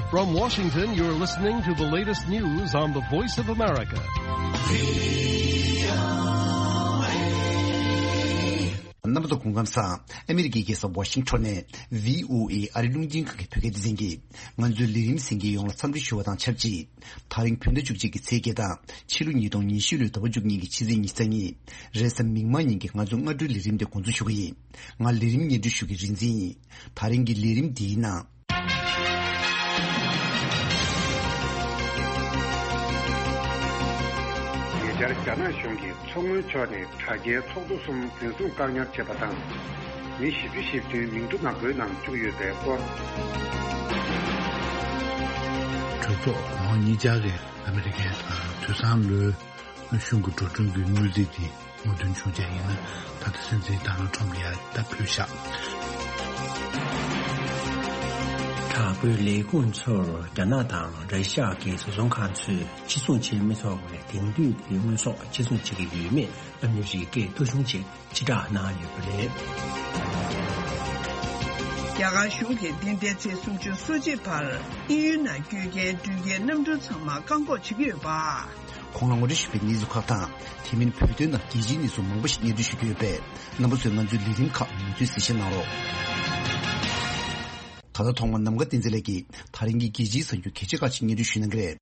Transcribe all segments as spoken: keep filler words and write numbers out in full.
From Washington, you're listening to the latest news on the Voice of America. རྣམ་པ་ཚོ་སྐུ་ཁམས་བཟང་། ཨ་མི་རི་ཀའི་རྒྱལ་ས་ཝ་ཤིང་ཊོན་ནས་བྷི་ཨོ་ཨེ་ཨ་རི་རླུང་འཕྲིན་ཁང་གི་བོད་སྐད་སྡེ་ཚན་གྱིས་ང་ཚོའི་ལས་རིམ་གསན་མཁན་ཡོངས་ལ་འཚམས་འདྲི་ཞུ་བ་དང་ཆབས་ཅིག་དེ་རིང་བོད་ཟླ་བཅུ་གཅིག་གི་ཚེས་བརྒྱད་དང་ཕྱི་ལོ་ཉིས་སྟོང་ཉི་ཤུ་ལོའི་ཟླ་བ་བཅུ་གཉིས་ཀྱི་ཕྱི་ཚེས་ཉི་ཤུ་རྩ་གཉིས། རེས་གཟའ་མིག་དམར་ཉིན་གྱི་ང་ཚོའི་སྔ་དྲོའི་ལས་རིམ་དེ་འགོ་འཛུགས་ཞུ་གི་ཡིན། ང་ལས་རིམ་སྙན་སྒྲོན་ཞུ་མཁན་རིག་འཛིན་ཡིན། དེ་རིང་གི་ལས་རིམ་འདིའི་ནང་། ཉེ་ཆར་རྒྱ་ནག་གཞུང་གིས་མཚོ་སྔོན་ཕྱོགས་ནས་དྲ་རྒྱའི་ཚོགས་གཙོ་གསུམ་འཛིན་བཟུང་བཀག་ཉར་བྱས་པ་དང་། མི་བཞི་བཅུ་ཞེ་བདུན་མིང་ཐོ་ནག་པོའི་ནང་བཅུག་ཡོད་པའི་སྐོར། གྲོས་ཚོགས་གོང་འོག་གཉིས་ཆར་གྱི་ཨ་མི་རི་ཀའི་དུས་བཟང་ལོའི་གཞུང་གི་འགྲོ་གྲོན་གྱི་དངུལ་རྩིས་དེ་སྔོག་འདོན་བྱུང་རྗེས་ཡིན་ན། ད་ལྟ་སྲིད་འཛིན་ཌོ་ནལ་ཊམ་ལ་ཡ་ད་ཕུལ་བཞག་དྲག་པོའི་ལས་ཁུངས་ཚོར་རྒྱ་ནག་དང་ར་ཤ་ཡ་གི་བཟོ་ཚོང་ཁང་ཚོས་གཅིག་མཚུངས་བྱེད་མི་ཆོག་པའི་དེང་དུས་ཀྱི་དངོས་ཟོག་གཅིག་མཚུངས་བྱེད་ཀྱི་ཡོད་མེད་ཨ་མི་རི་ཀས་ཐོ་གཞུང་ཅིག་ཕྱིར་བསྒྲགས་གནང་ཡོད་པ་རེད། རྒྱ་གར་གཞུང་གིས་འདི་ཟླའི་ཚེས་སུམ་ཅུ་སོ་གཅིག་བར་དབྱིན་ཡུལ་ནང་བསྐྱོད་མཁན་འགྲུལ་སྐྱེལ་གནམ་གྲུ་ཚང་མ་བཀག་འགོག་བྱེད་ཀྱི་ཡོད་པ། གོང་ལ་ངོ་སྤྲོད་ཞུས་པའི་གནས་ཚུལ་ཁག་དང་། དེ་མིན་བོད་དོན་དང་རྒྱལ་སྤྱིའི་གནས་ཚུལ་མང་པོ་ཞིག་སྙན་སྒྲོན་ཞུ་རྒྱུ་ཡོད་པས། རྣམ་པ་ཚོས་ང་ཚོའི་ལས་རིམ་ཁག་མུ་མཐུད་གཟིགས་བཞེས་གནང་རོགས། ད་ལྟ་ཐོག་མར་ནམ་མཁའ་བསྟན་འཛིན་ལགས་ཀྱིས་ད་རིང་གི་རྒྱལ་སྤྱིའི་གསར་འགྱུར་གལ་ཆེ་ཁག་ཅིག་སྙན་སྒྲོན་ཞུ་གནང་གི་རེད།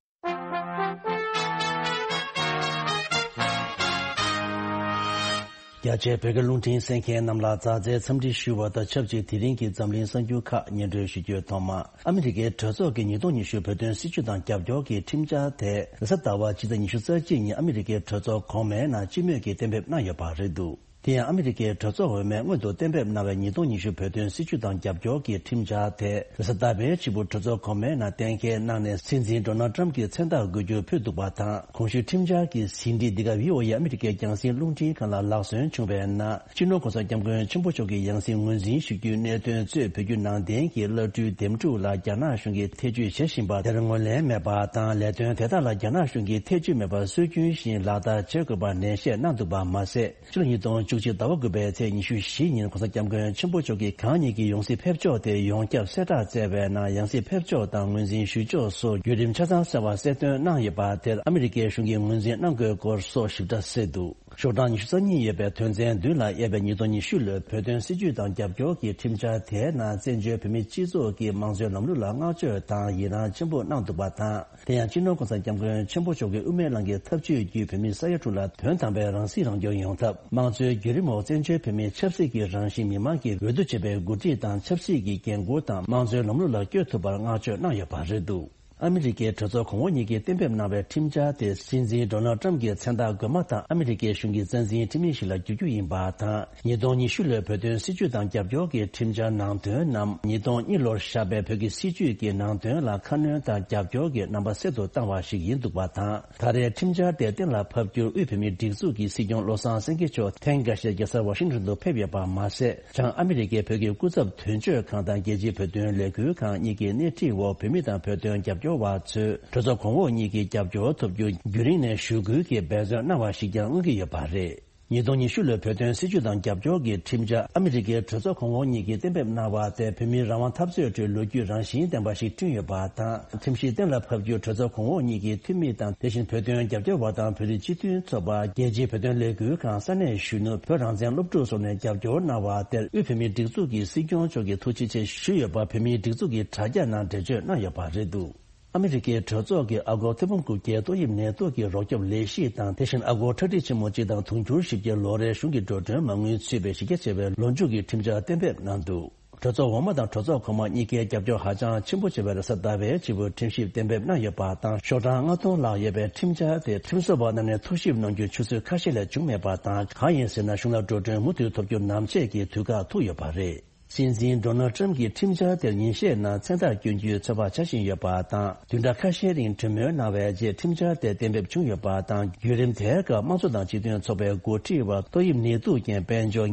རྒྱ་ཆེའི་བོད་སྐད་རླུང་འཕྲིན་གསན་མཁན་རྣམས་ལ་མཛའ་བརྩེའི་འཚམས་འདྲི་ཞུ་བ་དང་ཆབས་ཅིག་དེ་རིང་གི་འཛམ་གླིང་གསར་འགྱུར་ཁག་སྙན་སྒྲོན་ཞུ་རྒྱུའི་ཐོག་མ། ཨ་མི་རི་ཀའི་གྲོས་ཚོགས་ཀྱི་ཉིས་སྟོང་ཉི་ཤུ་བོད་དོན་སྲིད་བྱུས་དང་རྒྱབ་སྐྱོར་གྱི་ཁྲིམས་འཆར་དེ་རེས་གཟའ་ཟླ་བ་སྤྱི་ཟླ་ཉི་ཤུ་རྩ་གཅིག་ཉིན་ཨ་མི་རི་ཀའི་གྲོས་ཚོགས་གོང་མའི་ནང་སྤྱི་མོས་ཀྱིས་གཏན་འབེབས་གནང་ཡོད་པ་རེད་འདུག་དེ་ཡང་ཨ་མི་རི་ཀའི་གྲོས་ཚོགས་འོས་མས་སྔོན་དུ་གཏན་འབེབས་གནང་བའི་ཉིས་སྟོང་ཉི་ཤུ་བོད་དོན་སྲིད་བྱུས་དང་རྒྱབ་སྐྱོར་གྱི་ཁྲིམས་འཆར་དེ་རེས་གཟའ་ཟླ་བའི་ཕྱི་པོ་གྲོས་ཚོགས་གོང་མའི་ནང་གཏན་འཁེལ་གནང་ནས་སྲིད་འཛིན་ཌོ་ནལ་ཊམ་གྱི་མཚན་རྟགས་འགོད་རྒྱུ་ཕུལ་འདུག་པ་དང་། གོང་ཞུས་ཁྲིམས་འཆར་གྱི་ཟིན་བྲིས་འདི་ག་བྷི་ཨོ་ཨེ་ཨ་མི་རི་ཀའི་རྒྱང་སྲིང་རླུང་འཕྲིན་ཁང་ལ་ལག་སོན་བྱུང་བའི་ནང་སྤྱི་ནོར་གོང་ས་སྐྱབས་མགོན་ཆེན་པོ་མཆོག་གི་ཡང་སྲིད་ངོས་འཛིན་ཞུ་རྒྱུའི་གནད་དོན་གཙོས་བོད་བརྒྱུད་ནང་བསྟན་གྱི་བླ་སྤྲུལ་འདེམས་སྒྲུག་ལ་རྒྱ་ནག་གཞུང་གིས་ཐེ་བྱུས་བྱེད་བཞིན་པ་དེར་ངོས་ལེན་མེད་པ་དང་། ལས་དོན་དེ་དག་ལ་རྒྱ་ནག་གཞུང་གིས་ཐེ་བྱུས་མེད་པར་སྲོལ་རྒྱུན་བཞིན་ལག་བསྟར་བྱེད་དགོས་པར་ནན་བཤད་གནང་འདུག་པ་མ་ཟད། ཕྱི་ལོ་ཉིས་སྟོང་བཅུ་གཅིག་ཟླ་བ་དགུ་པའི་ཚེས་ཉི་ཤུ་བཞི་ཉིན་གོང་ས་སྐྱབས་མགོན་ཆེན་པོ་མཆོག་གིས་གང་ཉིད་ཀྱི་ཡང་སྲིད་ཕེབས་ཕྱོགས་དེ་ཡོངས་ཁྱབ་གསལ་བསྒྲགས་བསྩལ་བའི་ནང་། ཡང་སྲིད་ཕེབས་ཕྱོགས་དང་ངོས་འཛིན་ཞུ་ཕྱོགས་སོགས་བརྒྱུད་རིམ་ཆ་ཚང་གསལ་བ་གསལ་སྟོན་གནང་ཡོད་པ་དེར་ཨ་མི་རི་ཀའི་གཞུང་གིས་ངོས་འཛིན་གནང་དགོས་སྐོར་སོགས་ཞིབ་ཕྲ་གསལ་འདུག་ཤོག་གྲངས་ཉི་ཤུ་རྩ་གཉིས་ཡོད་པའི་དོན་ཚན་བདུན་ལ་དབྱེ་བའི་ཉིས་སྟོང་ཉི་ཤུ་ལོའི་བོད་དོན་སྲིད་བྱུས་དང་རྒྱབ་སྐྱོར་གྱི་ཁྲིམས་འཆར་དེའི་ནང་བཙན་བྱོལ་བོད་མིའི་སྤྱི་ཚོགས་ཀྱི་དམངས་གཙོའི་ལམ་ལུགས་ལ་བསྔགས་བརྗོད་དང་ཡི་རངས་ཆེན་པོ་གནང་འདུག་པ་དང་། དེ་ཡང་སྤྱི་ནོར་གོང་ས་སྐྱབས་མགོན་ཆེན་པོ་མཆོག་གིས་དབུ་མའི་ལམ་གྱི་ཐབས་ཇུས་བརྒྱུད་བོད་མི་ས་ཡ་དྲུག་ལ་དོན་དམ་པའི་རང་སྲིད་རང་སྐྱོང་ཡོང་ཐབས། དམངས་གཙོའི་བརྒྱུད་རིམ་འོག་བཙན་བྱོལ་བོད་མིའི་ཆབ་སྲིད་ཀྱི་རང་བཞིན་མི་དམངས་ཀྱིས་འོས་བསྡུ་བྱས་པའི་འགོ་ཁྲིད་དང་ཆབ་སྲིད་ཀྱི་འགན་འཁུར་དང་དམངས་གཙོའི་ལམ་ལུགས་ལ་བསྐྱོད་ཐུབ་པར་བསྔགས་བརྗོད་གནང་ཡོད་པ་རེད་འདུག་ཨ་མི་རི་ཀའི་གྲོས་ཚོགས་གོང་འོག་གཉིས་ཀྱིས་གཏན་འབེབས་གནང་བའི་ཁྲིམས་འཆར་དེ་སྲིད་འཛིན་ཌོ་ནལ་ཊམ་གྱི་མཚན་རྟགས་འགོད་མ་ཐག་ཨ་མི་རི་ཀའི་གཞུང་གི་རྩ་འཛིན་འཐུས་མི་ཞིག་ལ་བསྒྱུར་རྒྱུ་ཡིན་པ་དང་། ཉིས་སྟོང་ཉི་ཤུ་ལོའི་བོད་དོན་སྲིད་བྱུས་དང་རྒྱབ་སྐྱོར་གྱི་ཁྲིམས་འཆར་ནང་དོན་རྣམས་ཉིས་སྟོང་གཉིས་ལོར་བཞག་པའི་བོད་ཀྱི་སྲིད་བྱུས་ཀྱི་ནང་དོན་ལ་ཁ་སྣོན་དང་རྒྱབ་སྐྱོར་གྱི་རྣམ་པ་གསལ་དུ་བཏང་བ་ཞིག་ཡིན་འདུག་པ་དང་། ད་རེས་ཁྲིམས་འཆར་དེ་གཏན་ལ་ཕབ་རྒྱུར་དབུས་བོད་མིའི་སྒྲིག་འཛུགས་ཀྱི་སྲིད་སྐྱོང་བློ་བཟང་སེང་གེ་མཆོག་ཐེངས་འགའ་ཤས་རྒྱལ་ས་ཝ་ཤིང་ཊོན་དུ་ཕེབས་ཡོད་པ་མ་ཟད། བྱང་ཨ་མི་རི་ཀའི་བོད་ཀྱི་སྐུ་ཚབ་དོན་གཅོད་ཁང་དང་རྒྱལ་སྤྱིའི་བོད་དོན་ལས་འགུལ་ཁང་གཉིས་ཀྱི་སྣེ་ཁྲིད་འོག་བོད་མི་དང་བོད་དོན་རྒྱབ་སྐྱོར་བ་ཚོས་གྲོས་ཚོགས་གོང་འོག་གཉིས་ཀྱི་རྒྱབ་སྐྱོར་ཐོབ་རྒྱུ་རྒྱུན་རིང་ནས་ཞུ་སྐུལ་གྱིས་འབད་བརྩོན་གནང་བ་ཞིག་ཀྱང་མངོན་གྱི་ཡོད་པ་རེད། ཉིས་སྟོང་ཉི་ཤུ་ལོའི་བོད་དོན་སྲིད་བྱུས་དང་རྒྱབ་སྐྱོར་གྱི་ཁྲིམས་འཆར་ཨ་མི་རི་ཀའི་གྲོས་ཚོགས་གོང་འོག་གཉིས་ཀྱིས་གཏན་འབེབས་གནང་བ་དེ་བོད་མིའི་རང་དབང་འཐབ་རྩོད་ཁྲོད་ལོ་རྒྱུས་རང་བཞིན་ལྡན་པ་ཞིག་བསྐྲུན་ཡོད་པ་དང་། ཁྲིམས་གཞི་གཏན་ལ་ཕབ་རྒྱུར་གྲོས་ཚོགས་གོང་འོག་གཉིས་ཀྱི་འཐུས་མི་དང་། དེ་བཞིན་བོད་དོན་རྒྱབ་སྐྱོར་བ་དང་བོད་རིགས་སྤྱི་མཐུན་ཚོགས་པ། རྒྱལ་སྤྱིའི་བོད་དོན་ལས་འགུལ་ཁང་། ས་གནས་གཞོན་ནུ། བོད་རང་བཙན་སློབ་ཕྲུག་སོགས་ནས་རྒྱབ་སྐྱོར་གནང་བ་དེར་དབུས་བོད་མིའི་སྒྲིག་འཛུགས་ཀྱི་སྲིད་སྐྱོང་མཆོག་གིས་ཐུགས་རྗེ་ཆེ་ཞུས་ཡོད་པ་བོད་མིའི་སྒྲིག་འཛུགས་ཀྱི་དྲ་རྒྱ་ནང་འགྲེལ་བརྗོད་གནང་ཡོད་པ་རེད་འདུག་ཨ་མི་རི་ཀའི་གྲོས་ཚོགས་ཀྱིས་ཨ་སྒོར་ཐེར་འབུམ་དགུ་བརྒྱའི་ཏོག་དབྱིབས་ནད་དུག་གི་རོགས་སྐྱོབ་ལས་གཞི་དང་། དེ་བཞིན་ཨ་སྒོར་ཁྲག་ཁྲིག་ཆེན་མོ་གཅིག་དང་དུང་ཕྱུར་བཞི་བརྒྱའི་ལོ་རེའི་གཞུང་གི་འགྲོ་གྲོན་མ་དངུལ་ཚུད་པའི་གཞི་རྒྱ་ཆེ་བའི་ལོ་མཇུག་གི་ཁྲིམས་འཆར་གཏན་འབེབས་གནང་འདུག་གྲོས་ཚོགས་འོག་མ་དང་གྲོས་ཚོགས་གོང་མ་གཉིས་ཀའི་རྒྱབ་སྐྱོར་ཧ་ཅང་ཆེན་པོ་བྱས་པའི་རེས་གཟའ་ཟླ་བའི་ཕྱི་པོའི་ཁྲིམས་ཞིབ་གཏན་འབེབས་གནང་ཡོད་པ་དང་། ཤོག་གྲངས་ལྔ་སྟོང་ལྷག་ཡོད་པའི་ཁྲིམས་འཆར་དེ་ཁྲིམས་བཟོ་བ་རྣམས་ནས་ཐུགས་ཞིབ་གནང་རྒྱུའི་ཆུ་ཚོད་ཁ་ཤས་ལས་བྱུང་མེད་པ་དང་། གང་ཡིན་ཟེར་ན། གཞུང་ལ་འགྲོ་གྲོན་མུ་མཐུད་ཐོབ་རྒྱུ་ནམ་ཕྱེད་ཀྱི་དུས་བཀག་ཐུག་ཡོད་པ་རེད། སྲིད་འཛིན་ཌོ་ནལ་ཊམ་གྱིས་ཁྲིམས་འཆར་དེར་ཉིན་ཤས་ནང་མཚན་རྟགས་བསྐྱོན་རྒྱུའི་ཚོད་དཔག་བྱ་བཞིན་ཡོད་པ་དང་། བདུན་ཕྲག་ཁ་ཤས་རིང་གྲོས་མོལ་གནང་བའི་རྗེས་ཁྲིམས་འཆར་དེ་གཏན་འབེབས་བྱུང་ཡོད་པ་དང་། བརྒྱུད་རིམ་དེའི་སྐབས་དམངས་གཙོ་དང་སྤྱི་མཐུན་ཚོགས་པའི་འགོ་ཁྲིད་པ་ཏོག་དབྱིབས་ནད་དུག་རྐྱེན་དཔལ་འབྱོར་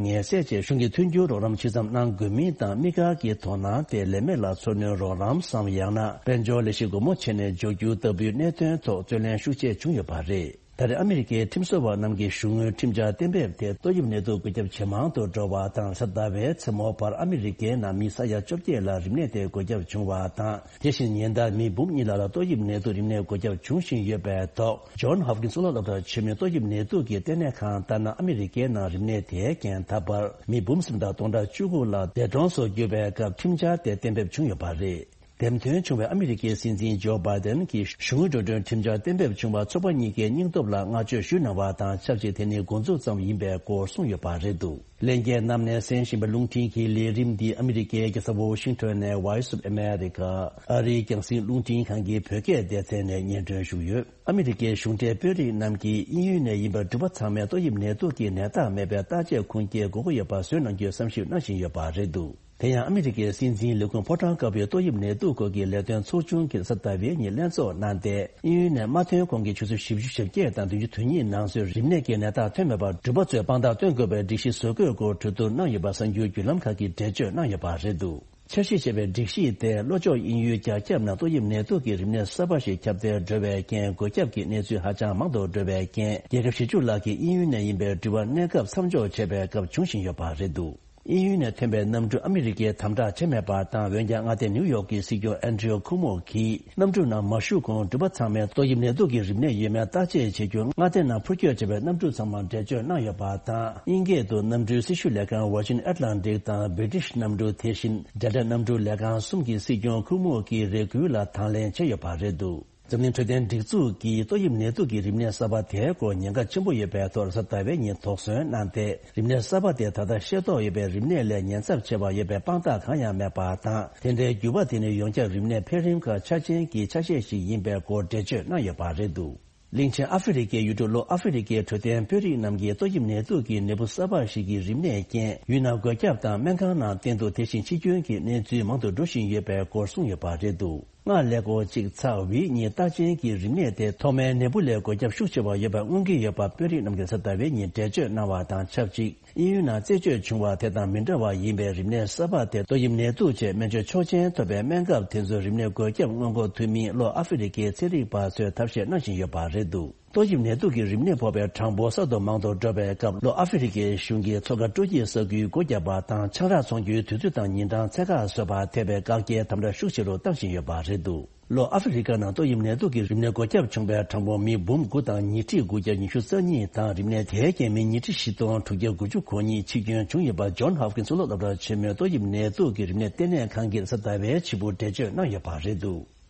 ངལ་སེལ་ཆེད་གཞུང་གི་མཐུན་འགྱུར་རོགས་རམ་ཇི་ཙམ་གནང་དགོས་མིན་དང་། དམིགས་བཀར་གྱི་དོ་སྣང་དེ་ལས་མེད་ལ་འཚོ་སྣོན་རོགས་རམ་སམ། ཡང་ན་དཔལ་འབྱོར་ལས་གཞི་སྒོ་མོ་ཕྱེ་ནས་འཇོག་རྒྱུ་ལྟ་བུའི་གནད་དོན་ཐོག་རྩོད་གླེང་ཤུགས་ཆེ་བྱུང་ཡོད་པ་རེད། ད་རེས་ཨ་མི་རི་ཀའི་ཁྲིམས་བཟོ་བ་རྣམས་ཀྱིས་གཞུང་དངུལ་ཁྲིམས་འཆར་གཏན་འབེབས་དེ་ཏོག་དབྱིབས་ནད་དུག་འགོས་ཁྱབ་ཇེ་མང་དུ་འགྲོ་བ་དང་། གཟའ་ཟླ་བའི་མཚན་མོ་བར་ཨ་མི་རི་ཀའི་ནང་མི་ས་ཡ་བཅོ་བརྒྱད་ལ་རིམས་ནད་དེ་འགོས་ཁྱབ་བྱུང་བ་དང་། དེ་བཞིན་ཉིན་ལྟར་མི་འབུམ་གཉིས་ལྷག་ལ་ཏོག་དབྱིབས་ནད་དུག་རིམས་ནད་འགོས་ཁྱབ་འབྱུང་བཞིན་ཡོད་པའི་ཐོག་ཇོན་ཧོབ་ཀིན་གཙུག་ལག་སློབ་གྲྭ་ཆེན་མོའི་ཏོག་དབྱིབས་ནད་དུག་གི་ལྟེ་གནས་ཁང་ལྟར་ན། ཨ་མི་རི་ཀའི་ནང་རིམས་ནད་དེའི་རྐྱེན་ད་བར་མི་འབུམ་གསུམ་དང་སྟོང་ཕྲག་བཅུ་དགུ་ལ་འདས་གྲོངས་སུ་གྱུར་བའི་སྐབས་ཁྲིམས་འཆར་དེ་གཏན་འབེབས་བྱུང་ཡོད་པ་རེད། འདེམས་ཐོན་བྱུང་བའི་ཨ་མི་རི་ཀའི་སྲིད་འཛིན་ཇོ་བྷའི་ཏན་གྱིས་གཞུང་དངུལ་འགྲོ་གྲོན་ཁྲིམས་འཆར་གཏན་འབེབས་བྱུང་བ་ཚོགས་པ་གཉིས་ཀའི་སྙིང་སྟོབས་ལ་བསྔགས་བརྗོད་ཞུས་གནང་བ་དང་ཆབས་ཅིག་དེ་ནི་འགོ་འཛུགས་ཙམ་ཡིན་པའི་སྐོར་གསུངས་ཡོད་པ་རེད་འདུག་ལྷན་རྒྱས་རྣམས་ནས་གསན་བཞིན་པའི་རླུང་འཕྲིན་གྱི་ལས་རིམ་འདི་ཨ་མི་རི་ཀའི་རྒྱལ་ས་ཝོ་ཤིང་ཊོན་ནས་Voice of America ཨ་རིའི་རྒྱང་སྲིང་རླུང་འཕྲིན་ཁང་གི་བོད་སྐད་སྡེ་ཚན་ནས་སྙན་སྒྲོན་ཞུས་ཡོད། ཨ་མི་རི་ཀའི་གཞུང་འབྲེལ་དཔོན་རིགས་རྣམས་ཀྱིས་དབྱིན་ཡུལ་ནས་ཡིན་པའི་འགྲུལ་པ་ཚང་མས་ཏོག་དབྱིབས་ནད་དུག་གི་ནད་རྟགས་མེད་པའི་བརྟག་དཔྱད་ཁུངས་སྐྱེལ་དགོས་ཀྱི་ཡོད་པ་བཟོས་གནང་རྒྱུའི་བསམ་ཞིབ་གནང་བཞིན་ཡོད་པ་རེད་འདུག་དེ་ཡང་ཨ་མི་རི་ཀའི་སྲིད་འཛིན་ལས་ཁུངས་ཕོ་བྲང་དཀར་པོའི་ཏོག་དབྱིབས་ནད་དུག་སྐོར་གྱི་ལས་དོན་ཚོགས་ཆུང་གིས་གཟའ་ཟླ་བའི་ཉིན་ལྷན་ཚོགས་གནང་སྟེ། དབྱིན་ཡུལ་ནས་མ་ཐོན་གོང་གི་ཆུ་ཚོད་བཞི་བཅུ་ཞེ་བརྒྱད་དང་བདུན་ཅུ་དོན་གཉིས་ནང་ཚུད་རིམས་ནད་ཀྱི་ནད་རྟགས་ཐོན་མེད་པར་འགྲུལ་པ་ཚོས་དཔང་རྟགས་སྟོན་དགོས་པའི་སྒྲིག་གཞི་བཟོ་དགོས་སྐོར་གྲོས་བསྡུར་གནང་ཡོད་པ་གསར་འགྱུར་བརྒྱུད་ལམ་ཁག་གིས་འགྲེལ་བརྗོད་གནང་ཡོད་པ་རེད་འདུག་འཆར་གཞི་བྱས་པའི་སྒྲིག་གཞི་དེ་ལྷོ་ཕྱོགས་དབྱིན་ཡུལ་རྒྱ་ཁྱབ་ནང་ཏོག་དབྱིབས་ནད་དུག་གི་རིམས་ནད་གསར་པ་ཞིག་ཁྱབ་གདལ་འགྲོ་བའི་རྐྱེན། འགོས་ཁྱབ་ཀྱི་གནས་ཚུལ་ཧ་ཅང་མང་དུ་འགྲོ་བའི་རྐྱེན། རྒྱལ་ཁབ་བཞི་བཅུ་ལྷག་གི་དབྱིན་ཡུལ་ནས་ཡིན་པའི་འགྲུལ་པ་གནས་སྐབས་མཚམས་འཇོག་བྱས་པའི་སྐབས་བྱུང་བཞིན་ཡོད་པ་རེད་འདུག་དབྱིན་ཡུལ་ནས་ཐོན་པའི་གནམ་གྲུ་ཨ་མི་རི་ཀས་དམ་དྲག་བྱས་མེད་པ་དང་། འོན་ཀྱང་མངའ་སྡེ་ནིའུ་ཡོག་གི་སྲིད་སྐྱོང་ཨན་ཌྲིའུ་ཁུ་མོ་གིས་གནམ་གྲུ་ནང་མ་ཞུགས་གོང་འགྲུལ་པ་ཚང་མས་ཏོག་དབྱིབས་ནད་དུག་གི་རིམས་ནད་ཡོད་མེད་བརྟག་དཔྱད་བྱེད་རྒྱུར་མངའ་སྡེ་ནང་འཕུར་སྐྱོད་བྱས་པའི་གནམ་གྲུ་ཚང་མར་འགྲེལ་བརྗོད་གནང་ཡོད་པ་དང་། དབྱིན་སྐད་དུ་གནམ་གྲུའི་སྲི་ཞུ་ལས་ཁང་Virgin Atlantic དང་British གནམ་གྲུ། དེ་བཞིན་Delta གནམ་གྲུ་ལས་ཁང་གསུམ་གྱི་སྲིད་སྐྱོང་ཁུ་མོ་གིས་རེ་སྐུལ་ལ་དང་ལེན་བྱས་ཡོད་པ་རེད་འདུག་འཛམ་གླིང་འཕྲོད་བསྟེན་སྒྲིག་འཛུགས་ཀྱིས་ཏོག་དབྱིབས་ནད་དུག་གི་རིམས་ནད་གསར་པ་དེའི་སྐོར་ཉེན་ཁ་ཆེན་པོ་ཡོད་པའི་ཐོག་གཟའ་ཟླ་བའི་ཉིན་དོགས་ཟོན་གནང་སྟེ། རིམས་ནད་གསར་པ་དེ་ད་ལྟ་ཤེས་རྟོགས་ཡོད་པའི་རིམས་ནད་ལས་ཉེན་ཚབས་ཆེ་བ་ཡོད་པའི་དཔང་རྟགས་གང་ཡང་མེད་པ་དང་། དེ་འདྲའི་འགྱུར་བ་དེ་ནི་ཡོངས་ཁྱབ་རིམས་ནད་འཕེལ་རིམ་ཁག་ཆ་ཅན་གྱི་ཆ་ཤས་ཤིག་ཡིན་པའི་སྐོར་འགྲེལ་བརྗོད་གནང་ཡོད་པ་རེད་འདུག་གླིང་ཆེན་ཨ་ཧྥེ་རི་ཁའི་ཡུལ་གྲུ་ལྷོ་ཨ་ཧྥེ་རི་ཁའི་འཕྲོད་བསྟེན་དཔོན་རིགས་རྣམས་ཀྱིས་ཏོག་དབྱིབས་ནད་དུག་གི་ནད་འབུ་གསར་པ་ཞིག་གི་རིམས་ནད་རྐྱེན་ཡུལ་ནང་འགོས་ཁྱབ་དང་སྨན་ཁང་ནང་བསྟེན་གཏུག་དེ་བཞིན་འཆི་སྐྱོན་གྱི་གནས་ཚུལ་མང་དུ་འགྲོ་བཞིན་ཡོད་པའི་སྐོར་གསུངས་ཡོད་པ་རེད་འདུག་སྔར་ལས་འགོ་གཅིག་ཚ་བི་གཉིས་རྟགས་ཅན་གྱི་རིམས་ནད་དེ་ཐོག་མའི་ནད་འབུ་ལས་འགོས་ཁྱབ་ཤུགས་ཆེ་བ་ཡོད་པ་མངོན་གྱི་ཡོད་པ་དཔོན་རིགས་རྣམས་ཀྱིས་གཟའ་ཟླ་བའི་ཉིན་འགྲེལ་བརྗོད་གནང་བ་དང་ཆབས་ཅིག་དབྱིན་ཡུལ་ནང་རྩད་གཅོད་བྱུང་བ་དེ་དང་མི་འདྲ་བ་ཡིན་པའི་རིམས་ནད་གསར་པ་དེ་ཏོག་དབྱིབས་ནད་དུག་ཅེས་སྨན་བཅོས་ཆོག་མཆན་ཐོབ་པའི་སྨན་ཁབ་དེ་ཚོའི་རིམས་ནད་འགོས་ཁྱབ་སྔོན་འགོག་ཐུབ་མིན་ལྷོ་ཨ་ཧྥེ་རི་ཁའི་ཚན་རིག་པ་ཚོས་ཐབས་ཤེས་གནང་བཞིན་ཡོད་པ་རེད་འདུག་ཏོག་དབྱིབས་ནད་དུག་གི་རིམས་ནད་ཕོག་པའི་གྲངས་འབོར་གསར་དུ་མང་དུ་འགྲོ་བའི་སྐབས་ལྷོ་ཨ་ཧྥེ་རི་ཁའི་གཞུང་གིས་མཚོ་ཁ་སྤྲོ་སྐྱིད་ས་ཁུལ་སྒོ་བརྒྱབ་པ་དང་ཆང་རག་འཚོང་རྒྱུའི་དུས་ཚོད་དང་ཉིན་གྲངས་ཕྱེད་ཀ་བཟོས་པ་ཐེ་བའི་བཀག་རྒྱའི་དམ་དྲག་ཤུགས་ཆེ་རུ་བཏང་བཞིན་ཡོད་པ་རེད་འདུག་ལྷོ་ཨ་ཧྥེ་རི་ཁ་ནང་ཏོག་དབྱིབས་ནད་དུག་གི་རིམས་ནད་འགོས་ཁྱབ་བྱུང་བའི་གྲངས་འབོར་མི་འབུམ་དགུ་དང་ཉིས་ཁྲི་དགུ་བརྒྱ་ཉི་ཤུ་རྩ་གཉིས་དང་རིམས་ནད་དེའི་རྐྱེན་མི་ཉིས་ཁྲི་བཞི་སྟོང་དྲུག་བརྒྱ་དགུ་བཅུ་གོ་གཉིས་འཆི་སྐྱོན་བྱུང་ཡོད་པ་ཇོན་ཧོབ་ཀིན་གཙུག་ལག་སློབ་གྲྭ་ཆེན་མོའི་ཏོག་དབྱིབས་ནད་དུག་གི་རིམས་ནད་ལྟེ་གནས་ཁང་གིས་གཟའ་ཟླ་བའི་ཕྱི་པོ་འགྲེལ་བརྗོད་གནང་ཡོད་པ་རེད་འདུག་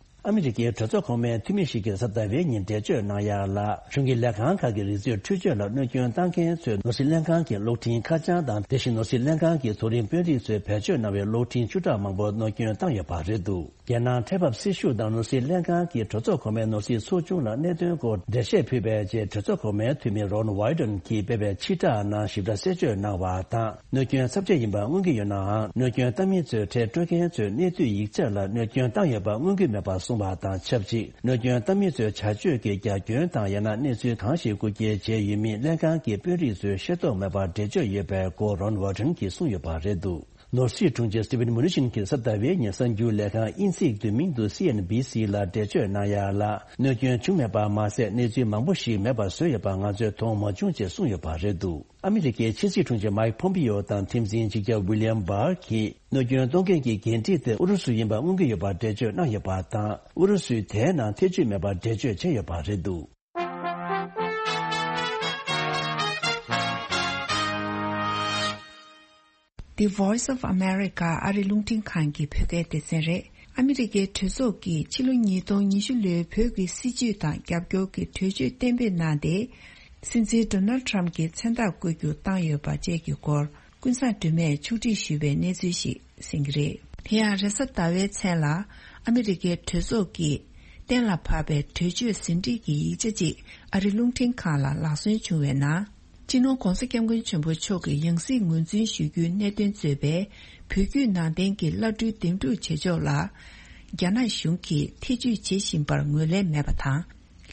ཨ་མི་རི་ཀའི་གྲོས་ཚོགས་གོང་མའི་འཐུས་མི་ཞིག་གིས་གཟའ་ཟླ་བའི་ཉིན་འགྲེལ་བརྗོད་གནང་ཡ་ལ། གཞུང་གི་ལས་ཁང་ཁག་གི་རིག་རྩལ་འཕྲུལ་ཆས་ལ་གནོད་སྐྱོན་བཏང་མཁན་ཚོས་ནོར་སྲིད་ལྷན་ཁང་གི་གློག་འཕྲིན་ཁ་བྱང་དང་། དེ་བཞིན་ནོར་སྲིད་ལྷན་ཁང་གི་མཐོ་རིམ་དཔོན་རིགས་ཚོས་བེད་སྤྱོད་གནང་བའི་གློག་འཕྲིན་བཅུ་ཕྲག་མང་པོར་གནོད་སྐྱོན་བཏང་ཡོད་པ་རེད་འདུག་རྒྱལ་ནང་འཕྲལ་ཕབ་སྲི་ཞུ་དང་ནོར་སྲིད་ལྷན་ཁང་གིས་གྲོས་ཚོགས་གོང་མའི་ནོར་སྲིད་ཚོགས་ཆུང་ལ་གནད་དོན་སྐོར་འགྲེལ་བཤད་ཕུལ་བའི་རྗེས། གྲོས་ཚོགས་གོང་མའི་འཐུས་མི་རོན་ཝའི་ཌོན་གྱིས་སྤེལ་བའི་ཕྱིར་བསྒྲགས་ནང་ཞིབ་ཕྲ་གསལ་བརྗོད་གནང་བ་དང་། གནོད་སྐྱོན་ཚབས་ཆེ་ཡིན་པ་མངོན་གྱི་ཡོད་ནའང་། གནོད་སྐྱོན་བཏང་མི་ཚོས་ཁྲལ་སྤྲོད་མཁན་ཚོའི་གནས་ཚུལ་ཡིག་ཆ་ལ་གནོད་སྐྱོན་བཏང་ཡོད་པ་མངོན་གྱི་མེད་པ་གསུངས་པ་དང་ཆབས་ཅིག་གནོད་སྐྱོན་བཏང་མི་ཚོའི་བྱ་སྤྱོད་ཀྱི་རྒྱ་ཁྱོན་དང་། ཡང་ན་གནས་ཚུལ་གང་ཞིག་རྐུ་འཁྱེར་བྱས་ཡོད་མེད་ལྷན་ཁང་གི་དཔོན་རིགས་ཚོས་ཤེས་རྟོགས་མེད་པར་འགྲེལ་བརྗོད་ཡོད་པའི་སྐོར་རོན་ཝར་ཊོན་གྱིས་གསུངས་ཡོད་པ་རེད་འདུག་ནོར་སྲིད་དྲུང་ཆེ་སི་ཊི་ཝེན་མུ་ནི་ཤིན་གྱིས་གཟའ་ཟླ་བའི་ཉིན་གསར་འགྱུར་ལས་ཁང་དབྱིན་ཚིག་བསྡུས་མིང་དུ་སི་ཨེན་བྷི་སི་ལ་འགྲེལ་བརྗོད་གནང་ཡ་ལ། གནོད་སྐྱོན་བྱུང་མེད་པ་མ་ཟད། གནས་ཚུལ་མང་པོ་ཞིག་མེད་པར་བཟོས་ཡོད་པ་ང་ཚོས་མཐོང་མ་བྱུང་ཅེས་གསུངས་ཡོད་པ་རེད་འདུག་ཨ་མི་རི་ཀའི་ཕྱི་སྲིད་དྲུང་ཆེ་མའིག་ཕོམ་པི་ཡོ་དང་ཁྲིམས་འཛིན་གཅིག་ཁྱབ་ཝི་ལི་ཡམ་བྷར་གྱིས་གནོད་སྐྱོན་གཏོང་མཁན་གྱི་འགན་འཁྲི་དེ་ཨུ་རུ་སུ་ཡིན་པ་མངོན་གྱི་ཡོད་པར་འགྲེལ་བརྗོད་གནང་ཡོད་པ་དང་། ཨུ་རུ་སུས་དེའི་ནང་ཐེ་བྱུས་མེད་པར་འགྲེལ་བརྗོད་བྱས་ཡོད་པ་རེད་འདུག The Voice of America ཨ་རི་རླུང་འཕྲིན་ཁང་གི་བོད་སྐད་སྡེ་ཚན་རེད། ཨ་མི་རི་ཀའི་གྲོས་ཚོགས་ཀྱིས་ཕྱི་ལོ་ཉིས་སྟོང་ཉི་ཤུ་ལོའི་བོད་ཀྱི་སྲིད་བྱུས་དང་རྒྱབ་སྐྱོར་གྱི་གྲོས་ཆོད་གཏན་འབེབས་གནང་སྟེ། སྲིད་འཛིན་ཌོ་ནལ་ཊམ་གྱི་མཚན་རྟགས་བཀོད་རྒྱུ་བཏང་ཡོད་པ་བཅས་ཀྱི་སྐོར། ཀུན་བཟང་སྒྲོལ་མས་ཕྱོགས་སྒྲིག་ཞུས་པའི་གནས་ཚུལ་ཞིག་གསན་གྱི་རེད། དེ་ཡང་རེས་གཟའ་ཟླ་བའི་མཚན་ལ་ཨ་མི་རི་ཀའི་གྲོས་ཚོགས་ཀྱིས་གཏན་ལ་ཕབ་པའི་གྲོས་ཆོད་ཟིན་བྲིས་ཀྱི་ཡིག་ཆ་གཅིག་ཨ་རི་རླུང་འཕྲིན་ཁང་ལ་ལག་སོན་བྱུང་བའི་ནང་། སྤྱི་ནོར་༧གོང་ས་༧སྐྱབས་མགོན་ཆེན་པོ་མཆོག་གི་ཡང་སྲིད་ངོས་འཛིན་ཞུ་རྒྱུའི་གནད་དོན་གཙོས་པའི་བོད་བརྒྱུད་ནང་བསྟན་གྱི་བླ་སྤྲུལ་འདེམས་སྒྲུག་བྱེད་ཕྱོགས་ལ། རྒྱ་ནག་གཞུང་གིས་ཐེ་བྱུས་བྱེད་བཞིན་པར་ངོས་ལེན་མེད་པ་དང་།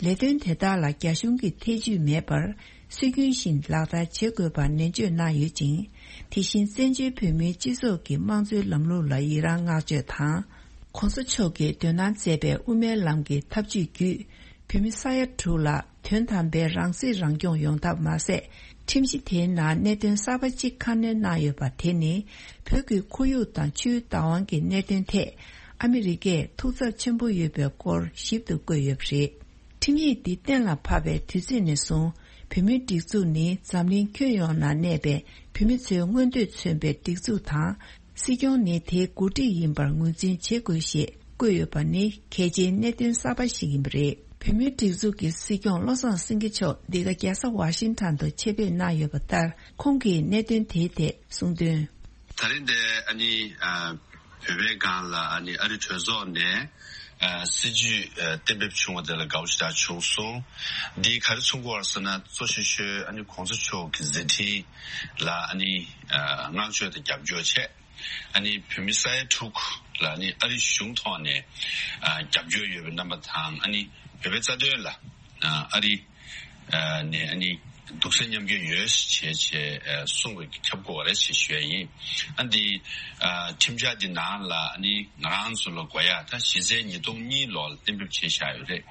ལས་དོན་དེ་དག་ལ་རྒྱ་གཞུང་གིས་ཐེ་བྱུས་མེད་པར་སྲོལ་རྒྱུན་བཞིན་ལག་བསྟར་བྱེད་དགོས་པར་ནན་བརྗོད་གནང་ཡོད་ཅིང་། དེ་བཞིན་བཙན་བྱོལ་བོད་མིའི་སྤྱི་ཚོགས་ཀྱི་དམངས་གཙོའི་ལམ་ལུགས་ལ་ཡི་རང་བསྔགས་བརྗོད་དང་། ༧གོང་ས་མཆོག་གིས་འདོད་སྣང་མཛད་པའི་དབུ་མའི་ལམ་གྱི་ཐབས་ཇུས་བརྒྱུད། བོད་ བོད་མི་ས་ཡ་དྲུག་ལ་དོན་དམ་པའི་རང་སྲིད་རང་སྐྱོང་ཡོང་ཐབས་མ་ཟད། ཁྲིམས་གཞི་དེའི་ནང་གནད་དོན་གསར་པ་གཅིག་ཁ་སྣོན་གནང་ཡོད་པ་དེ་ནི། བོད་ཀྱི་ཁོར་ཡུག་དང་ཆུའི་བདག་དབང་གི་གནད་དོན་ཐད། ཨ་མི་རི་ཀས་ཐུགས་འཚབ་ཆེན་པོ་ཡོད་པའི་སྐོར་ཞིབ་ཏུ་བཀོད་ཡོད་པ་རེད། ཁྲིམས་ཡིག་འདི་གཏན་ལ་ཕབ་པའི་དུས་ཚོད་ནས་བཟུང་། བོད་མིའི་སྒྲིག་འཛུགས་ནི་འཛམ་གླིང་ཁྱོན་ཡོངས་ན་གནས་པའི་བོད་མི་ཚོའི་མངོན་འདོད་མཚོན་པའི་སྒྲིག་འཛུགས་དང་། སྲིད་སྐྱོང་ནི་དེའི་འགོ་ཁྲིད་ཡིན་པར་ངོས་འཛིན་བྱེད་དགོས་ཞེས་བཀོད་ཡོད་པ་ནི་གལ་ཆེའི་གནད་དོན་གསར་པ་ཞིག་ཡིན་པ་རེད། བོད་མིའི་སྒྲིག་འཛུགས་ཀྱི་སྲིད་སྐྱོང་བློ་བཟང་སེང་གེ་མཆོག་འདི་ག་རྒྱལ་ས་ཝ་ཤིང་ཊོན་དུ་ཆེད་ཕེབས་གནང་ཡོད་པ་ལྟར། ཁོང་གིས་གནད་དོན་དེའི་ཐད་གསུངས་དོན། ད་རིང་འདི་ཨ་ནི་ཨ། བོད་པའི་སྒང་ལ་ཨ་ནི་ཨ་རི་གྲོས་ཚོགས་ནས་ཨ། སྲིད་ཇུས་ཨ། གཏན་འབེབས་བྱུང་བ་དེ་ལ་དགའ་བོ་ཞེ་དྲག་བྱུང་སོང་། འདིས་ག་རེ་མཚོན་གྱི་ཡོད་རེད་ཟེར་ན། གཙོ་ཆེ་ཤོས་ཨ་ནི་གོང་ས་མཆོག་གི་མཛད་འཕྲིན་ལ་ཨ་ནི་ཨ། བསྔགས་བརྗོད་དང་རྒྱབ་སྐྱོར་བྱས། ཨ་ནི་བོད་མི་ས་ཡ་དྲུག་ལ་ཨ་ནི་ཨ་རི་གཞུང་ཐོག་ནས་ཨ། རྒྱབ་སྐྱོར་ཡོད་པའི་རྣམ་པ་དང་། ཨ་ནི་བོད་པའི་རྩ་དོན་ལ་ཨ། ཨ་རི་ནས་ཨ་ནི་འདུག་སེམས་མཉམ་སྐྱེད་ཡོད་ཅེས་བྱས་གསུངས་པའི་ཁྱབ་དགོས་པ་རེད་ཅེས་ཞུ་ཡ་ཡིན། ཨ་འདི་ཨ། ཁྲིམས་འཆར་འདི་ནང་ལ་ཨ་ནི་ང་རང་ཚོ་ལ་དགོས་ཡ་ད་གཞི་རྩའི་ཉིས་སྟོང་གཉིས་ལོ་ལ་གཏན་འབེབས་བྱས་བཞག་ཡོད་རེད།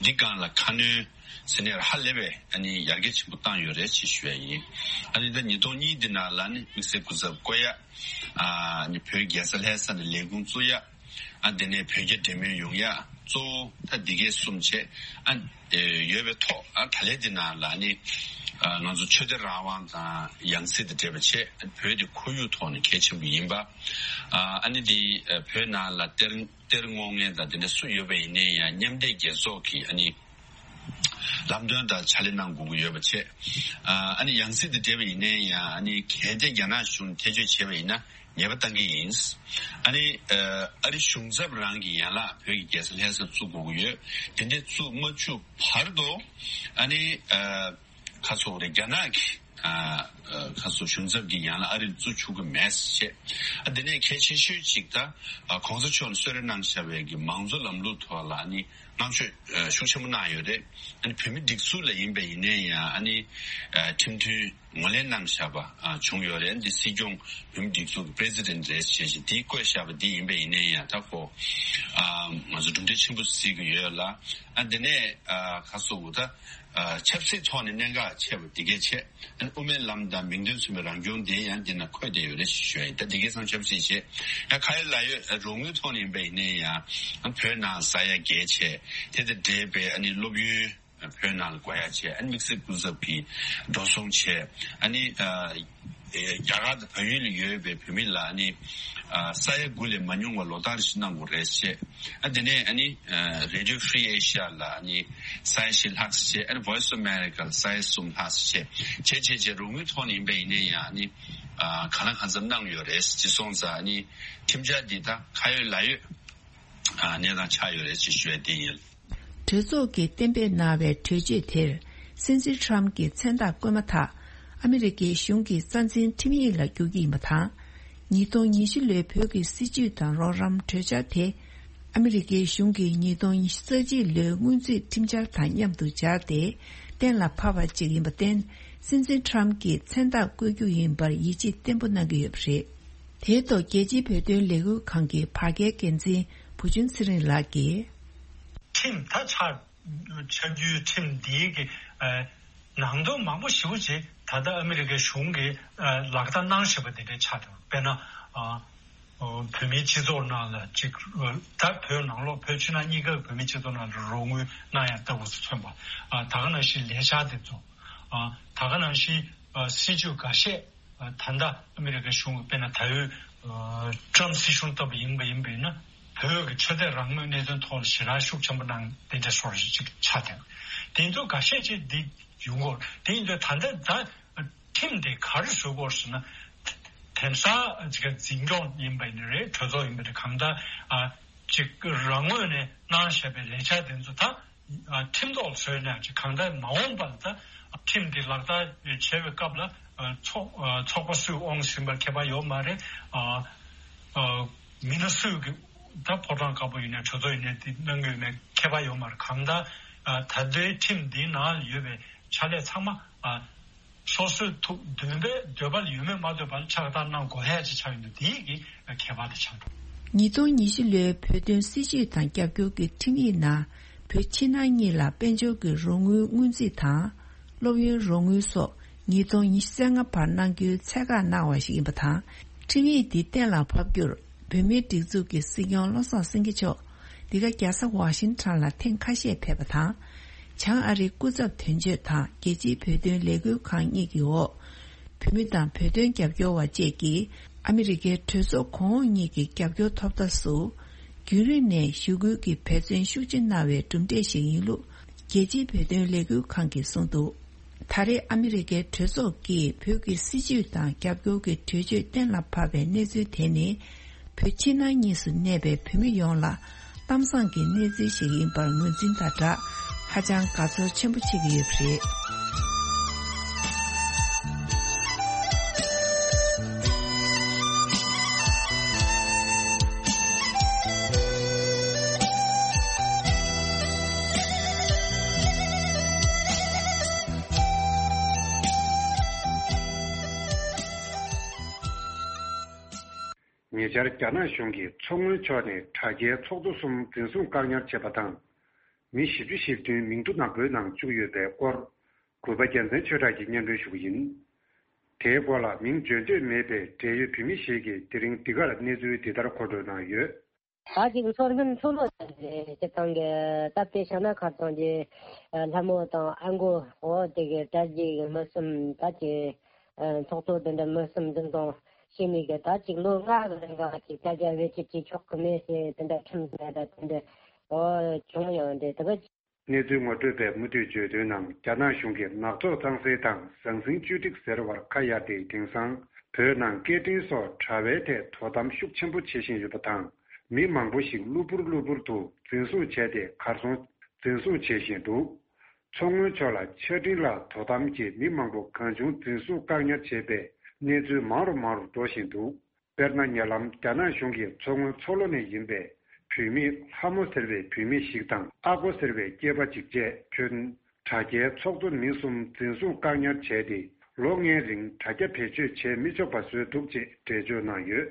འདི་སྒང་ལ་ཁ་སྣོན་ཟེར་ནས་ཧ་ལས་པའི་ཨ་ནི་ཡར་རྒྱས་ཆེན་པོ་བཏང་ཡོད་རེད་ཅེས་ཞུ་ཡ་ཡིན། ཨ་ནི་ད་ཉིས་སྟོང་གཉིས་འདི་ནང་ལ་ཨ་ནི་དམིགས་བསལ་སྐུ་ཚབ་བསྐོ་ཡ། ཨ་ནི་བོད་རྒྱལ་ས་ལྷ་ས་ནས་ལས་ཁུངས་བཙུགས་ཡ། ཨ་དེ་ནས་བོད་རྒྱ་འབྲེལ་མོལ་ཡོང་ཡ། གཙོ་བོ་ད་འདི་གས་གསུམ་བྱས། ཨ་ཡོད་པའི་ཐོག་ཨ་ད་ལན་འདི་ནང་ལ་ནི་ཨ་ང་ཚོ་ཆོས་དད་རང་དབང་དང་ཡང་སྲིད་དང་འབྲེལ་བ་བྱས། བོད་དེ་ཁོར་ཡུག་ཐོག་ནས་གལ་ཆེན་པོ་ཡིན་པ། ཨ་ཨ་ནི་འདི་བོད་ནང་ལ་གཏེར་གཏེར་སྔོག་མཁན་དང་དེ་འདྲ་སུ་ཡོད་པ་ཡིན་ནའི་ཡང་མཉམ་འབྲེལ་རྒྱལ་ཚོགས་ཀྱི་ཨ་ནི་ལམ་སྟོན་དང་ཕྱག་ལས་གནང་དགོས་ཀྱི་ཡོད་པ་བྱས། ཨ་ནི་ཡང་སྲིད་དང་འབྲེལ་བ་ཡིན་ནའི་ཡང་ཨ་ནི་གལ་ཏེ་རྒྱ་ནག་གཞུང་ཐེ་བྱུས་བྱས་པ་ཡིན་ན་ཉེས་པ་བཏང་གི་ཡིན། ཨ་ནི་ཨ་རི་གཞུང་ཚབ་རང་གི་ཡན་ལག་བོད་ཀྱི་རྒྱལ་ས་ལྷ་ས་བཙུགས་དགོས་ཀྱི་ཡོད། དེ་འདྲ་བཙུགས་མ་བཅུག་བར་དུ་ཨ་ནི་ཨ་ཁ་སོག་རེ་རྒྱ་ནག་གི་ཨ་ཁ་སོག་གཞུང་ཚབ་ཀྱི་ཡན་ལག་ཨ་རིར་བཙུགས་ཆོག་གི་མེད་ཟེར་བཤད། ཨ་དེ་ནས་གལ་ཆེ་ཤོས་གཅིག་ད་ཨ་གོང་ས་མཆོག་ནས་གསོལ་རས་གནང་བཞག་པའི་གི་མང་གཙོ་ལམ་ལུགས་ཐོག་ལ་ཨ་ནི་བསྔགས་བརྗོད་ཨ་ཤུགས་ཆེན་པོ་གནང་ཡོད་རེད། ཨ་ནི་བོད་མི་སྒྲིག་འཛུགས་ལ་ཡིན་པ་ཡིན་ནའི་ཡང་ཨ་ནི་ཨ་ཁྲིམས་མཐུན་ངོས་ལེན་གནང་བཞག་པ་ཨ་བྱུང་ཡོད་རེད། ཨ་འདི་སྲིད་སྐྱོང་བོད་མི་སྒྲིག་འཛུགས་ཀྱི་པི་རེ་སི་ཌེན་ཊི་རེད་ཅེས་བྱས་འདི་བཀོད་བཞག་པ་འདི་ཡིན་པ་ཡིན་ནའི་ཡང་ད་ཁོ་ཨ་ང་ཚོ་གྲུབ་འབྲས་ཆེན་པོ་གཟིགས་ཀྱི་ཡོད་ལ། ཨ་འདི་ནས་ཨ་ཁ་སོ་བོ་ད་ཨ་ཆབ་སྲིད་ཐོག་ནས་གནད་འགག་ཆེ་བ་འདི་གས་ཆེ། ཨ་ནི་དབུ་མའི་ལམ་དང་མིང་དོན་མཚུངས་པའི་རང་སྐྱོང་དེ་ཡང་འདི་ན་འཁོད་བསྡད་ཡོད་རེད་ཞུ་ཡ་ཡིན། ད་འདི་གས་ཚང་ཆབ་སྲིད་བྱེད་ཡང་ཁ་ཡོད་ལག་ཡོད་རོགས་དངུལ་ཐོག་ནས་ཡིན་པ་ཡིན་ནའི་ཡང་བོད་ནང་ཟ་ཡ་རྒྱལ་ཆེ། དེ་དང་འབྲེལ་བའི་ཨ་ནི་སློབ་ཡོན་བོད་ནང་ལ་དགོས་ཡ་ཆེ། ཨ་ནི་དམིགས་བསལ་སྐུ་ཚབ་ཀྱིས་འགྲོ་སོང་ཆེ། ཨ་ནི་ཨ་རྒྱ་གར་དང་བལ་ཡུལ་ལ་ཡོད་པའི་བོད་མི་ལ་ཨ་ནི་ཨ་ས་ཡ་དགུ་ལས་མ་ཉུང་བ་ལོ་ལྟར་ཞིག་གནང་དགོས་རེད་ཅེས། ཨ་དེ་ནས་ཨ་ནི་ཨ་Radio Free Asia ལ་ཨ་ནི་ས་ཡ་བཞི་ལྷག་ཙམ་བྱས། ཨ་ནི་Voice of America ལ་ས་ཡ་གསུམ་ལྷག་ཙམ་བྱས། བྱས་བྱས་བྱས་རོགས་དངུལ་ཐོག་ནས་ཡིན་པ་ཡིན་ནའི་ཡང་ཨ་ནི་ཨ་གང་ལ་གང་འཚམ་གནང་ཡོད་རེད། ཅེས་སོང་ཙང་ཨ་ནི་ཁྲིམས་འཆར་འདི་ད་ཁ་ཡོད་ལག་ཡོད་ཨ་གནས་སྟངས་ཆགས་ཡོད་རེད་ཅེས་ཞུ་ཡ་དེ་ཡིན། གྲོས་ཚོགས་ཀྱིས་གཏན་འབེབས་གནང་བའི་གྲོས་ཆོད་དེར། སྲིད་འཛིན་ཁྲམ་གྱི་མཚན་རྟགས་བཀོད་མ་ཐག་ཨ་མི་རི་ཀའི་གཞུང་གི་རྩ་འཛིན་ཁྲིམས་ཡིག་ལ་འགྱུར་གྱི་ཡིན་པ་དང་། ཉིས་སྟོང་ཉི་ཤུ་ལོའི་བོད་ཀྱི་སྲིད་བྱུས་དང་རོགས་རམ་གྲོས་འཆར་དེ། ཨ་མི་རི་ཀའི་གཞུང་གི་ཉིས་སྟོང་ཉི་ཤུ་རྩ་གཅིག་ལོའི་སྔོན་རྩིས་ཁྲིམས་འཆར་དང་མཉམ་དུ་སྦྱར་ཏེ། གཏན་ལ་ཕབ་པ་ཅིག་ཡིན་པར་བརྟེན། སྲིད་འཛིན་ཁྲམ་གྱི་མཚན་རྟགས་བཀོད་རྒྱུ་ཡིན་པར་ཡིད་ཆེས་བརྟན་པོ་གནང་གི་ཡོད་པ་རེད། དེའི་ཐོག་རྒྱལ་སྤྱིའི་བོད་དོན་ལས་འགུལ་ཁང་གི་བར་བརྒལ་འགན་འཛིན་བུ་ཆུང་ཚེ་རིང་ལགས་ཀྱིས། ཁྲིམས་ད་ཆགས། ཆགས་རྒྱུའི་ཁྲིམས་འདིའི་གི་ཨ་ནང་དོན་མང་པོ་ཞེ་པོ་ཅིག་ད་ལྟ་ཨ་མི་རི་ཀའི་གཞུང་གིས་ཨ་ལག་བསྟར་གནང་བཞིན་པ་འདི་འདྲའི་ཆགས་འདུག་དཔེར་ན་ཨ་བོད་མིའི་སྤྱི་ཚོགས་ནང་ལ་ཅིག་ད་བོད་ནང་ལོགས་བོད་ཕྱི་ནང་གཉིས་ཀ་བོད་མིའི་སྤྱི་ཚོགས་ནང་ལ་རོགས་དངུལ་གནང་ཡ་ལྟ་བུ་ཚོ་མཚོན་པ། ཨ་ད་ག་ནང་བཞིན་ལས་འཆར་དེ་ཚོ། ཨ་ད་ག་ནང་བཞིན་ཨ་སྲིད་བྱུས་འགའ་ཤས། ད་ལྟ་ཨ་མི་རི་ཀའི་གཞུང་གིས་དཔེར་ན་ད་ཡོད་ཨ་ཊྲམ་སྲིད་གཞུང་ལྟ་བུ་ཡིན་པ་ཡིན་པས་ན། བོད་ཀྱི་ཆོས་དད་རང་མོས་གནད་དོན་ཐོག་ལ་ཞེ་དྲག་ཤུགས་ཆེན་པོ་གནང་དེ་འདྲ་སོགས་ཅིག་ཆགས་བསྡད། དེ་ཚོ་འགའ་ཤས་ཅིག་འདི་ཡོང་གི་ཡོད་རེད། དེ་ཡིན་དུས་ད་ལྟ་ད་ཁྲིམས་དེ་ག་རེ་བཟོ་དགོས་ཟེར་ན། དེང་སང་ཅིག་འཛིན་སྐྱོང་ཡིན་པ་ཡིན་རེད། གྲོས་ཚོགས་ཡིན་པ་རེད། གང་ལྟར་ཨ་ཅིག་རང་ངོས་ནས་གནང་བཞག་པའི་ལས་འཆར་དེ་ཚོ་ད། ཁྲིམས་ཐོག་བཟོས་ནས་ཅིག་གང་ལྟར་མ་འོངས་པར་ད་ཁྲིམས་འདི་ལག་བསྟར་བྱེད་པའི་སྐབས་ལ་ཚོགས་ཚོགས་པ་སུས་དབང་ཟིན་པར་ཁྱད་པར་ཡོད་མ་རེད། མི་སྣ་སུས་ཀྱི་ད་ཕོ་བྲང་དཀར་པོ་ཡིན་ནའི་གྲོས་ཚོགས་ཡིན་ནའི་འདི་གནང་གི་ཡོད་མེད་ཁྱད་པར་ཡོད་མ་རེད། གང་ལྟར་ད་ལྟའི་ཁྲིམས་འདིའི་ནང་ཡོད་པའི་ཕྱག་ལས་ཚང་མ། སོ་སོའི་ཐུགས་འདུན་པའི་འདོད་པ་ལ་ཡོད་མེད་མ་ལྟོས་པར་ཕྱག་བསྟར་གནང་དགོས་ཡ་ཅིག་ཆགས་ཡོད་འདུག་དེའི་གི་ཁྱད་པར་དེ་ཆགས་འདུག་ཉིས་སྟོང་ཉི་བཞི་ལོའི་བོད་དོན་སྲིད་བྱུས་དང་རྒྱབ་སྐྱོར་གྱི་ཁྲིམས་ཡིག་ནང་ བོད་ཕྱི་ནང་གཉིས་ལ་དཔལ་འབྱོར་གྱི་རོགས་དངུལ་སྔོན་རྩིས་དང་། སློབ་ཡོན་རོགས་དངུལ་སོགས་ཉིས་སྟོང་ཉི་ཤུ་རྩ་ལྔ་བར་གནང་རྒྱུའི་ཚད་བཀག་གནང་བ་ཞིག་ཡིན་པ་དང་། ཁྲིམས་ཡིག་འདི་གཏན་ལ་ཕབ་རྒྱུར་བོད་མིའི་སྒྲིག་འཛུགས་ཀྱི་སྲིད་སྐྱོང་བློ་བཟང་སེང་གེ་མཆོག་འདི་ག་རྒྱལ་ས་ཝ་ཤིང་ཊོན་ལ་ཐེངས་ཁ་ཤས་ཕེབས་པ་དང་། བྱང་ཨ་རིའི་སྐུ་ཚབ་དོན་གཅོད་དང་རྒྱལ་སྤྱིའི་བོད་དོན་ལས་འགུལ་ཁང་གཉིས་ཀྱི་འོག་བོད་མི་དང་བོད་དོན་རྒྱབ་སྐྱོར་བ་བཅས་ཀྱིས་ཨ་མི་རི་ཀའི་གྲོས་ཚོགས་གོང་འོག་གཉིས་ཀྱི་རྒྱབ་སྐྱོར་ཐོབ་ཐབས་སུ། རྒྱུན་རིང་ནས་ཞུ་སྐུལ་གྱི་འབད་བརྩོན་ཤུགས་ཆེ་གནང་བའི་གྲུབ་འབྲས་ཤིག་ཡིན་ལུགས་རྒྱལ་སྤྱིའི་བོད་དོན་ལས་འགུལ་ཁང་གིས་གསུངས་འདུག་ད་རེས་ཨ་མི་རི་ཀའི་གྲོས་ཚོགས་ཀྱིས་བོད་ཀྱི་སྲིད་བྱུས་དང་རྒྱབ་སྐྱོར་གྱི་གྲོས་ཆོད་གཏན་ལ་ཕབ་པའི་གནས་ཚུལ་དེ་ནི། བོད་ཕྱི་ནང་གཉིས་སུ་གནས་པའི་བོད་མི་ཡོངས་ལ་གཏམ་བཟང་གི་གནས་ཚུལ་ཞིག་ཡིན་པར་ངོས་འཛིན་དང་སྦྲགས། ཧ་ཅང་དགའ་ཚོར་ཆེན་པོ་བྱེད་ཀྱི་ཡོད་པ་རེད། ཉེ་ཆར་རྒྱ་ནག་གཞུང་གིས་མཚོ་སྔོན་ཕྱོགས་ནས་དྲ་རྒྱའི་ཚོགས་གཙོ་གསུམ་འཛིན་བཟུང་བཀག་ཉར་བྱས་པ་དང་། མི་བཞི་བཅུ་ཞེ་བདུན་མིང་ཐོ་ནག་པོའི་ནང་བཅུག་ཡོད་པའི་སྐོར། གུས་པ་རྒྱལ་མཚན་ཆོས་གྲགས་ཀྱིས་སྙན་སྒྲོན་ཞུ་གི་ཡིན། དེའི་སྐོར་ལ་མིང་བརྗོད་འདོད་མེད་པའི་འབྲེལ་ཡོད་བོད་མི་ཞིག་གིས་དེ་རིང་འདི་གར་གནས་ཚུལ་འདི་ལྟར་མཁོ་སྤྲོད་གནང་ཡོད། ད་ཅིག་མཚོ་སྔོན་མཚོ་ལྷོ་དེ་སྤྱིར་བཏང་གི་སྟབས་བདེ་ཆགས་ན་ཁ་སང་གི་ལྷ་མོ་དང་ཨ་མགོ་འོ་དེ་གི་དྲ་རྒྱའི་མི་གསུམ་ད་ཅིག་ཚོགས་གཙོ་དེ་འདྲ་མི་གསུམ་འཛིན་བཟུང་བྱས་ནས་གི་ད་ཅིག་ལོ་ལྔ་གི་རིང་ག་ཅིག་དྲ་རྒྱ་བེད་སྤྱོད་བྱེད་ཆོག་གི་མེད་ཟེར་དེ་འདྲ་ཁྲིམས་ཟིན་ད་དེ་འདྲ་འོ་བྱུང་ཡོད་རེད། དེ་གི་གནས་ཚུལ་ངོ་སྤྲོད་པས་མུ་མཐུད་བརྗོད་དོན་ནང་རྒྱ་ནག་གཞུང་གིས་ནག་ཚོགས་གཙང་སེལ་དང་ཟང་ཟིང་བཅོས་སྒྲིག་ཟེར་བར་ཁ་གཡར་ཏེ་དེང་སང་བོད་ནང་སྐད་འཕྲིན་སོགས་དྲ་བའི་ཐད་དོ་དམ་ཤུགས་ཆེན་པོ་བྱེད་བཞིན་ཡོད་པ་དང་། མི་མང་པོ་ཞིག་གློ་བུར་གློ་བུར་དུ་འཛིན་བཟུང་བྱས་ཏེ་གར་སོང་འཛིན་བཟུང་བྱེད་བཞིན་འདུག་མཚོ་སྔོན་ཕྱོགས་ལ་ཆ་འཕྲིན་ལ་དོ་དམ་གྱིས་མི་མང་པོ་གང་བྱུང་འཛིན་བཟུང་བཀག་ཉར་བྱས་པའི་གནས་ཚུལ་མང་རུ་མང་རུ་འགྲོ་བཞིན་འདུག་དཔེར་ན། ཉེ་ལམ་རྒྱ་ནག་གཞུང་གིས་མཚོ་སྔོན་མཚོ་ལྷོ་ནས་ཡིན་པའི་བུད་མེད་ལྷ་མོ་ཟེར་བའི་བུད་མེད་ཞིག་དང་ཨ་ཀོ་ཟེར་བའི་སྐྱེས་པ་གཅིག་བཅས་ཁྱོན་དྲ་རྒྱའི་ཚོགས་གཙོ་མི་གསུམ་འཛིན་བཟུང་བཀག་ཉར་བྱས་ཏེ། ལོ་ལྔའི་རིང་དྲ་རྒྱ་བེད་སྤྱོད་བྱེད་མི་ཆོག་པ་བཟོས་འདུག་ཅེས་འགྲེལ་བརྗོད་གནང་ཡོད།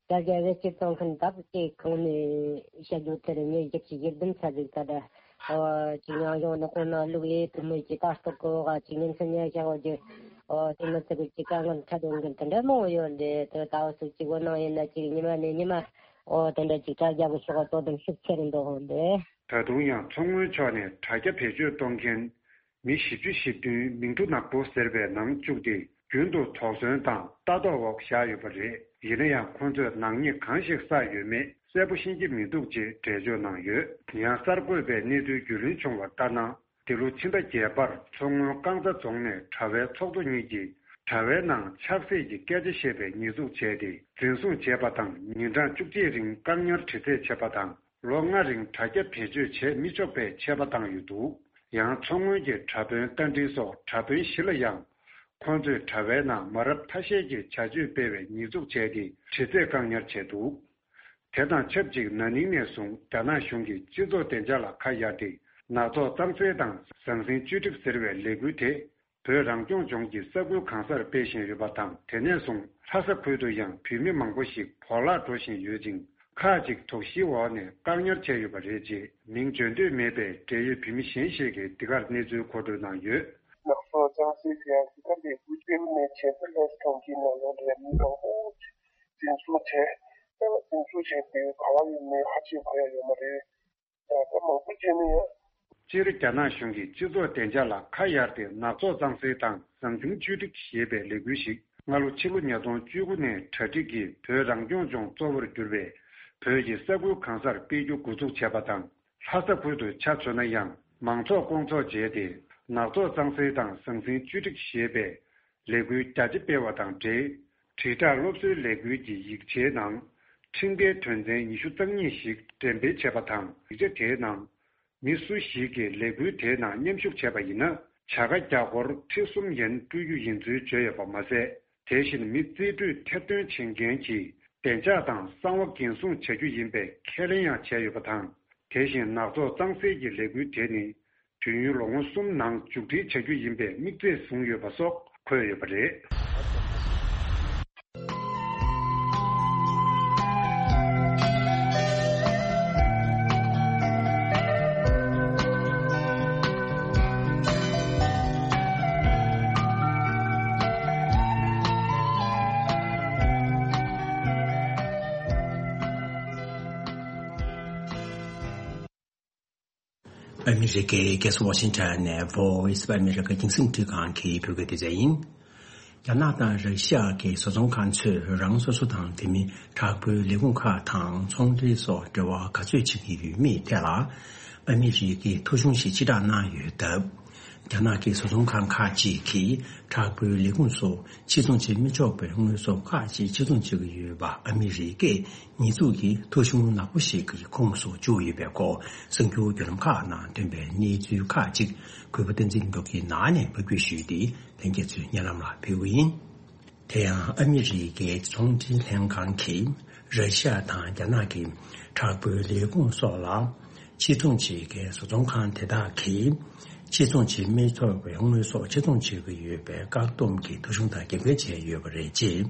དྲ་རྒྱ་བེད་སྤྱོད་གཏོང་མཁན་དག་ཅེས་གོང་ནས་བཤད་རྒྱུ་དེར་ངས་བཞི་བཅུ་ཞེ་བདུན་ཚར་ཟིག་ད་ལྟ། ཨོ། ཅིག་ཉང་གཞུང་ནག་པོ་ནང་ལུག་ཡེ་དུ་མོ་ཅིག་ལྟ་རྟོག་གི་འོག་ཅིག་ཉིན་མཚན་ཉལ་ཤག་འོ་རྒྱུ། ཨོ། དེ་མི་ཚེ་གི་ཅིག་དཀའ་ངལ་འཕྲད་ཡོང་གི་དེ་འདྲ་མང་བོ་ཡོད་རེད། དེ་ད་འུ་ཚོ་ཅིག་བོད་ནང་ཡིན་ན་ཅིག་ཉི་མ་ནས་ཉི་མ། ཨོ། དེ་འདྲ་ཅིག་དྲ་རྒྱ་གི་ཤོག་དོ་དམ་ཤུགས་ཆེ་རུ་འགྲོ་ཧོན་རེད། ད་དུང་ཡང་མཚོ་སྔོན་ཕྱོགས་ནས་དྲ་རྒྱ་བེད་སྤྱོད་གཏོང་མཁན་མི་བཞི་བཅུ་ཞེ་བདུན་མིང་ཐོ་ནག་པོ་ཟེར་བའི་ནང་བཅུག་སྟེ་རྒྱུན་དུ་དོགས་ཟོན་དང་ལྟ་རྟོག་འོག་བཞག་ཡོད་པ་རེད། ཡིན་ན་ཡང་ཁོ་ཚོས་ནག་ཉེས་གང་ཞིག་བསགས་ཡོད་མེད་གསལ་པོ་ཤེས་ཀྱི་མི་འདུག་ཅེས་འགྲེལ་བརྗོད་གནང་ཡོད། ཡང་གསར་འགོད་པས་གནས་ཚུལ་རྒྱུས་ལོན་བྱུང་བར་ལྟར་ན། འདི་ལོ་ཕྱི་ཟླ་བརྒྱད་པར་མཚོ་སྔོན་རྐང་ཚ་རྫོང་ནས་དྲ་བའི་ཚོགས་གཙོ་གཉིས་ཀྱིས་དྲ་བའི་ནང་ཆབ་སྲིད་ཀྱི་སྐད་ཆ་བཤད་པའི་ཉེས་འཛུགས་བྱས་ཏེ་འཛིན་བཟུང་བྱས་པ་དང་ཉིན་གྲངས་བཅུ་གཅིག་རིང་བཀག་ཉར་དྲི་རྩད་བྱས་པ་དང་། ལོ་ལྔ་རིང་དྲ་རྒྱ་བེད་སྤྱོད་བྱེད་མི་ཆོག་པའི་ཆད་པ་བཏང་ཡོད་འདུག་ཡང་མཚོ་སྔོན་གྱི་དྲ་དཔོན་རྟ་མགྲིན་སོགས་དྲ་དཔོན་བཞི་ལ་ཡང་ཁོང་ཚོས་དྲ་བའི་ནང་མ་རབས་ཐ་ཤལ་གྱི་བྱ་སྤྱོད་སྤེལ་བའི་ཉེས་འཛུགས་བྱས་ཏེ་དྲི་རྩད་བཀག་ཉར་བྱས་འདུག་དེ་དང་ཆབས་ཅིག་ན་ནིང་ནས་བཟུང་རྒྱ་ནག་གཞུང་གིས་སྤྱི་ཚོགས་བདེ་འཇགས་ལ་ཁ་གཡར་ཏེ་ནག་ཚོགས་གཙང་སེལ་དང་ཟང་ཟིང་བཅོས་སྒྲིག་ཟེར་བའི་ལས་འགུལ་དེ། བོད་རང་སྐྱོང་ལྗོངས་ཀྱི་ས་ཁུལ་གང་སར་སྤེལ་བཞིན་ཡོད་པ་དང་། དེ་ནས་བཟུང་ལྷ་ས་ཁུལ་དུ་ཡང་བོད་མི་མང་པོ་ཞིག་བོར་བརླག་འགྲོ་བཞིན་ཡོད་ཅིང་། ཁག་ཅིག་དོགས་གཞིའི་འོག་ནས་བཀག་ཉར་བྱས་ཡོད་པ་རེད་ཅེས་མིང་བརྗོད་འདོད་མེད་པའི་འབྲེལ་ཡོད་བོད་མི་གཞན་ཞིག་གིས་འདི་གར་གནས་ཚུལ་མཁོ་སྤྲོད་གནང་ཡོད། ནག་ཚོགས་གཙང་སེལ་ཟེར་ཡག་འདི་ག་ལས་དགོས་ཀྱི་མིན་ནས་བྱས་ཙང་ལྷ་ས་གྲོང་ཁྱེར་ནང་ལོགས་ལ་མི་མང་པོ་ཞིག་འཛིན་བཟུང་བྱས། ད་འཛིན་བཟུང་བྱས་དེ་ག་བ་ཡིན་མིན་ཧ་ཅང་གོ་ཡ་ཡོད་མ་རེད། ཡང་ད་མང་པོ་བྱས་ན་ཡང་། སྤྱིར་རྒྱ་ནག་གཞུང་གིས་སྤྱི་ཚོགས་བདེ་འཇགས་ལ་ཁ་གཡར་ཏེ་ནག་ཚོགས་གཙང་སེལ་དང་ཟང་ཟིང་བཅོས་སྒྲིག་ཞེས་པའི་ལས་འགུལ་ཞིག་སྔ་ལོ་ཕྱི་ལོ་ཉིས་སྟོང་བཅུ་དགུ་ནས་གྲ་སྒྲིག་གིས་བོད་རང་སྐྱོང་ལྗོངས་གཙོ་བོར་གྱུར་པའི་བོད་ཀྱི་ས་ཁུལ་གང་སར་སྤེལ་རྒྱུ་འགོ་འཛུགས་བྱས་པ་དང་། ལྷ་ས་ཁུལ་དུ་ཆ་མཚོན་ན་ཡང་མང་ཚོགས་སྐོང་ཚོགས་བྱས་ཏེ་ནག་ཚོགས་གཙང་སེལ་དང་ཟང་ཟིང་བཅོས་སྒྲིག་ཞེས་པའི་ལས་འགུལ་རྒྱ་ཆེ་སྤེལ་བ་དང་འབྲེལ། དྲིལ་བསྒྲགས་སློབ་གསོའི་ལས་འགུལ་གྱི་ཡིག་ཆའི་ནང་ཁྲིམས་འགལ་དོན་ཚན་ཉི་ཤུ་རྩ་གཉིས་ཤིག་འགྲེམས་སྤེལ་བྱས་པ་དང་། ཡིག་ཆ་དེའི་ནང་མི་སུ་ཞིག་གིས་ལས་འགུལ་དེའི་ནང་མཉམ་ཞུགས་བྱས་པ་ཡིན་ན་བྱ་དགའ་རྒྱ་སྒོར་ཁྲི་གསུམ་ཡན་སྤྲོད་རྒྱུ་ཡིན་ཚུལ་བརྗོད་ཡོད་པ་མ་ཟད། དེ་བཞིན་མི་རྩིས་སྤྲོད་ཐེར་འདོན་བྱེད་མཁན་གྱིས་བདེ་འཇགས་དང་གསང་བ་འགན་སྲུང་བྱ་རྒྱུ་ཡིན་པའི་ཁས་ལེན་ཡང་བྱས་ཡོད་པ་དང་། དེ་བཞིན་ནག་ཚོགས་གཙང་སེལ་གྱི་ལས་འགུལ་དེ་ནི། དུས་ཡུན་ལོ་ངོ་གསུམ་ནང་མཇུག་སྒྲིལ་བྱ་རྒྱུ་ཡིན་པའི་དམིགས་ཚད་བཟུང་ཡོད་པ་སོགས་འཁོད་ཡོད་པ་རེད། ཨ་མི་རི་ཀའི་རྒྱལ་ས་ཝ་ཤིང་ཊོན་ནས་Voice of America་རྒྱང་སྲིང་འཕྲིན་ཁང་གི་བོད་སྐད་སྡེ་ཚན་ཡིན། རྒྱ་ནག་དང་ར་ཤི་ཡ་གི་བཟོ་ཚོང་ཁང་ཚོས་རང་སོ་སོ་དང་དེ་མིན་དྲག་པོའི་ལས་ཁུངས་ཁག་དང་ཚོང་འབྲེལ་སོགས་འབྲེལ་བ་ག་ཚོད་བྱེད་ཀྱི་ཡོད་མེད་ཐད་ལ། ཨ་མི་རི་ཀས་ཐོ་གཞུང་ཞིག་ཕྱིར་བསྒྲགས་གནང་ཡོད་སྟབས། རྒྱ་ནག་གི་བཟོ་ཚོང་ཁང་ཁག་ཅིག་གིས་དྲག་པོའི་ལས་ཁུངས་སུ་ཕྱིར་ཚོང་བྱེད་མི་ཆོག་པའི་དངོས་ཟོག་ཁག་ཅིག་ཕྱིར་ཚོང་བྱེད་ཀྱི་ཡོད་པ་ཨ་མི་རི་ཀས་ཉེས་འཛུགས་ཀྱི་ཐོ་གཞུང་ནག་པོ་ཞིག་གི་ཁོངས་སུ་བཅུག་ཡོད་པའི་སྐོར་གསར་འགྱུར་བརྒྱུད་ལམ་ཁག་ནང་ཐོན་པའི་གནས་ཚུལ་ཁག་ཅིག་གུས་པ་བསྟན་འཛིན་མདོག་གིས་ནང་ནས་ཕབ་སྒྱུར་ཞུས་ཏེ་ལྷན་རྒྱས་ཚོའི་སྙན་ལམ་ལ་ཕུལ་གྱི་ཡིན། དེ་ཡང་ཨ་མི་རི་ཀའི་ཚོང་འབྲེལ་ལྷན་ཁང་གིས་ར་ཤི་ཡ་དང་རྒྱ་ནག་གི་དྲག་པོའི་ལས་ཁུངས་སོགས་ལ་ཕྱིར་ཚོང་བྱེད་མཁན་བཟོ་ཚོང་ཁང་དེ་དག་གིས་ཕྱིར་ཚོང་བྱེད་མི་ཆོག་པའི་དངོས་ཟོག་ཕྱིར་ཚོང་བྱེད་ཀྱི་ཡོད་པའི་བཀག་སྡོམ་གྱི་ཐོ་གཞུང་དང་འགལ་འཁལ་བྱས་ཡོད་པ་རེད་ཅེས་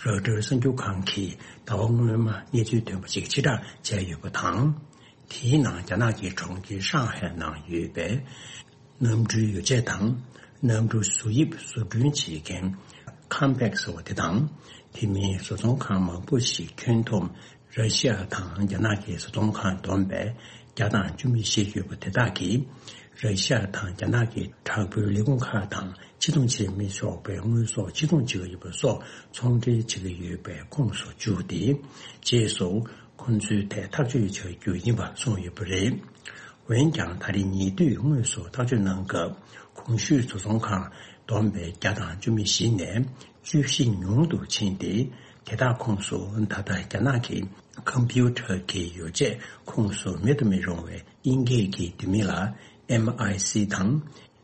རོའི་ཊར་གསར་འགྱུར་ཁང་གིས་ཟླ་བ་སྔོན་མ་གནས་ཚུལ་ཐོན་པ་ཞིག་ཕྱིར་བསྒྲགས་བྱས་ཡོད་པ་དང་། དེའི་ནང་རྒྱ་ནག་གི་གྲོང་ཁྱེར་ཧྲང་ཧའེ་ནང་ཡོད་པའི་གནམ་གྲུའི་ཡོ་བྱད་དང་། གནམ་གྲུ་བཟོ་དབྱིབས་བཟོ་སྐྲུན་བྱེད་མཁན་ཁམ་པེག་ཟེར་བ་དེ་དང་། དེ་མིན་བཟོ་ཚོང་ཁང་མང་པོ་ཞིག་ཁྱོན་བསྡོམས་ར་ཤི་ཡ་དང་རྒྱ་ནག་གི་བཟོ་ཚོང་ཁང་བསྡོམས་པས་བརྒྱ་དང་བཅུ་མི་བཞི་ཡོད་པ་དེ་དག་གིས་ར་ཤི་ཡ་དང་རྒྱ་ནག་གི་དྲག་པོའི་ལས་ཁུངས་ཁག་དང་ཕྱིར་ཚོང་བྱེད་མི་ཆོག་པའི་དངོས་ཟོག་ཕྱིར་ཚོང་བྱེད་ཀྱི་ཡོད་པ་སོགས་ཚོང་འབྲེལ་བྱེད་ཀྱི་ཡོད་པའི་ཁོངས་སུ་བཅུག་སྟེ། རྗེས་སུ་ཁོང་ཚོའི་ཐད་ཐག་གཅོད་བྱ་རྒྱུ་ཡིན་པ་གསུངས་ཡོད་པ་རེད། འོན་ཀྱང་ད་རེས་ཉེ་དུས་དངོས་སུ་ཐག་གཅོད་གནང་སྐབས་གོང་ཞུས་བཟོ་ཚོང་ཁང་བསྡོམས་པའི་བརྒྱ་དང་བཅུ་མི་བཞི་ནས་བཅུ་བཞི་ཉུང་དུ་ཕྱིན་ཏེ། དེ་དག་ཁོངས་སུ་ད་ལྟ་རྒྱ་ནག་གི་ཀམ་པུ་ཊར་གྱི་ཡོ་བྱད་ཁོངས་སུ་མེད་དུ་མི་རུང་བའི་དབྱིན་སྐད་ཀྱི་བསྡུས་མིང་ལ་ཨེམ་ཨའི་སི་དང་།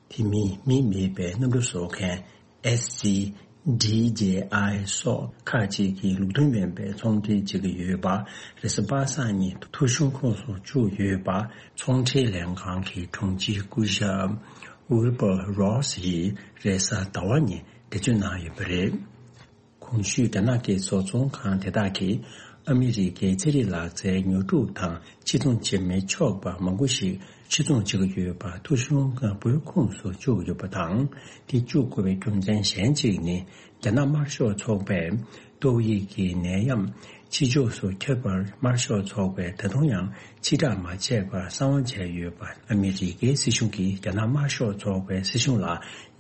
དེ་མིན་མི་མེད་པའི་གནམ་གྲུ་བཟོ་མཁན་ཨེས་སི་ཌི་ཇེ་ཨའི་སོགས་ཁག་ཅིག་གིས་ལུགས་མཐུན་མིན་པའི་ཚོང་འབྲེལ་བྱེད་ཀྱི་ཡོད་པ་རེས་གཟའ་པ་སངས་ཉིན་ཐོ་གཞུང་ཁོངས་སུ་བཅུག་ཡོད་པ་ཚོང་འབྲེལ་ལྷན་ཁང་གི་དྲུང་ཆེ་སྐུ་ཞབས་ཝིལ་བར་རོ་སི་ཡིས་རེས་གཟའ་ཟླ་བ་ཉིན་འགྲེལ་བརྗོད་གནང་ཡོད་པ་རེད། གོང་ཞུས་རྒྱ་ནག་གི་བཟོ་ཚོང་ཁང་དེ་དག་གིས་ཨ་མི་རི་ཀའི་ཚན་རིག་ལག་རྩལ་ཉོ་སྒྲུབ་དང་ཕྱིར་ཚོང་བྱེད་མི་ཆོག་པ་མང་པོ་ཞིག་ཕྱིར་ཚོང་བྱེད་ཀྱི་ཡོད་པ་ཐོ་གཞུང་ནག་པོའི་ཁོངས་སུ་བཅུག་ཡོད་པ་དང་། དེ་བཅུག་དགོས་པའི་རྒྱུ་མཚན་གཞན་གཅིག་ནི། རྒྱ་ནག་དམར་ཤོག་ཚོགས་པས་ཏོག་དབྱིབས་ཀྱི་ནད་ཡམས་ཕྱི་ཕྱོགས་སུ་ཁྱབ་པར་དམར་ཤོག་ཚོགས་པས་ད་དུང་ཡང་ཕྱིར་བསྒྲགས་མ་བྱས་པར་གསང་བ་བྱས་ཡོད་པ། ཨ་མི་རི་ཀའི་སྲིད་གཞུང་གིས་རྒྱ་ནག་དམར་ཤོག་ཚོགས་པའི་སྲིད་གཞུང་ལ་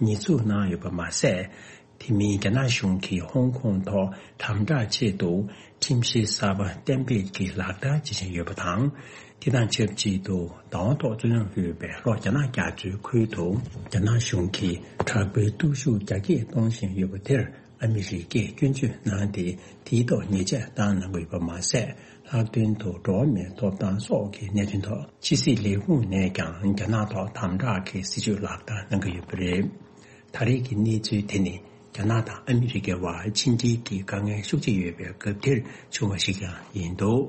ཉེས་འཛུགས་གནང་ཡོད་པ་མ་ཟད། དེ་མིན་རྒྱ་ནག་གཞུང་གིས་ཧོང་ཀོང་ཐོག་དམ་དྲག་ཆེད་དུ་ཁྲིམས་གཞི་གསར་པ་གཏན་འབེབས་ཀྱི་ལག་བསྟར་བྱེད་བཞིན་ཡོད་པ་དང་། དེ་དང་ཆབས་ཅིག་ཏུ་བདག་དབང་ཐོག་རྩོད་རྙོག་ཡོད་པའི་ལྷོ་རྒྱ་ནག་རྒྱ་མཚོའི་ཁུལ་དུ་རྒྱ་ནག་གཞུང་གིས་དྲག་པོའི་སྟོབས་ཤུགས་རྒྱ་སྐྱེད་གཏོང་བཞིན་ཡོད་པ་དེར་ཨ་མི་རི་ཀས་སྐྱོན་བརྗོད་གནང་སྟེ། དེའི་ཐོག་ཉེས་ཆད་བཏང་གནང་གི་ཡོད་པ་མ་ཟད། ལྷག་དོན་དུ་འགྲོ་བ་མིའི་ཐོབ་ཐང་སོགས་ཀྱི་གནད་དོན་ཐོག་ཕྱི་སྲིད་ལས་ཁུངས་ནས་ཀྱང་རྒྱ་ནག་ཐོག་དམ་དྲག་གི་སྲིད་བྱུས་ལག་བསྟར་གནང་གི་ཡོད་པ་རེད། ད་རེས་ཀྱི་གནས་ཚུལ་དེ་ནི་རྒྱ་ནག་དང་ཨ་མི་རི་ཀའི་བར་ཕྱི་འབྲེལ་གྱི་དཀའ་ངལ་ཤུགས་ཆེ་ཡོད་པའི་སྐབས་དེར་བྱུང་བ་ཞིག་ཀྱང་ཡིན་འདུག་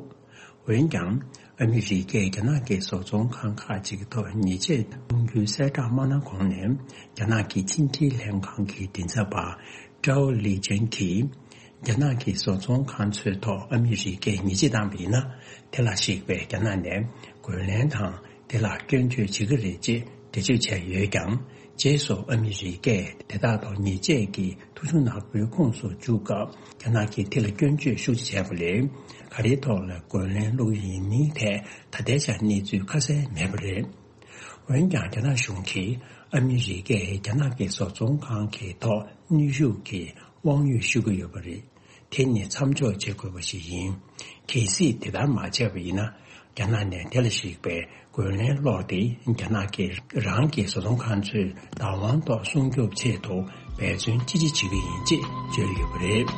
འོན་ཀྱང་། ཨ་མི་རི་ཀས་རྒྱ་ནག་གི་བཟོ་ཚོང་ཁང་ཁག་ཅིག་གི་ཐོག་ཉེས་ཆད་གཏོང་རྒྱུའི་གསལ་བསྒྲགས་མ་གནང་གོང་ནས། རྒྱ་ནག་གི་ཕྱི་འབྲེལ་ལྷན་ཁང་གི་མགྲིན་ཚབ་པ་ཀྲའོ་ལི་ཅན་གྱིས། རྒྱ་ནག་གི་བཟོ་ཚོང་ཁང་ཚོའི་ཐོག་ཨ་མི་རི་ཀས་ཉེས་ཆད་བཏང་བ་ཡིན་ན། དེ་ལ་གཞིགས་པའི་རྒྱ་ནག་ནས་རྒོལ་ལན་དང་། དེ་ལ་སྐྱོན་བརྗོད་བྱེད་ཀྱི་རེད་ཅེས་འགྲེལ་བརྗོད་བྱས་ཡོད་ཀྱང་། རྗེས་སུ་ཨ་མི་རི་ཀས་དེ་དག་ཐོག་ཉེས་ཆད་ཀྱི་ཐོ་གཞུང་ནག་པོའི་ཁོངས་སུ་བཅུག་སྐབས། རྒྱ་ནག་གིས་དེ་ལ་སྐྱོན་བརྗོད་ཤུགས་ཆེ་བྱས་པ་ལས། ག་རེའི་ཐོག་ལ་རྒོལ་ལན་སློག་རྒྱུ་ཡིན་མིན་ཐད་ད་ལྟའི་ཆར་གནས་ཚུལ་ཁ་གསལ་མེད་པ་རེད། འོན་ཀྱང་། རྒྱ་ནག་གཞུང་གིས་ཨ་མི་རི་ཀས་རྒྱ་ནག་གི་བཟོ་ཚོང་ཁང་གི་ཐོག་གནོན་ཤུགས་ཀྱི་དབང་ཡོད་ཞུ་གི་ཡོད་པ་རེད། དེ་ནི་མཚམས་འཇོག་བྱེད་དགོས་པ་ཞིག་ཡིན། གལ་སྲིད་དེ་ལྟར་མ་བྱས་པ་ཡིན་ན། རྒྱ་ནག་ནས་དེ་ལ་གཞིགས་པའི་རྒོལ་ལན་བསློགས་ཏེ། རྒྱ་ནག་གིས་རང་གི་བཟོ་ཚོང་ཁང་ཚོའི་བདག་དབང་ཐོག་སྲུང་སྐྱོབ་ཆེད་དུ་འབད་བརྩོན་ཅི་ཆེ་བྱེད་ཀྱི་ཡིན་ཅེས་བརྗོད་ཡོད་པ་རེད།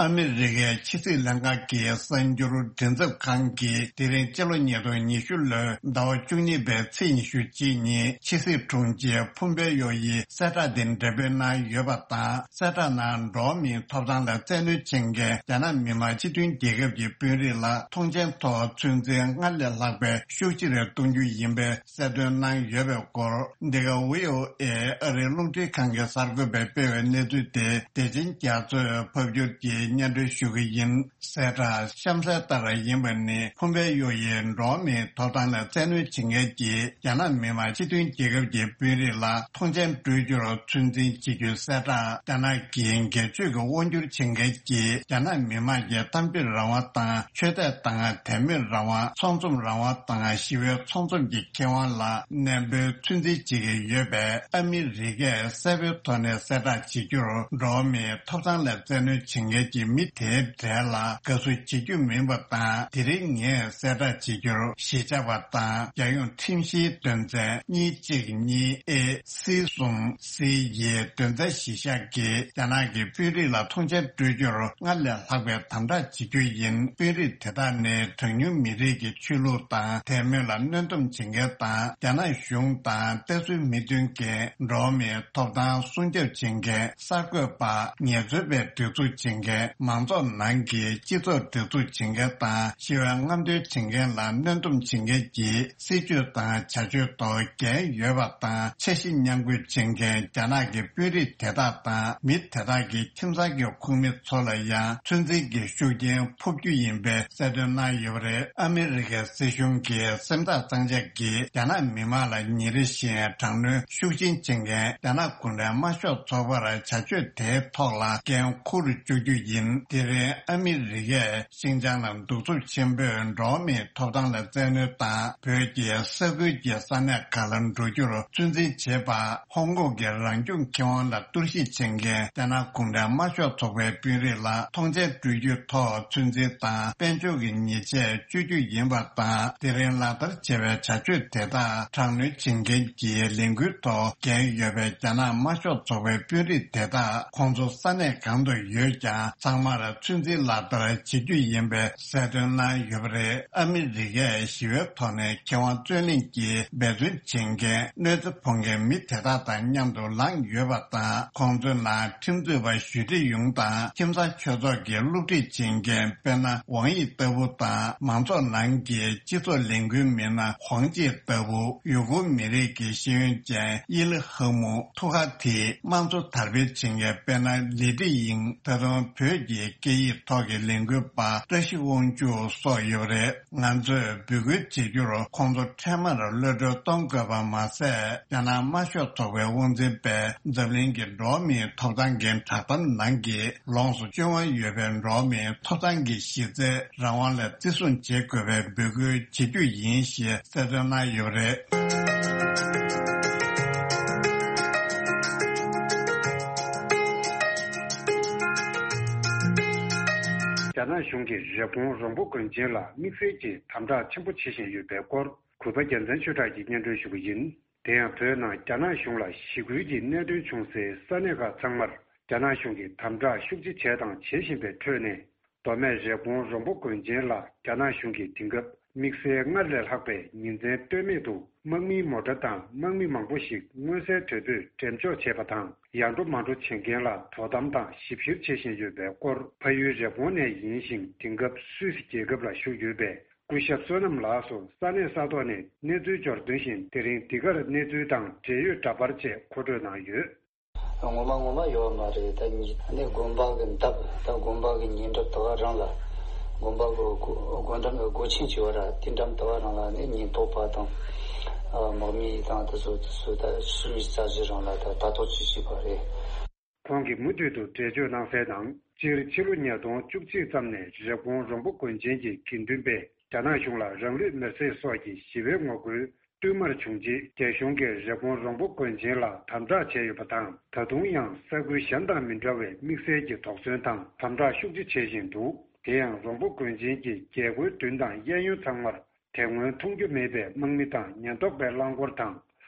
ཨ་མི་རི་ཀའི་ཕྱི་སྲིད་ལྷན་ཁང་གི་གསར་འགྱུར་མགྲིན་ཚབ་ཁང་གིས། དེ་རིང་སྤྱི་ལོ་ཉིས་སྟོང་ཉི་ཤུ་ལོའི་ཟླ་བ་བཅུ་གཉིས་པའི་ཚེས་ཉི་ཤུ་གཅིག་ཉིན་ཕྱི་སྲིད་དྲུང་ཆེ་ཕུམ་པེ་ཡོ་ཡིས་གསལ་བསྒྲགས་དེ་འགྲེམས་སྤེལ་གནང་ཡོད་པ་དང་། གསལ་བསྒྲགས་ནང་འགྲོ་བ་མིའི་ཐོབ་ཐང་ལ་བཙན་གནོན་བྱེད་མཁན་རྒྱ་ནག་མི་དམངས་སྤྱི་མཐུན་རྒྱལ་ཁབ་ཀྱི་དཔོན་རིགས་ལ་ཐོངས་མཆན་ཐོག་ཚོད་འཛིན་སྔར་ལས་ལྷག་པའི་ཤུགས་ཆེ་རུ་གཏོང་རྒྱུ་ཡིན་པའི་གསལ་སྟོན་གནང་ཡོད་པའི་སྐོར། འདི་ག་བྷི་ཨོ་ཨེ་ཨ་རིའི་རླུང་འཕྲིན་ཁང་གི་གསར་འགོད་པས་སྤེལ་བའི་གནས་ཚུལ་དེ། བདེ་ཆེན་རྒྱ་མཚོས་ཕབ་སྒྱུར་གྱིས། སྙན་སྒྲོན་ཞུ་གི་ཡིན། གསལ་བསྒྲགས་གཤམ་གསལ་ལྟར་ཡིན་པ་ནི། ཕུང་པའི་གཡོ་ཡི་འགྲོ་བ་མིའི་ཐོབ་ཐང་ལ་བཙན་གནོན་བྱེད་མཁན་གྱི་རྒྱ་ནག་མི་དམངས་སྤྱི་མཐུན་རྒྱལ་ཁབ་ཀྱི་དཔོན་རིགས་ལ་ཐོངས་མཆན་སྤྲོད་རྒྱུར་ཚོད་འཛིན་བྱེད་རྒྱུའི་གསལ་བསྒྲགས། རྒྱ་ནག་གི་སྒེར་གཅོད་ཀྱི་དབང་སྒྱུར་བྱེད་མཁན་གྱི་རྒྱ་ནག་མི་དམངས་ཀྱི་གཏམ་བརྗོད་རང་དབང་དང་། ཆོས་དད་དང་དད་མོས་རང་དབང་། ཚོགས་འཛོམས་རང་དབང་དང་། ཞི་བའི་ཚོགས་འཛོམས་ཀྱི་ཁེ་དབང་ལ་ནན་པོས་ཚོད་འཛིན་བྱེད་ཀྱི་ཡོད་པས། ཨ་མི་རི་ཀས་གསལ་པོའི་ཐོག་ནས་གསལ་བསྒྲགས་བྱེད་རྒྱུར། འགྲོ་བ་མིའི་ཐོབ་ཐང་ལ་བཙན་གནོན་བྱེད་མཁན་གྱི་མི་དེའི་གྲས་ལ་དགའ་བསུ་བྱེད་རྒྱུ་མིན་པ་དང་། དེ་རིང་ངས་གསལ་བསྒྲགས་བྱེད་རྒྱུར་གཞིས་ཆགས་པ་དང་། རྒྱལ་ཡོངས་ཁྲིམས་གཞིའི་དོན་ཚན་གཉིས་གཅིག་གཉིས་ཨེ། སི་གསུམ་སི་ཡི་དོན་ཚན་བཞི་བཞག་གིས་རྒྱ་ནག་གི་དཔོན་རིགས་ལ་ཐོངས་མཆན་སྤྲོད་རྒྱུར་སྔར་ལས་ལྷག་པའི་དམ་དྲག་བྱེད་རྒྱུ་ཡིན། དཔོན་རིགས་དེ་དག་ནི་གྲངས་ཉུང་མི་རིགས་ཀྱི་ཆོས་ལུགས་དང་དད་མོས་ལ་གནོན་སྡོམ་བྱེད་མཁན་དང་། རྒྱ་ནག་གཞུང་དང་བརྟན་སྲུང་མི་མཐུན་མཁན། འགྲོ་བ་མིའི་ཐོབ་ཐང་སྲུང་སྐྱོབ་བྱེད་མཁན། གསར་འགོད་པ། ངལ་རྩོལ་པའི་སྒྲིག་འཛུགས་བྱེད་མཁན། མང་ཚོགས་ནང་གི་སྤྱི་ཚོགས་སྒྲིག་འཛུགས་བྱེད་མཁན་དང་། ཞི་བའི་རྔམ་སྟོན་བྱེད་མཁན་ལ་གནོན་སྡོམ་བྱེད་མཁན་གྱི་སྲིད་བྱུས་དང་བྱ་སྤྱོད་ཐོག་འགན་ཡོད་པ་དང་། འཆར་གཞི་མཉམ་འགོད་བྱེད་མཁན་རྒྱ་ནག་གི་དཔོན་རིགས་དེ་དག་དང་། མི་དེ་དག་གི་ཁྱིམ་ཚང་གི་ཁོངས་མི་ཚོ་ལ་ཡང་ཚོད་འཛིན་གྱི་ཤུགས་རྐྱེན་ཕོག་རྒྱུ་ཡིན་པའི་གསལ་སྟོན་གནང་ཡོད་པ་རེད། ཨ་མི་རི་ཀའི་སྲིད་གཞུང་གིས་སེམས་ཐག་གཙང་བཅད་ཀྱིས་རྒྱ་ནག་མི་དམངས་ལ་ཉིན་རེ་བཞིན་དྲག་གནོན་ཤུགས་ཆེན་བྱེད་མཁན་རྒྱ་ནག་གུང་ཁྲན་དམར་ཤོག་ཚོགས་པར་བྱ་སྤྱོད་དེའི་ཐོག་ལ་འགན་འཁུར་བཅུག་རྒྱུ་ཡིན། དེ་རིང་ཨ་མི་རི་ཀས་ཤིན་ཅང་ལ་གདུག་རྩུབ་ཆེན་པོས་འགྲོ་བ་མིའི་ཐོབ་ཐང་ལ་བཙན་གནོན་དང་། བོད་ཀྱི་ས་ཁུལ་གྱི་ས་གནས་ཁག་ལ་འགྲོ་རྒྱུར་ཚོད་འཛིན་བྱེད་པ། ཧོང་ཀོང་གི་རང་སྐྱོང་ཁེ་དབང་ལ་གཏོར་བཤིག་བྱེད་མཁན་རྒྱ་ནག་གུང་ཁྲན་དམར་ཤོག་ཚོགས་པའི་དཔོན་རིགས་ལ་ཐོངས་མཆན་སྤྲོད་རྒྱུའི་ཐོག་ཚོད་འཛིན་དང་དཔལ་འབྱོར་གྱི་ཉེས་ཆད་གཅོད་རྒྱུ་ཡིན་པ་དང་། དེ་རིང་ལག་བསྟར་བྱས་པའི་བྱ་སྤྱོད་དེ་དག་དྲག་གནོན་བྱེད་མཁན་གྱི་ལས་འགུལ་ཐོག་འགན་ཡོད་པའི་རྒྱ་ནག་དམར་ཤོག་ཚོགས་པའི་དཔོན་རིགས་དེ་དག་ཁོང་ཚོ་ས་གནས་གང་དུ་ཡོད་ཀྱང་། ཚང་མར་ཚོད་འཛིན་ལག་བསྟར་བྱེད་རྒྱུ་ཡིན་པའི་གསལ་སྟོན་གནང་ཡོད་པ་རེད། ཨ་མི་རི་ཀས་ཞི་བའི་ཐོག་ནས་ཁེ་དབང་རྩོད་ལེན་གྱིས་འབད་བརྩོན་བྱེད་མཁན། གནོད་འཚེ་ཕོག་མཁན་མི་དེ་དག་དང་མཉམ་དུ་ལངས་ཡོད་པ་དང་། ཁོང་ཚོའི་ནང་ཁྲིམས་རྩོད་པ་ཞུས་ཀྲི་ཡུང་དང་། ཁྱིམ་ཚང་ཆོས་ཚོགས་ཀྱི་སློབ་ཁྲིད་བྱེད་མཁན་དཔེར་ན་ཝང་ཡི་ལྟ་བུ་དང་། མང་ཚོགས་ནང་གི་སྤྱི་ཚོགས་ལས་འགུལ་མི་སྣ་ཧོང་ཅི་ལྟ་བུ། ཡུ་གུར་མི་རིགས་ཀྱི་ཤེས་ཡོན་ཅན་ཡི་ལི་ཧ་མུ། ཐུ་ཁ་ཐི། དམངས་གཙོ་དར་སྤེལ་བྱེད་མཁན་དཔེར་ན་ལི་ཀྲི་ཡིང་། ད་དུང་བོད་ཀྱི་སྐད་ཡིག་ཐོག་གི་ལས་འགུལ་པ་བཀྲ་ཤིས་དབང་ཕྱུག་སོགས་ཡོད་པ་རེད། ང་ཚོས་འབོད་སྐུལ་བྱེད་རྒྱུར། ཁོང་ཚོ་འཕྲལ་མར་གློད་གྲོལ་གཏོང་དགོས་པ་མ་ཟད། རྒྱ་ནག་དམར་ཤོག་ཚོགས་པའི་དབང་འཛིན་པས་འཛམ་གླིང་གི་འགྲོ་བ་མིའི་ཐོབ་ཐང་གི་བསྒྲགས་གཏམ་ནང་གི་ལོངས་སུ་སྤྱོད་དབང་ཡོད་པའི་འགྲོ་བ་མིའི་ཐོབ་ཐང་གི་གཞི་རྩའི་རང་དབང་ལ་བརྩི་སྲུང་བྱེད་དགོས་པའི་འབོད་སྐུལ་བྱེད་རྒྱུ་ཡིན་ཞེས་གསལ་སྟོན་གནང་ཡོད་པ་རེད། རྒྱ་ནག་གཞུང་གིས་རེབ་གོང་རོང་པོ་དགོན་ཆེན་ལ་དམིགས་བསལ་གྱི་དམ་དྲག་ཆེན་པོ་བྱེད་བཞིན་ཡོད་པའི་སྐོར། གུས་པ་རྒྱལ་མཚན་ཆོས་གྲགས་ཀྱིས་སྙན་སྒྲོན་ཞུ་གི་ཡིན། དེ་ཡང་བོད་ནང་རྒྱ་ནག་གཞུང་ལ་ཞི་རྒོལ་གྱི་གནད་དོན་བྱུང་སའི་ས་གནས་ཁག་ཚང་མར་རྒྱ་ནག་གཞུང་གིས་དམ་དྲག་ཤུགས་ཆེ་བྱས་དང་བྱེད་བཞིན་པའི་ཁྲོད་ནས། མདོ་སྨད་རེབ་གོང་རོང་པོ་དགོན་ཆེན་ལ་རྒྱ་ནག་གཞུང་གིས་དེང་སྐབས་དམིགས་བསལ་སྔར་ལས་ལྷག་པའི་ཉིན་མཚན་ལྟོས་མེད་དུ་དམག་མིའི་མོ་ཊ་དང་དམག་མི་མང་པོ་ཞིག་མངོན་གསལ་དོད་པོས་འགྲེམས་འཇོག་བྱས་པ་དང་། ཡར་འགྲོ་མར་འགྲོ་བྱེད་མཁན་ལ་དོ་དམ་དང་ཞིབ་བཤེར་བྱེད་བཞིན་ཡོད་པའི་སྐོར། ཕ་ཡུལ་རེབ་གོང་ནས་ཡིན་ཞིང་། དེང་སྐབས་སུད་སི་རྒྱལ་ཁབ་ལ་བཞུགས་ཡོད་པའི་སྐུ་ཞབས་བསོད་ནམས་ལགས་སུ་ས་གནས་ས་ཐོག་ནས་གནས་ཚུལ་འབྱོར་དོན་བཞིན། དེ་རིང་འདི་གར་གནས་ཚུལ་དང་འབྲེལ་ཡོད་འདྲ་པར་བཅས་མཁོ་སྤྲོད་གནང་ཡོད། ངོ་མ་ངོ་མ་ཡོད་མ་རེད། ད་ཉི་ནས་དགོན་པ་གི་འདབས། ད་དགོན་པ་གི་ཉེ་འགྲམ་དེ་ག་རང་ལ། དགོན་པ་གི་སྒོ་སྒོ་འགྲམ་སྒོ་ཆེན་བྱས་པ་ར་དེ་འགྲམ་དེ་ག་རང་ལ་ནི་ཉེན་རྟོག་པ་དང་། ཨ་དམག་མི་དང་དེ་ཚོ་དེ་ཚོ་ད་ཕྱི་མི་ས་གཞི་རང་ལ་ད་ལྟ་རྟོག་ཅིག་བྱས་པ་རེད། ཁོང་གིས་མུ་མཐུད་དུ་འགྲེལ་བརྗོད་གནང་གསལ་ནང་། སྤྱིར་ཕྱི་ལོ་ཉིས་སྟོང་བཅུ་གཅིག་ཙམ་ནས་རེབ་གོང་རོང་པོ་དགོན་ཆེན་གྱི་དགེ་འདུན་པས་རྒྱ་ནག་གཞུང་ལ་རང་ལུས་མེར་སྲེག་སོགས་ཀྱི་ཞི་བའི་ངོ་རྒོལ་བསྟུད་མར་བྱུང་རྗེས། རྒྱ་གཞུང་གིས་རེབ་གོང་རོང་པོ་དགོན་ཆེན་ལ་དམ་དྲག་བྱས་ཡོད་པ་དང་། ད་དུང་ཡང་ས་ཁུལ་གཞན་དང་མི་འདྲ་བའི་དམིགས་བསལ་གྱི་དོགས་ཟོན་དང་དམ་དྲག་ཤུགས་ཆེ་བྱེད་བཞིན་འདུག་དེ་ཡང་རོང་པོ་དགོན་ཆེན་གྱི་རྒྱལ་སྒོའི་མདུན་དང་གཡས་གཡོན་ཚང་མར། དེ་སྔོན་མཐོང་རྒྱུ་མེད་པའི་དམག་མི་དང་ཉེན་རྟོག་པའི་རླངས་འཁོར་དང་།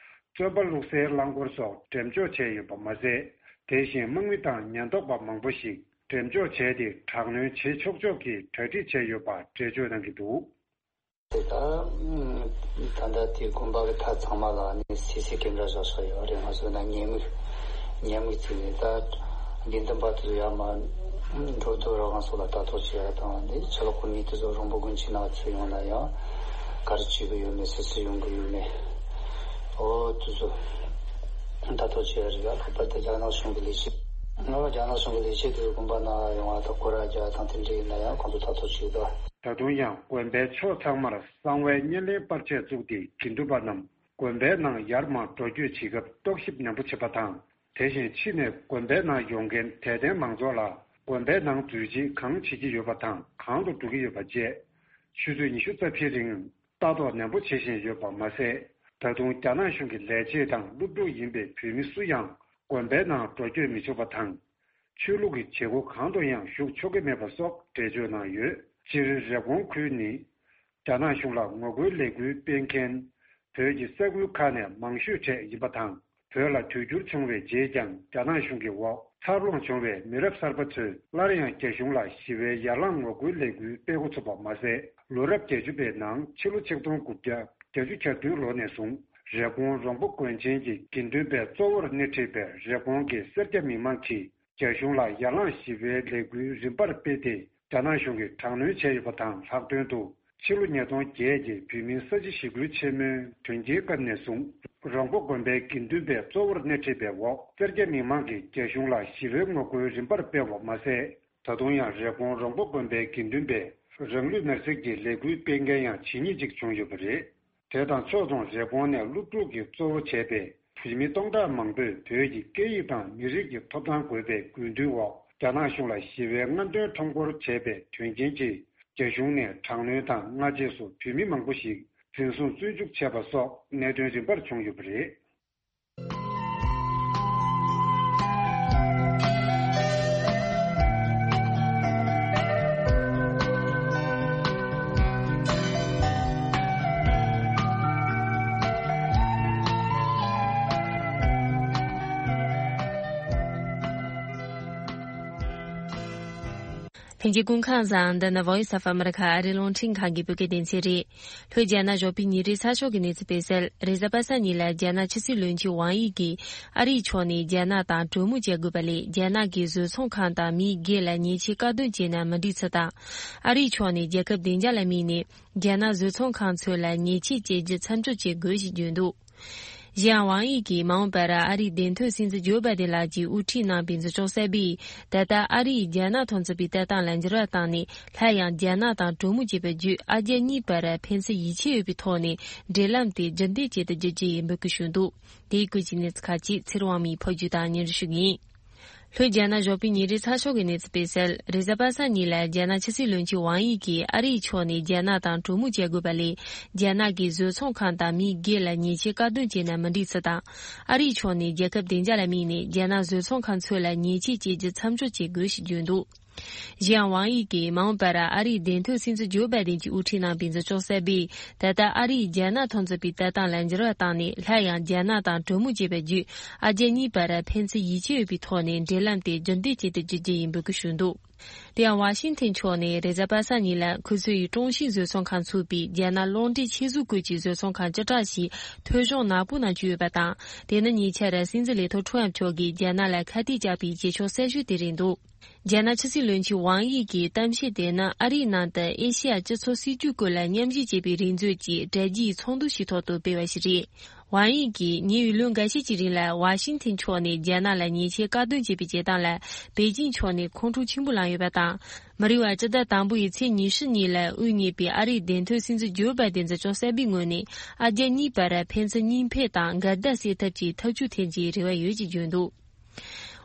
བཙོན་པ་བླུག་སའི་རླངས་འཁོར་སོགས་འགྲེམས་འཇོག་བྱས་ཡོད་པ་མ་ཟད། དེ་བཞིན་དམག་མི་དང་ཉེན་རྟོག་པ་མང་པོ་ཞིག་འགྲེམས་འཇོག་བྱས་ཏེ། དྲག་གནོན་བྱེད་ཆོག་ཆོག་གི་གྲ་སྒྲིག་བྱས་ཡོད་པ་འགྲེལ་བརྗོད་གནང་གི་འདུག་ད་ད་ལྟ་དེ་དགོན་པ་གི་མཐའ་ཚང་མ་ལ་ནི་སི་སི་ཀེམ་ར་བཞག་བཞག་ཡོད་རེད། ང་ཚོ་ན་ཉེས་དམིགས་ཉེས་དམིགས་བརྩིས་ནས། ད་དགེ་འདུན་པ་དེ་ཚོ་ཡར་མར་འགྲོ་འདུག་རང་དབང་སོགས་ལ་ལྟ་རྟོག་བྱེད་ཡ་དང་། དེ་ཕྱི་ལོགས་གི་མི་དེ་ཚོ་རོང་པོ་དགོན་ཆེན་ནང་ཚུར་ཡོང་ན་ཡང་ག་རེ་བྱེད་གི་ཡོད་མེད། སུ་སུ་ཡོང་གི་ཡོད་མེད། འོ་དེ་ཚོ་ལྟ་རྟོག་བྱེད་ཡ་རེད། ཡ་ལྷག་པར་དུ་རྒྱ་ནག་གཞུང་གི་ལས་བྱེད་ ང་རྒྱ་ནག་གཞུང་གི་ལས་བྱེད་དེ་དགོན་པ་ནང་ཡོང་བ་དང་སྐོར་ར་རྒྱག་དང་དེ་འདྲ་ཡིན་ན་ཡང་ཁོང་ཚོ་ཐག་གཅོད་བྱེད་དོ། ད་དུང་ཡང་དགོན་པའི་ཕྱོགས་ཚང་མར་གསང་བའི་བརྙན་ལེན་པར་ཆས་བཙུགས་ཏེ་དགེ་འདུན་པ་རྣམས་དགོན་པའི་ནང་ཡར་མར་འགྲོ་སྐྱོད་བྱེད་སྐབས་རྟོག་ཞིབ་ནན་པོ་བྱེད་པ་དང་། དེ་བཞིན་ཕྱི་ནས་དགོན་པའི་ནང་ཡོང་མཁན་དད་ལྡན་མང་ཚོགས་ལ་དགོན་པའི་ནང་འཛུལ་རྗེས་གང་བྱེད་ཀྱི་ཡོད་པ་དང་གང་དུ་འགྲོ་གི་ཡོད་པ་བཅས། ཆུ་ཚོད་ཉི་ཤུ་རྩ་བཞིའི་རིང་ལྟ་རྟོག་ནན་པོ་བྱེད་བཞིན་ཡོད་པ་མ་ཟད། ད་དུང་རྒྱ་ནག་གཞུང་གི་ལས་བྱེད་དང་སློབ་ཕྲུག་ཡིན་པའི་བོད་མི་སུ་ཡང་དགོན་པའི་ནང་འགྲོ་སྐྱོད་མི་ཆོག་པ་དང་། ཆོས་ལུགས་ཀྱི་བྱེད་སྒོ་གང་དུ་ཡང་ཞུགས་ཆོག་གི་མེད་པ་སོགས་འགྲེལ་བརྗོད་གནང་ཡོད། སྤྱིར་རེབ་གོང་ཁུལ་ནི། རྒྱ་ནག་གཞུང་ལ་ངོ་རྒོལ་ལས་འགུལ་སྤེལ་མཁན། བོད་ཀྱི་ས་ཁུལ་ཁག་ནས་མང་ཤོས་གྲས་ཡིན་པ་དང་། བོད་ལ་དུས་འགྱུར་བྱུང་བའི་རྗེས་ཀྱང་རྒྱ་ནག་གཞུང་གི་འོག་འཚར་ལོངས་བྱུང་བའི་མི་རབས་གསར་པ་ཚོས་སླར་ཡང་རྒྱ་གཞུང་ལ་ཞི་བའི་ཡར་ལངས་ངོ་རྒོལ་ལས་འགུལ་སྤེལ་འགོ་ཚུགས་པ་མ་ཟད། ལོ་རབས་བརྒྱད་ཅུ་པའི་ནང་ཕྱི་ལོ་ཆིག་སྟོང་དགུ་བརྒྱ་བརྒྱད་ཅུ་གྱ་བདུན་ལོ་ནས་བཟུང་རེབ་གོང་རོང་པོ་དགོན་ཆེན་གྱི་དགེ་འདུན་པའི་གཙོ་བོར་སྣེ་ཁྲིད་པའི་རེབ་གོང་གི་སེར་སྐྱ་མི་མང་གིས། རྒྱ་གཞུང་ལ་ཡར་ལངས་ཞི་བའི་ལས་འགུལ་རིམ་པར་སྤེལ་ཏེ། རྒྱ་ནག་གཞུང་གིས་དྲག་གནོན་བྱས་ཡོད་པ་དང་། ལྷག་དོན་དུ་ཕྱི་ལོ་ཉིས་སྟོང་བརྒྱད་ཀྱི་བོད་མིའི་ས་བྱི་ཞི་རྒོལ་ཆེན་མོའི་དོན་རྐྱེན་སྐབས་ནས་བཟུང་། རོང་པོ་དགོན་པའི་དགེ་འདུན་པའི་གཙོ་བོར་སྣེ་ཁྲིད་པའི་འོག་སེར་སྐྱ་མི་མང་གིས་རྒྱ་གཞུང་ལ་ཞི་བའི་ངོ་རྒོལ་རིམ་པར་སྤེལ་བ་མ་ཟད། ད་དུང་ཡང་རེབ་གོང་རོང་པོ་དགོན་པའི་དགེ་འདུན་པས་རང་ལུས་མེར་སྲེག་གི་ལས་འགུལ་སྤེལ་མཁན་ཡང་ཇི་སྙེད་ཅིག་བྱུང་ཡོད་པ་རེད། དེ་དང་ཕྱོགས་མཚུངས་རེབ་གོང་ནས་སློབ་ཕྲུག་གིས་གཙོ་བོ་བྱས་པའི་བོད་མི་སྟོང་ཕྲག་མང་པོས་བོད་ཀྱི་སྐད་ཡིག་དང་མི་རིགས་ཀྱི་ཐོབ་ཐང་དགོས་པའི་དགོས་འདུན་འོག་རྒྱ་ནག་གཞུང་ལ་ཞི་བའི་རྔམ་སྟོན་ཁྲོམ་སྐོར་བྱས་པའི་དོན་རྐྱེན་གྱིས་རྒྱ་གཞུང་ནས་དྲག་གནོན་དང་སྔ་རྗེས་སུ་བོད་མི་མང་པོ་ཞིག་འཛིན་བཟུང་བཙོན་འཇུག་བྱས་པ་སོགས་གནད་དོན་རིམ་པར་བྱུང་ཡོད་པ་རེད། ལྷན་རྒྱས་སྐུ་ཁམས་བཟང་། འདི་ནི་Voice of America ཨ་རིའི་རླུང་འཕྲིན་ཁང་གི་བོད་སྐད་སྡེ་ཚན་རེད། ལྷོ་རྒྱ་ནག་ཞོགས་པའི་ཉིན་རེའི་ཚགས་ཤོག་གི་གནས་ཚུལ་སྤེལ་གསལ། རེས་གཟའ་པ་སངས་ཉིན་ལ་རྒྱ་ནག་ཕྱི་སྲིད་བློན་ཆེན་ཝང་ཡི་གིས་ཨ་རིའི་ཕྱོགས་ནས་རྒྱ་ནག་དང་གྲོས་མོལ་བྱ་དགོས་པ་ལས། རྒྱ་ནག་གིས་བཟོ་ཚོང་ཁང་དང་མིའི་སྒེར་ལ་ཉེས་ཆད་བཀག་སྡོམ་བྱས་ན་མི་འགྲིག་ཚུལ་དང་། ཨ་རིའི་ཕྱོགས་ནས་རྒྱལ་ཁབ་བདེ་འཇགས་ལ་དམིགས་ནས་རྒྱ་ནག་བཟོ་ཚོང་ཁང་ཚོ་ལ་ཉེས་ཆད་བཅད་རྒྱུ་མཚམས་འཇོག་བྱེད་དགོས་ཞེས་བརྗོད་འདུག། གཞན་ཡང་ཝང་ཡི་གིས་མ་འོངས་པར་ཨ་རིའི་བདེན་དོན་སྲིད་འཛིན་ཇོ་བྷའི་ཏིན་ལགས་ཀྱིས་དབུ་ཁྲིད་གནང་པའི་འཛིན་སྐྱོང་གསར་པས། ད་ལྟ་ཨ་རིས་རྒྱ་ནག་ཐོག་མཛད་པའི་ལྟ་སྟངས་ལ་འགྱུར་བ་བཏང་ནས། སླར་ཡང་རྒྱ་ནག་དང་གྲོས་མོལ་བྱེད་པའི་བརྒྱུད་ཨ་རྒྱ་གཉིས་བར་ཕན་ཚུན་ཡིད་ཆེས་ཡོད་པའི་ཐོག་ནས་འབྲེལ་ལམ་དེ་རྒྱུན་ལྡན་བྱེད་དུ་འཇུག་རྒྱུ་ཡིན་འབོད་སྐུལ་ཞུས་འདུག། དེའི་བཀོད་ཀྱི་གནས་ཚུལ་ཁག་ཅིག་ཚེ་རིང་དབང་མོས་ཕབ་སྒྱུར་དང་སྙན་སྒྲོན་ཞུ་གི་ཡིན། ལྷོ་རྒྱ་ནག་ཞོགས་པའི་ཉིན་རེའི་ཚགས་ཤོག་གི་གནས་ཚུལ་སྤེལ་གསལ། རེས་གཟའ་པ་སངས་ཉིན་ལ་རྒྱ་ནག་ཕྱི་སྲིད་བློན་ཆེན་ཝང་ཡི་གིས་ཨ་རིའི་ཕྱོགས་ནས་རྒྱ་ནག་དང་གྲོས་མོལ་བྱ་དགོས་པ་ལས། རྒྱ་ནག་གིས་བཟོ་ཚོང་ཁང་དང་མིའི་སྒེར་ལ་ཉེས་ཆད་བཀག་སྡོམ་བྱས་ན་མི་འགྲིག་ཚུལ་དང་། ཨ་རིའི་ཕྱོགས་ནས་རྒྱལ་ཁབ་བདེ་འཇགས་ལ་དམིགས་ནས་རྒྱ་ནག་བཟོ་ཚོང་ཁང་ཚོ་ལ་ཉེས་ཆད་བཅད་རྒྱུ་མཚམས་འཇོག་བྱེད་དགོས་ཞེས་བརྗོད་འདུག། གཞན་ཡང་ཝང་ཡི་གིས་མ་འོངས་པར་ཨ་རིའི་བདེན་དོན་སྲིད་འཛིན་ཇོ་བྷའི་ཏིན་གྱིས་དབུ་ཁྲིད་གནང་པའི་འཛིན་སྐྱོང་གསར་པས། ད་ལྟ་ཨ་རིས་རྒྱ་ནག་ཐོག་མཛད་པའི་ལྟ་སྟངས་ལ་འགྱུར་བ་བཏང་ནས། སླར་ཡང་རྒྱ་ནག་དང་གྲོས་མོལ་བྱེད་པའི་བརྒྱུད་ཨ་རྒྱ་གཉིས་བར་ཕན་ཚུན་ཡིད་ཆེས་ཡོད་པའི་ཐོག་ནས་འབྲེལ་ལམ་དེ་རྒྱུན་ལྡན་བྱེད་དུ་འཇུག་རྒྱུ་ཡིན་འབོད་སྐུལ་ཞུས་འདུག། དེ་ཡང་ཝ་ཤིང་ཐན་ཕྱོགས་ནས་རེས་གཟའ་པ་སངས་ཉིན་ལ་ཁོ་ཚོ་ཡི་ཀྲུང་ཤིན་བཟོ་ཚོང་ཁང་ཚུགས་པའི་རྒྱ་ནག་གློག་འདྲེན་ཆེད་བཟོ་སྐོར་གྱི་བཟོ་ཚོང་ཁང་བཅུ་ཕྲག་ཞིག་ཐོལ་བྱུང་ནག་པོ་ནང་བཅུག་ཡོད་པ་དང་། དེ་ནི་ཉེ་ཆར་སྲིད་འཛིན་ལས་ཐོག་ཁྲུའུ་ཨེན་མཆོག་གིས་རྒྱ་ནག་ལ་ཁ་གཏད་བཅག་པའི་བྱེད་ཕྱོགས་གསར་ཤོས་དེ་རེད་འདུག། རྒྱ་ནག་ཕྱི་སྲིད་བློན་ཆེན་ཝང་ཡི་གིས་གཏམ་བཤད་དེ་ནི་ཨ་རིའི་ནང་དུ་ཨེ་ཤེ་ཡ་སྤྱི་ཚོགས་སྲིད་ཇུས་སྐོར་ལ་མཉམ་ཞུགས་བྱེད་པའི་རེས་མཛོད་ཀྱི་དྲ་རྒྱའི་ཚོགས་འདུ་ཞིག་ཐོག་ཏུ་སྤེལ་བ་ཞིག་རེད། ཝང་ཡི་གིས་ཉེ་བའི་ལོ་འགའ་ཤས་ཀྱི་རིང་ལ་ཝ་ཤིང་ཐན་ཕྱོགས་ནས་རྒྱ་ནག་ལ་ཉེས་ཆད་བཀག་སྡོམ་བྱས་པའི་བྱེད་སྟངས་ལ་པེ་ཅིང་ཕྱོགས་ནས་ཁོང་ཁྲོ་ཆེན་པོ་ལངས་ཡོད་པ་དང་། མི་རིང་བར་སྤྱི་ཟླ་དང་པོ་ཡི་ཚེས་ཉི་ཤུ་ཉིན་ལ་དབུ་བརྙེས་པའི་ཨ་རིའི་བདེན་དོན་སྲིད་འཛིན་ཇོ་བྷའི་ཏིན་འཛིན་སྐྱོང་གསར་པའི་ངོས་ནས་ཨ་རྒྱ་གཉིས་བར་ཕན་ཚུན་གཉིས་ཕན་དང་འགལ་ཟླ་སེལ་ཐབས་ཀྱི་ཐབས་ཇུས་འཐེན་རྒྱུའི་རེ་བ་ཡོད་ཅེས་བརྗོད་འདུག།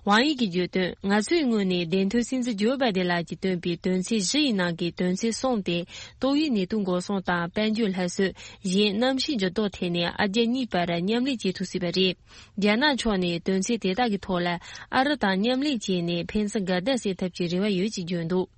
ཝང་ཡི་གིས་བརྗོད་དོན། ང་ཚོའི་ངོས་ནས་བདེན་དོན་སྲིད་འཛིན་ཇོ་བྷའི་ཏིན་ལགས་ཀྱིས་བཏོན་པའི་དོན་ཚན་བཞི་ཡི་ནང་གི་དོན་ཚན་གསུམ་སྟེ། ཏོག་དབྱིབས་ནད་དུག་འགོག་སྲུང་དང་དཔལ་འབྱོར་སླར་གསོ། གཞན་གནམ་གཤིས་འགྱུར་ལྡོག་ཐད་ནས་ཨ་རྒྱ་གཉིས་བར་མཉམ་ལས་བྱེད་ཐུབ་སྲིད་པ་རེད། རྒྱ་ནག་ཕྱོགས་ནས་དོན་ཚན་དེ་དག་གི་ཐོག་ལ་ཨ་རི་དང་མཉམ་ལས་བྱས་ནས་ཕན་ཚུན་འགལ་ཟླ་སེལ་ཐབས་ཀྱི་རེ་བ་ཡོད་ཅེས་བརྗོད་འདུག།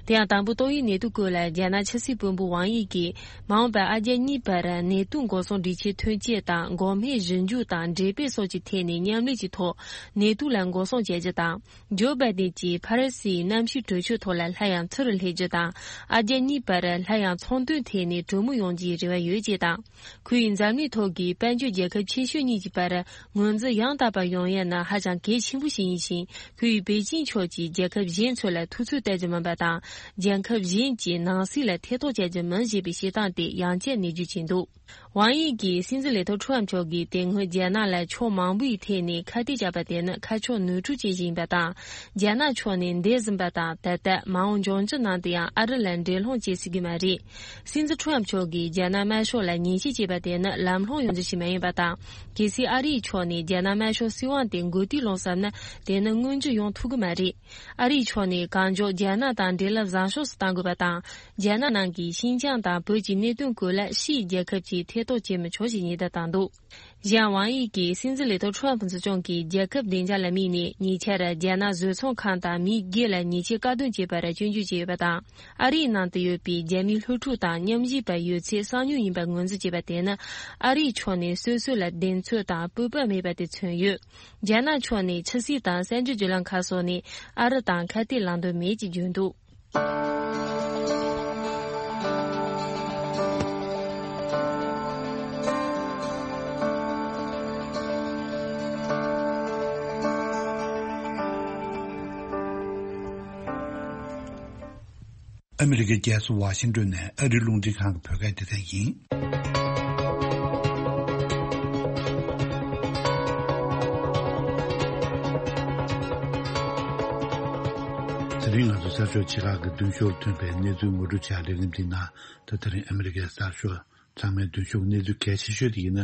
དེ་ཡང་དང་པོ་ཏོག་དབྱིབས་ནད་དུག་སྐོར་ལ་རྒྱ་ནག་ཕྱི་སྲིད་དཔོན་པོ་ཝང་ཡི་གིས། མ་འོངས་པར་ཨ་རྒྱ་གཉིས་བར་ནད་དུག་འགོག་སྲུང་སྒྲིག་ཆས་ཐོན་སྐྱེད་དང་། འགོག་སྨན་ཞིབ་འཇུག་དང་འགྲེམས་སྤེལ་སོགས་ཀྱི་ཐད་ནས་མཉམ་ལས་ཀྱི་ཐོག་ནད་དུག་ལ་འགོག་སྲུང་བྱ་རྒྱུ་དང་། ཇོ་བྷའི་ཏིན་གྱིས་ཕ་རི་སིའི་གནམ་གཤིས་གྲོས་ཆོད་ཐོག་ལ་སླར་ཡང་ཚུར་སླེབས་རྒྱུ་དང་། ཨ་རྒྱ་གཉིས་བར་སླར་ཡང་ཚོང་དོན་ཐད་ནས་གྲོས་མོལ་ཡོང་རྒྱུའི་རེ་བ་ཡོད་ཅེས་དང་། ཁོས་འཛམ་གླིང་ཐོག་གི་དཔལ་འབྱོར་རྒྱལ་ཁབ་ཆེ་ཤོས་གཉིས་ཀྱི་བར་ངོས་འཛིན་ཡང་དག་པ་ཡོང་ཡ་ནི་ཧ་ཅང་གལ་ཆེན་པོ་ཞིག་ཡིན་ཞིང་། ཁོས་པེ་ཅིང་ཕྱོགས་ཀྱིས་རྒྱལ་ཁབ་གཞན་ཚོ་ལ་ཐུགས་ཚོད་གཏད་རྒྱུ་མིན་པ་ དང་། རྒྱལ་ཁབ་གཞན་གྱི་ནང་སྲིད་ལ་ཐེ་གཏོགས་བྱ་རྒྱུ་མིན་ཞེས་པའི་བཤད་སྟངས་དེ་ཡང་བསྐྱར་ནས་བརྗོད་ཀྱིན་འདུག། ཝང་དབྱི་གིས་སྲིད་འཛིན་ལས་ཐོག་ཁྲོམ་མཆོག་གིས་དེ་སྔོན་རྒྱ་ནག་ལ་ཕྱོགས་མང་པོའི་ཐད་ནས་ཁ་གཏད་བཅག་པ་དེ་ནི་ཁ་ཕྱོགས་ནོར་འཁྲུལ་བྱེད་བཞིན་པ་དང་། རྒྱ་ནག་ཕྱོགས་ནས་འདས་ཟིན་པ་དང་ད་ལྟ་མ་འོངས་འབྱུང་འགྱུར་ནང་དུ་ཡང་ཨ་རི་ལ་འགྲན་སློང་བྱེད་སྲིད་ཀྱི་མ་རེད། སྲིད་འཛིན་ཁྲོམ་མཆོག་གིས་རྒྱ་ནག་དམར་ཤོག་ལ་ཉེས་ཆད་བཅད་པ་དེ་ནི་ལམ་ལྷོང་ཡོང་རྒྱུ་ཞིག་མ་ཡིན་པ་དང་། གལ་སྲིད་ཨ་རིའི་ཕྱོགས་ནས་རྒྱ་ནག་དམར་ཤོག་སྲིད་དབང་དེ་མགོ་རྟིང་སློང་བསམ་ན་དེ་ནི་མངོན་འགྱུར་ཡོང་ཐུབ་ཀྱི་མ་རེད། ཨ་རིའི་ཕྱོགས་ནས་གང་མགྱོགས་རྒྱ་ནག་དང་འབྲེལ་ལམ་བཟང་ཕྱོགས་སུ་གཏང་དགོས་པ་དང་། རྒྱ་ནག་ནང་གི་ཤིན་ཅང་དང་བོད་ཀྱི་གནད་དོན་སྐོར་ལ་ཕྱིའི་རྒྱལ་ཁབ་ཀྱིས་ཐེ་གཏོགས་བྱེད་མི་ཆོག་ཞེས་ཉེན་བརྡ་བཏང་འདུག། གཞན་ཝང་དབྱི་གིས་སྲིད་འཛིན་ལས་ཐོག་ཁྲོམ་སྲིད་སྐྱོང་གིས་རྒྱལ་ཁབ་བདེ་འཇགས་ལ་དམིགས་ནས་ཉེ་ཆར་རྒྱ་ནག་བཟོ་ཚོང་ཁང་དང་མི་སྒེར་ལ་ཉེས་ཆད་བཀག་སྡོམ་བྱས་པར་སྐྱོན་བརྗོད་བྱས་ཡོད་པ་དང་། ཨ་རིའི་ནང་དུ་ཡོད་པའི་རྒྱ་མིའི་སློབ་ཕྲུག་དང་མཉམ་ཞུགས་པ་ཡོད་ཚད་གསང་མྱུལ་ཡིན་པར་ངོས་འཛིན་བྱས་པ་དེ་ནི་ཨ་རིའི་ཕྱོགས་ནས་སོ་སོ་ལ་གདེང་ཚོད་དང་སྤོབས་པ་མེད་པ་དེ་མཚོན་ཡོད། རྒྱ་ནག་ཕྱོགས་ནས་ཕྱི་སྲིད་དང་གསར་འགྱུར་བརྒྱུད་ལམ་ཁག་སོགས་ནས་ཨ་རི་དང་ཁ་གཏད་ལངས་འདོད་མེད་ཅེས་བརྗོད་འདུག། ཨ་མི་རི་ཀའི་རྒྱལ་ས་ཝ་ཤིང་ཏོན་ནས་ཨ་རིའི་རླུང་འཕྲིན་ཁང་གི་བོད་སྐད་སྡེ་ཚན་ཡིན། དེ་རིང་ང་ཚོ་གསར་ཤོག་ཆེ་ཁག་གི་མདུན་ཤོག་ཐོན་པའི་གནས་ཚུལ་ངོ་སྤྲོད་བྱ་ལས་རིམ་འདི་ནང་། ད་དེ་རིང་ཨ་མི་རི་ཀའི་གསར་ཤོག་ཚང་མའི་མདུན་ཤོག་གནས་ཚུལ་གལ་ཆེ་ཤོས་དེ་ཡིན་ན།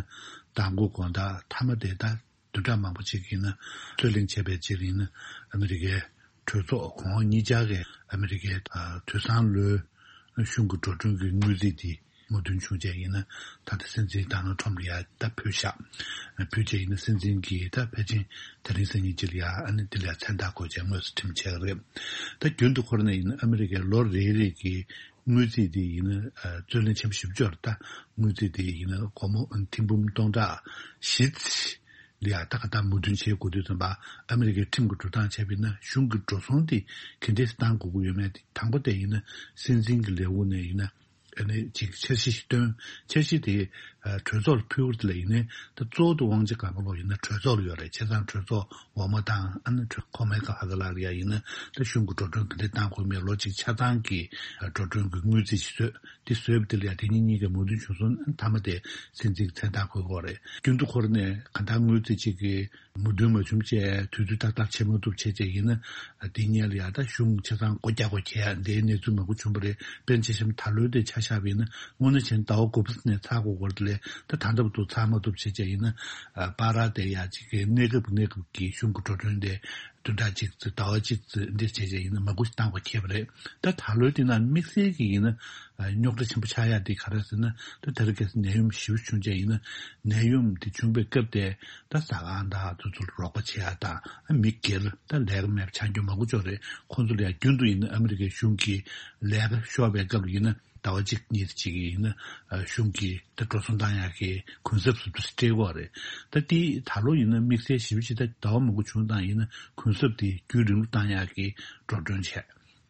མདང་དགོང་དགོང་དག་མཐའ་མ་དེ་ད་བདུན་ཕྲག་མང་པོ་ཅིག་ཡིན་ན་རྩོད་གླེང་བྱས་པའི་རྗེས་ཡིན་ན། ཨ་མི་རི་ཀའི་གྲོས་ཚོགས་གོང་འོག་གཉིས་ཆར་གྱི་ཨ་མི་རི་ཀའི་དུས་སང་ལོའི་གཞུང་གི་འགྲོ་གྲོན་གྱི་དངུལ་རྩིས་དེ་མོས་མཐུན་བྱུང་རྗེས་ཡིན་ན། ད་ལྟ་སྲིད་འཛིན་ཌོ་ནལ་ཊམ་ལ་ཡ་ད་ཕུལ་བཞག་ཕུལ་རྗེས་ཡིན་ན་སྲིད་འཛིན་གྱིས་ད་ཕལ་ཆེར་དེ་རིང་སང་ཉིན་ཅིག་ལ་ཡ་ཨ་ནི་དེ་ལ་ཡ་མཚན་རྟགས་འཁོད་རྗེས་དངོས་སུ་ཁྲིམས་བྱས་པ་རེད། ད་རྒྱུན་དུ་འཁོར་ནས་ཡིན་ན་ཨ་མི་རི་ཀའི་ལོ་རེ་རེ་གི་དངུལ་རྩིས་དེ་ཡིན་ན་རྩོད་གླེང་ཆེན་པོ་ཞེ་པོ་ཅིག་ཡོད་རེད། ད་དངུལ་རྩིས་དེ་ཡིན་ན་སྒོར་མོ་ཐེར་འབུམ་སྟོང་ཕྲག་བཞི་ཙམ་ལ་ཡ་ད་ག་ད་མོས་མཐུན་བྱེད་དགོས་དུས་ཙམ་པ། ཨ་མི་རི་ཀའི་ཁྲིམས་ཀྱི་འགྲོ་སྟངས་བྱས་པ་ཡིན་ན་གཞུང་གི་འགྲོ་སོང་དེ་ག་འདྲས་བཏང་དགོས་ཀྱི་ཡོད་མེད་དེ། དང་པོ་དེ་ཡིན་ན་སྲིད་འཛིན་གྱི་ལས་ཁུངས་ནས་ཡིན་ན་ཨ་ནི་ཅིག་འཆར་གཞི་ཞིག་བཏོན། འཆར་གཞི་དེ་གྲོས་ཚོགས་ལ་ཕུལ་བ་དེ་ལ་ཡིན་ནའི་ད་གཙོ་བོ་དེ་དབང་ཆ་གང་ག་ལོག་ཡིན་ན་གྲོས་ཚོགས་ལ་ཡོད་རེད། བྱས་ཙང་གྲོས་ཚོགས་འོག་མ་དང་ཨ་ནི་གྲོས་ཁོ་མའི་ཁ་ཧ་ག་ལ་ལ་ཡ་ཡིན་ན་ད་གཞུང་གི་འགྲོ་གྲོན་ག་འདྲས་བཏང་དགོས་མེད། ལོ་གཅིག་ཆ་ཚང་གི་འགྲོ་གྲོན་གྱི་དངུལ་རྩིས་ཤིག་བཟོས། དེ་བཟོས་པ་དེ་ལ་ཡང་དེ་གཉིས་གཉིས་ཀས་མོས་མཐུན་བྱུང་སོང་ན་མཐའ་མ་དེ་སྲིད་འཛིན་གྱི་མཚན་རྟགས་འཁོད་དགོས་རེད། རྒྱུན་དུ་འཁོར་ནས་གང་ལྟར་དངུལ་རྩིས་གཅིག་གིས་མོས་མཐུན་མ་བྱུང་བྱས་དུས་ཚོད་ཏག་ཏག་བྱེད་མ་ཐུབ་བྱས་བྱས་ཡིན་ན། དེ་སྔོན་ལ་ཡང་ད་གཞུང་ཆ་ཚང་སྒོ་རྒྱག་དགོས་ཁེལ་ཡ་འདིའི་གནས་ཚུལ་མང་པོ་བྱུང་བ་རེད། དཔེར་ན་ཆ་བཞག་ན་ད་ལོའི་དེ་ཆ་བཞག་པ་ཡིན་ན་དངོས་གནས་བྱས་ན་ཟླ་བ་དགུ་པ་ནས་ཚར་དགོས་སྐོར་དེ་ལས་ད་ད་ལྟ་བར་དུ་ཚར་མ་ཐུབ་བྱས་བྱས་ཡིན་ན། པ་ར་དེ་ཡ་གཅིག་གི་གནས་སྐབས་གནས་སྐབས་ཀྱི་གཞུང་གི་འགྲོ་གྲོན་དེ། བདུན་ཕྲག་གཅིག་ཙམ་ཟླ་བ་གཅིག་ཙམ་འདི་བྱས་བྱས་ཡིན་ན་མང་པོ་ཞིག་བཏང་བ་ཁེལ་བ་རེད། ད་ད་ལོའི་འདི་ནང་དམིགས་བསལ་གྱི་ཡིན་ན་རྙོག་དྲ་ཆེན་པོ་ཆགས་ཡ་འདི་ག་རེ་ཟེར་ན། ད་དེ་རིང་ཁ་སང་ནད་ཡམས་ཞེ་པོ་བྱུང་བྱས་ཡིན་ན་ནད་ཡམས་འདི་བྱུང་བའི་སྐབས་དེ་ད་ཟ་ཁང་དང་དེ་ཚོར་རོགས་པ་བྱེད་ཡ་དང་མི་སྒེར་ད་ལས་ཀ་མེད་པ་ཆགས་རྒྱུ་མང་པོ་ཅིག་ཡོད་རེད། ཁོང་ཚོ་ལ་ཡ་རྒྱུན་དུ་ཡིན་ན་ཨ་མི་རི་ཀའི་གཞུང་གིས་ལས་ཀ་ཤོར་བའི་སྐབས་ལ་ཡིན་ན། ཟླ་བ་གཅིག་གཉིས་ཅིག་ཡིན་ན་གཞུང་གིས་ད་འགྲོ་སོང་བཏང་ཡག་གི་གུན་གསབ་ཟུར་དུ་སྤྲད་ཀྱི་ཡོད་རེད། ད་དེ་ད་ལོ་ཡིན་ན་དམིགས་བསལ་ཞེ་པོ་ཅིག་ད་ཟླ་བ་མང་པོ་བྱུང་བཏང་ཡིན་ན་གུན་གསབ་དེ་རྒྱུན་རིང་པོ་བཏང་ཡག་གི་འགྲོ་གྲོན་བྱས།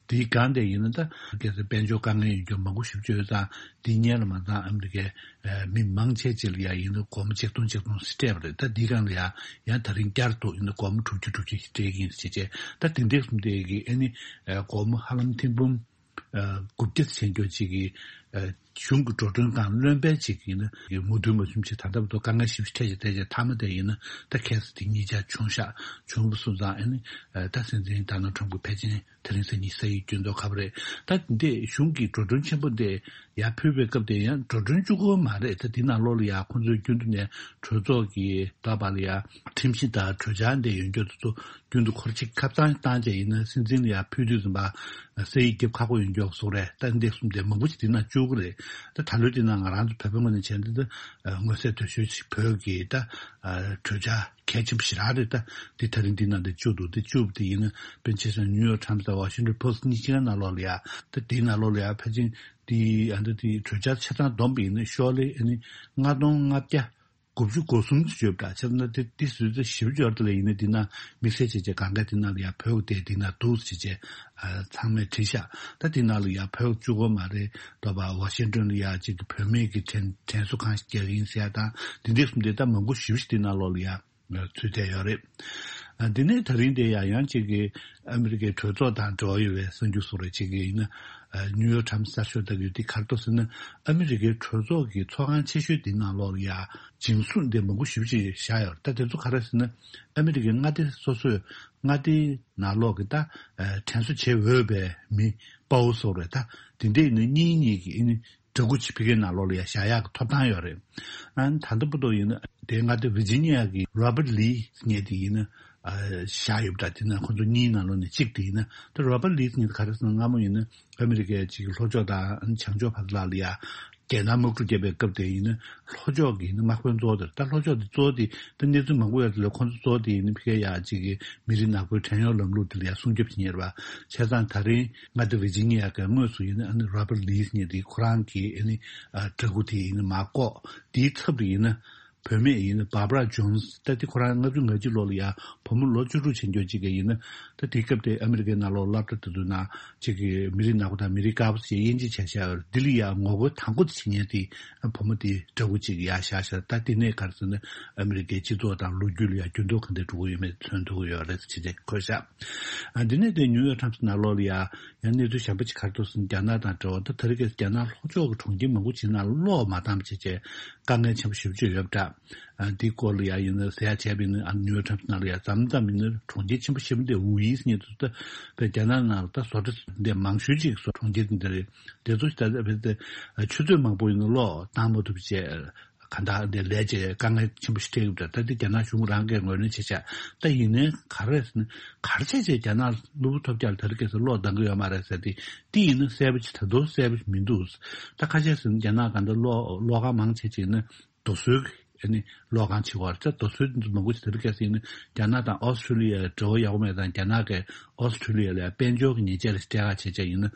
དེའི་སྒང་དེ་ཡིན་ན་ད་གལ་སྲིད་དཔལ་འབྱོར་དཀའ་ངལ་ཡོད་མཁན་མང་པོ་ཞེ་པོ་ཅིག་ཡོད་ཙང་དེ་སྔོན་ལ་མ་ཚང་ཨ་མི་རི་ཀའི་མི་མང་ཆེ་ཅིག་ལ་ཡ་ཡིན་ན་སྒོར་མོ་ཆིག་སྟོང་ཆིག་སྟོང་ཟེར་སྤྲད་པ་རེད། ད་དེའི་སྒང་ལ་ཡ་ཡང་ད་རིང་བསྐྱར་དུ་ཡིན་ན་སྒོར་མོ་དྲུག་ཅུ་དྲུག་ཅུ་ཞིག་སྤྲད་ཀྱི་ཡིན་ཟེར་བྱས། ད་དེ་འདྲས་གསུམ་དེ་གི་ཨ་ནི་སྒོར་མོ་ཧ་ལམ་ཐེར་འབུམ། ཨ། དགུ་བརྒྱ་ཟིན་རྒྱུ་གཅིག་གིས། ཨ། གཞུང་གི་འགྲོ་གྲོན་དང་བློན་པོའི་གཅིག་ཡིན་ན་མོས་མཐུན་མ་བྱུང་ཕྱིར་ད་ལྟ་བར་དུ་དཀའ་ངལ་ཞེ་པོ་ཞིག་འཕྲད་ཀྱི་བསྡད་ཀྱི་མཐའ་མ་དེ་ཡིན་ན་ད་ཁ་སང་དེ་གཉིས་ཆར་བྱུང་ཤག་བྱུང་བ་སོང་ཙང་ཨ་ནི་ད་སྲིད་འཛིན་ཌོ་ནལ་ཊམ་གྱིས་ཕལ་ཆེར་དེ་རིང་སང་ཉིན་ས་ཡིག་བསྐྱོན་མདོག་ཁ་པོ་རེད། ད་འདི་གཞུང་གི་འགྲོ་གྲོན་ཆེན་པོ་འདི་ཡར་ཕུལ་བའི་སྐབས་དེ་ཡང་འགྲོ་གྲོན་བཅུག་གི་ཡོད་མ་རེད། ད་འདི་ནང་ལོགས་ལ་ཡང་ཁོང་ཚོའི་རྒྱུན་དུ་ནས་གྲོས་ཚོགས་ཀྱི་ད་བར་ལ་ཡང་ཁྲིམས་གཞི་དང་གྲོས་འཆར་འདི་ཡོད་རྒྱུ་དེ་ཚོ། རྒྱུན་དུ་འཁོར་ཅིག་ཁ་བཏང་བཏང་བྱས་ཡིན་ན་སྲིད་འཛིན་ལ་ཡང་ཕུལ་དུས་ཙམ་པ་ས་ཡིག་རྒྱབ་ཁག་པོ་ཡོང་མགྱོགས་སོགས་རེད། ད་འདི་གསུམ་དེ་མང་པོ་ཞིག་འདི་ན་བཅུག་གི་རེད། ད་ད་ལོའི་འདི་ན་ང་རང་ཚོ་བོད་པའི་ངོས་ནས་བྱས་ན་ད་མངོན་གསལ་དོད་ཤོས་ཤིག་བོད་ཀྱི་ད་གྲོས་འཆར་གལ་ཆེན་པོ་ཞེ་དྲག་རེད། ད་འདི་ད་རིང་འདི་ན་འདི་བཅུག་འདུག་འདི་བཅུག་འདི་ཡིན་ན་དཔེར་ན་ཆ་བཞག་ན་ནིའུ་ཡོག་ཊའིམ་སི་དང་ཝ་ཤིང་ཊོན་པོ་སི་ཊི་གཉིས་ཀའི་ནང་ལོགས་ལ་ཡ་ད་འདིའི་ནང་ལོགས་ལ་ཡ་ཕལ་ཆེར་འདི་ཨ་འདི་འདི་གྲོས་འཆར་ཆ་ཚང་བསྡོམས་པ་ཡིན་ན་ཤོག་ལྷེ་ཨ་ནི་ལྔ་སྟོང་ལྔ་བརྒྱ། དགུ་བཅུ་གོ་གསུམ་དུ་བརྗོད་པ་འདྲ་བྱས་ན་དེ་དེ་ཟུར་དུ་ཞིབ་འཇོག་དེ་ལ་ཡིན་ན་དེ་ན་དམིགས་བསལ་བྱས་བྱས་གང་ག་དེ་ན་ལ་ཡ་བོད་དེ་དེ་ན་འདུག་ཟེར་བྱས་ཚང་མས་བྲིས་ཤག་ད་དེ་ན་ལ་ཡ་བོད་བཅུ་གོ་མ་རེད་དོ་བ། ཝ་ཤིང་ཊོན་ལ་ཡ་གཅིག་གི་བོད་མིའི་གི་དྲན་དྲན་གསོ་ཁང་ཞིག་རྒྱག་གི་ཡིན་ཟེར་ཡ་དང་དེ་འདྲས་གསུམ་དེ་ད་མང་པོ་ཞིབ་ཞིབ་དེ་ན་ལོག་ལ་ཡ་ཚུད་བསྡད་ཡོད་རེད། ཨ། འདི་ནས་ད་རིང་དེ་ཡང་ཡང་གཅིག་གི་ཨ་མི་རི་ཀའི་གྲོས་ཚོགས་དང་འབྲེལ་བ་ཡོད་པའི་གསར་འགྱུར་བཟོ་རེ་གཅིག་གི་ཡིན་ན། ཨ། ནིའུ་ཡོག་ཊའིམ་སི་གསར་ཤོག་ལྟ་གི་ཡོད། དེ་ག་རེ་འདུག་ཟེར་ན། ཨ་མི་རི་ཀའི་གྲོས་ཚོགས་ཀྱི་ཚོགས་ཁང་ཆེ་ཤོས་དེའི་ནང་ལོགས་ལ་ཡ་འཇིམ་བཟུང་དེ་མང་པོ་ཞེ་པོ་ཅིག་བཞག་ཡོད་རེད། ད་དེ་ཚོ་ག་རེ་ཟེར་ན། ཨ་མི་རི་ཀའི་མངའ་སྡེ་སོ་སོས་མངའ་སྡེའི་ནང་ལོགས་ཀྱི་ད་ཨ་དྲན་གསོ་བྱེད་འོས་པའི་མི་དཔའ་བོ་བཟོ་རེད། ད་དེ་འདྲས་ནི་གཉིས་གཉིས་ཀྱི་ཨ་ནི་འདྲ་སྐུ་ཅིག་ཕ་གིའི་ནང་ལོགས་ལ་ཡ་བཞག་ཡག་གི་ཐོབ་ཐང་ཡོད་རེད། ཨ་ནི་ད་ལྟ་བར་དུ་ཡིན་ན་དེ་མངའ་སྡེ་ཝི་ཇི་ནི་ཡ་གི་རོ་བར་ལི་ཟེར་མཁན་དེ་ཡིན་ན་ཨ་བཞག་ཡོད་པ་འདྲ། དེ་ན་ཁོ་ཚོ་གཉིས་ནང་ལོགས་ནས་གཅིག་དེ་ཡིན་ན། ད་རོ་བར་ལི་ཟེར་མཁན་དེ་ག་རེ་ཟེར་ན། སྔ་མོ་ཡིན་ན་ཨ་མི་རི་ཀའི་གཅིག་གི་ལྷོ་ཕྱོགས་དང་བྱང་ཕྱོགས་བར་ལ་ལ་ཡ་རྒྱལ་ནང་དམག་འཁྲུག་བརྒྱབ་པའི་སྐབས་དེ་ཡིན་ན་ལྷོ་ཕྱོགས་ཀྱི་ཡིན་ན་དམག་དཔོན་གཙོ་བོ་དེ་རེད། ད་ལྷོ་ཕྱོགས་དེ་གཙོ་བོ་དེ་ད་གནས་ཚུལ་མང་པོ་ཡོད་དེ་ལས་ཁོ་ཚོ་གཙོ་བོ་དེ་ཡིན་ན་ཕ་གིའི་ཡ་གཅིག་གི་མི་རིགས་ནག་པོའི་བྲན་གཡོག་ལམ་ལུགས་དེ་ལ་ཡ་སྲུང་སྐྱོབ་བྱེད་མཁན་རེད་པ། བྱས་ཙང་ད་རིང་མངའ་སྡེ་ཝི་ཇི་ནི་ཡ་གི་དངོས་སུ་ཡིན་ན་ཨ་ནི་རོ་བར་ལི་ཟེར་མཁན་དེ་ཁོ་རང་གི་ཨ་ནི་ཨ་འདྲ་སྐུ་དེ་ཡིན་ན་མར་བཀོག་དེའི་ཚབ་ཏུ་ཡིན་ན་བུད་མེད་ཡིན་ན་བྷར་བྷ་ར་ཇོན་སི། ད་དེ་ཁོ་རང་ལྔ་བཅུ་ང་གཅིག་ལོ་ལ་ཡ་བུ་མོ་ལོ་བཅུ་དྲུག་ཕྱིན་རྒྱུ་གཅིག་གི་ཡིན་ན། ད་དེའི་སྐབས་དེ་ཨ་མི་རི་ཀའི་ནང་ལོགས་སློབ་གྲྭ་དེ་ཚོའི་ནང་གཅིག་གི་མི་རིགས་ནག་པོ་དང་མི་རིགས་དཀར་པོ་ཞེས་དབྱེ་འབྱེད་བྱས་བཞག་ཡོད་རེད། དེ་ལ་ཡ་ངོ་རྒོལ་དང་པོ་དེ་བྱེད་མཁན་དེ་བུ་མོ་དེ་འདྲ་སྐུ་གཅིག་ཡ་བཞག་བཞག་ད་དེ་ནས་ག་རེ་ཟེར་ན་ཨ་མི་རི་ཀའི་སྤྱི་ཚོགས་དང་ལོ་རྒྱུས་ལ་ཡ་འགྱུར་ལྡོག་ག་འདྲ་འགྲོ་གི་ཡོད་མེད་མཚོན་ཐུབ་ཀྱི་ཡོད་རེད་ཟེར་བྱས་བཀོད་བཞག་ཨ། འདི་ནས་དེ་ནིའུ་ཡོག་ཊའིམ་སི་ནང་ལོགས་ལ་ཡ་ཡང་གནས་ཚུལ་གཞན་པ་ཅིག་ག་རེ་འདུག་ཟེར་ན། རྒྱ་ནག་དང་འབྲེལ་བ་ད་དེ་རིང་ཁ་སང་རྒྱ་ནག་ལྷོ་ཕྱོགས་ཀྱི་གྲོང་ཁྱེར་མང་པོ་ཅིག་ནང་གློག་མ་བཏང་བ་བྱས་བྱས་དཀའ་ངལ་ཆེན་པོ་ཞེ་པོ་ཅིག་ཡོད་པ་འདྲ། ཨ། འདི་སྐོར་ལ་ཡ་ཡིན་ན་ཟེར་ཡ་བྱས་པ་ཡིན་ན། ཨ། ནིའུ་ཡོག་ཊའིམ་སི་ནང་ལ་ཡ་མཚམས་མཚམས་ཡིན་ན་གྲོང་ཁྱེར་ཆེན་པོ་ཞེ་པོ་འདི་ཝུ་ཡི་ཟེར་མཁན་དེ་ཚོ་ད་བས་རྒྱ་ནག་ནང་ལ་ད་བཟོ་གྲྭ་འདི་མང་ཤོས་ཅིག་བཟོ་གྲོང་ཁྱེར་འདི་རེད། དེ་ཚོ་ད་ད་བས་ད་ཆུ་ཚོད་མང་པོ་ཡིན་ན་གློག་བཏང་མ་ཐུབ་བྱས། གང་ལྟར་འདི་ལས་བྱེད་དཀའ་ངལ་ཆེན་པོ་ཞིག་འཕྲད་ཀྱི་འདུག་ད་འདི་རྒྱ་ནག་གཞུང་རང་གིས་ངོས་ལེན་བྱེད་བྱ། ད་ཡིན་ནའི་ག་རེ་ཟེར་ན། ག་རེ་བྱས་བྱས་རྒྱ་ནག་ནོར་བུ་ཐོབ་རྒྱག་ལ་དེ་རིང་ཁ་སང་གློག་འདང་གི་ཡོད་མ་རེད་ཟེར་ཏེ། འདི་ཡིན་ན་གསལ་པོ་ཅིག་ད་དུང་གསལ་པོ་ཞིག་མི་འདུག་ད་ཁ་ཤས་ཟེར་ན་རྒྱ་ནག་གང་ལྟར་གློག་གློག་ཁང་མང་ཆེ་ཅིག་ནི་རྡོ་སོལ་གྱི་ཨ་ནི་གློག་ཁང་ཆེ་བ་རེད། ད་རྡོ་སོལ་འདི་ཚོ་མང་པོ་ཞིག་དེ་རིང་ཁ་སང་ཡིན་ན་རྒྱ་ནག་དང་ཨོ་སི་ཁྲུ་ལི་ཡ་འབྲེལ་བ་ཡག་པོ་མེད་ཙང་། རྒྱ་ནག་གིས་ཨོ་སི་ཁྲུ་ལི་ཡ་ལ་དཔལ་འབྱོར་གྱི་ཉེས་ཆད་ལ་སྤྲད་ཁ་བྱས་བྱས་ཡིན་ན་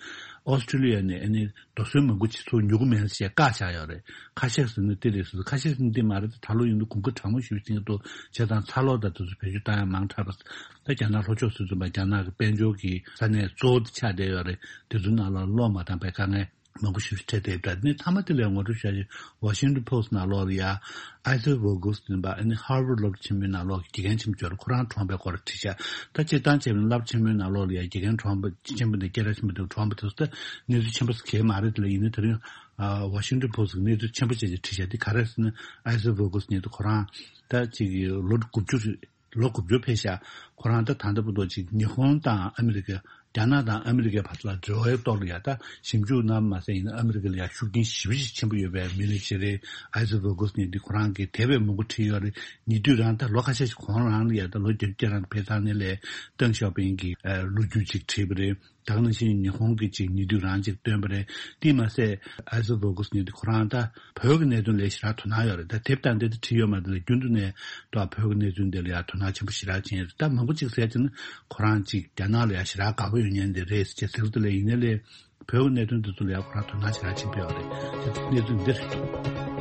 ཨོ་སི་ཁྲུ་ལི་ཡ་ནས་ཨ་ནི་རྡོ་སོལ་མང་པོ་ཅིག་ཚུར་ཉོ་གི་མེད་ཟེར་བཀག་བཞག་ཡོད་རེད། ཁ་ཤས་ཟེར་ན་དེ་རེད་ཟེར། ཁ་ཤས་ཟེར་ན་དེ་མ་རེད། ད་ལོ་ཡིན་ན་གོང་ཁུ་གྲང་མོ་ཞེ་པོ་ཟིན་གྱི་འདུག་བྱས་ཙང་ཚ་གློག་དང་དེ་ཚོ་བེད་སྤྱོད་བཏང་ཡ་མང་དྲགས་པ། ད་རྒྱ་ནག་ལྷོ་ཕྱོགས་ཟེར་ཙམ་པ་རྒྱ་ནག་གི་དཔལ་འབྱོར་གྱི་ས་གནས་གཙོ་བོ་དེ་ཆགས་བསྡད་ཡོད་རེད། དེ་ཚོའི་ནང་ལ་གློག་མ་བཏང་པའི་དཀའ་ངལ་མང་པོ་ཞེ་པོ་འཕྲད་བསྡད་ཡོད་པ་འདྲ། ནི་མཐའ་མ་དེ་ལ་ངོ་སྤྲོད་བྱ་ཡི། Washington Post་ནང་ལོགས་ལ་ཡ་Isaac Voges་ཟེར་པ་ཨ་ནི་Harvard་སློབ་གྲྭ་ཆེན་མོའི་ནང་ལོགས་ཀྱི་དགེ་རྒན་ཆེན་པོ་ཅིག་ཡོད་རེད། ཁོ་རང་གྲོངས་པའི་སྐོར་བྲིས་ཤག་ད་སྤྱིར་བཏང་བྱས་པ་ཡིན་ན་སློབ་གྲྭ་ཆེན་མོའི་ནང་ལོགས་ལ་ཡ་དགེ་རྒན་གྲོངས་པ་ཆེན་པོ་འདི་སྐད་གྲགས་ཆེན་པོ་འདི་གྲོངས་པ་དེ་ཚོ་ད་གནས་ཚུལ་ཆེན་པོ་ཞིག་གང་ཡང་མ་རེད། དེ་ལ་ཡིན་ན་དེ་རིང་ཨ་Washington Post་གི་གནས་ཚུལ་ཆེན་པོ་ཅིག་ཅིག་བྲིས་ཤག་དེ་ག་རེ་ཟེར་ན་Isaac Voges་ཟེར་མཁན་དེ་ཁོ་རང་ད་ཅིག་ལོ་དགུ་བཅུ་རེད། ལོ་དགུ་བཅུ་ཕེབས་ཤག་ཁོ་རང་ད་ད་ལྟ་བར་དུ་ཅིག་ཉི་ཧོང་དང་ཨ་མི་རི་ཀ། རྒྱ་ནག་དང་ཨ་མི་རི་ཀའི་བར་ལ་འབྲེལ་བའི་ཐོག་ལ་ཡ་ད་ཞིབ་འཇུག་གནང་མ་ཟད་ཡིན་ན་ཨ་མི་རི་ཀ་ལ་ཡ་ཤུགས་རྐྱེན་ཞེ་པོ་ཅིག་ཆེན་པོ་ཡོད་པའི་མི་ལ་ཞིག་རེད། Isaac Voges་ཟེར་མཁན་འདི་ཁོ་རང་གིས་དེ་བས་མང་པོ་བྲིས་ཡོད་རེད། ཉེ་དུས་རང་ད་ལོ་ཁ་ཤས་ཤིག་གོང་རང་ལ་ཡ་ད་ལོ་བརྒྱད་ཅུ་རང་གི་བོད་ཐང་ནས་ལས་ཏེང་ཞའོ་ཕིང་གི་ལོ་རྒྱུས་ཅིག་བྲིས་པ་རེད། ད་ག་ནང་བཞིན་ཉི་ཧོང་གི་ཅིག་ཉེ་དུས་རང་ཅིག་བཏོན་པ་རེད། དེས་མ་ཟད་Isaac Voges་ཟེར་མཁན་འདི་ཁོ་རང་ད་བོད་ཀྱི་གནད་དོན་ལ་ཞེ་དྲག་དོ་སྣང་ཡོད་རེད། ད་དེབ་དང་དེ་ད་བྲིས་ཡོད་མ་རེད་ལ་རྒྱུན་དུ་ནས་ད་བོད་ཀྱི་གནད་དོན་དེ་ལ་ཡང་དོ་སྣང་ཆེན་པོ་ཞེ་དྲག་བྱེད་ཡོད་རེད། ད་མང་པོ་ཅིག་ཟེར་བྱས་ན་ཁོ་རང་ཅིག་རྒྱ་ནག་ལ་ཡང་ཞེ་དྲག་དགའ་པོ་ཡོད་མཁན་དེ་རེད་ཟེར་བྱས་ཟེར་གི་འདུག་ལ། ཡིན་ནའི་ལས་བོད་ཀྱི་གནད་དོན་དེ་ཚོ་ལ་ཡང་ཁོ་རང་དོ་སྣང་ཞེ་དྲག་ཆེན་པོ་ཡོད་རེད། དེ་གནས་ཚུལ་འདི་རེད།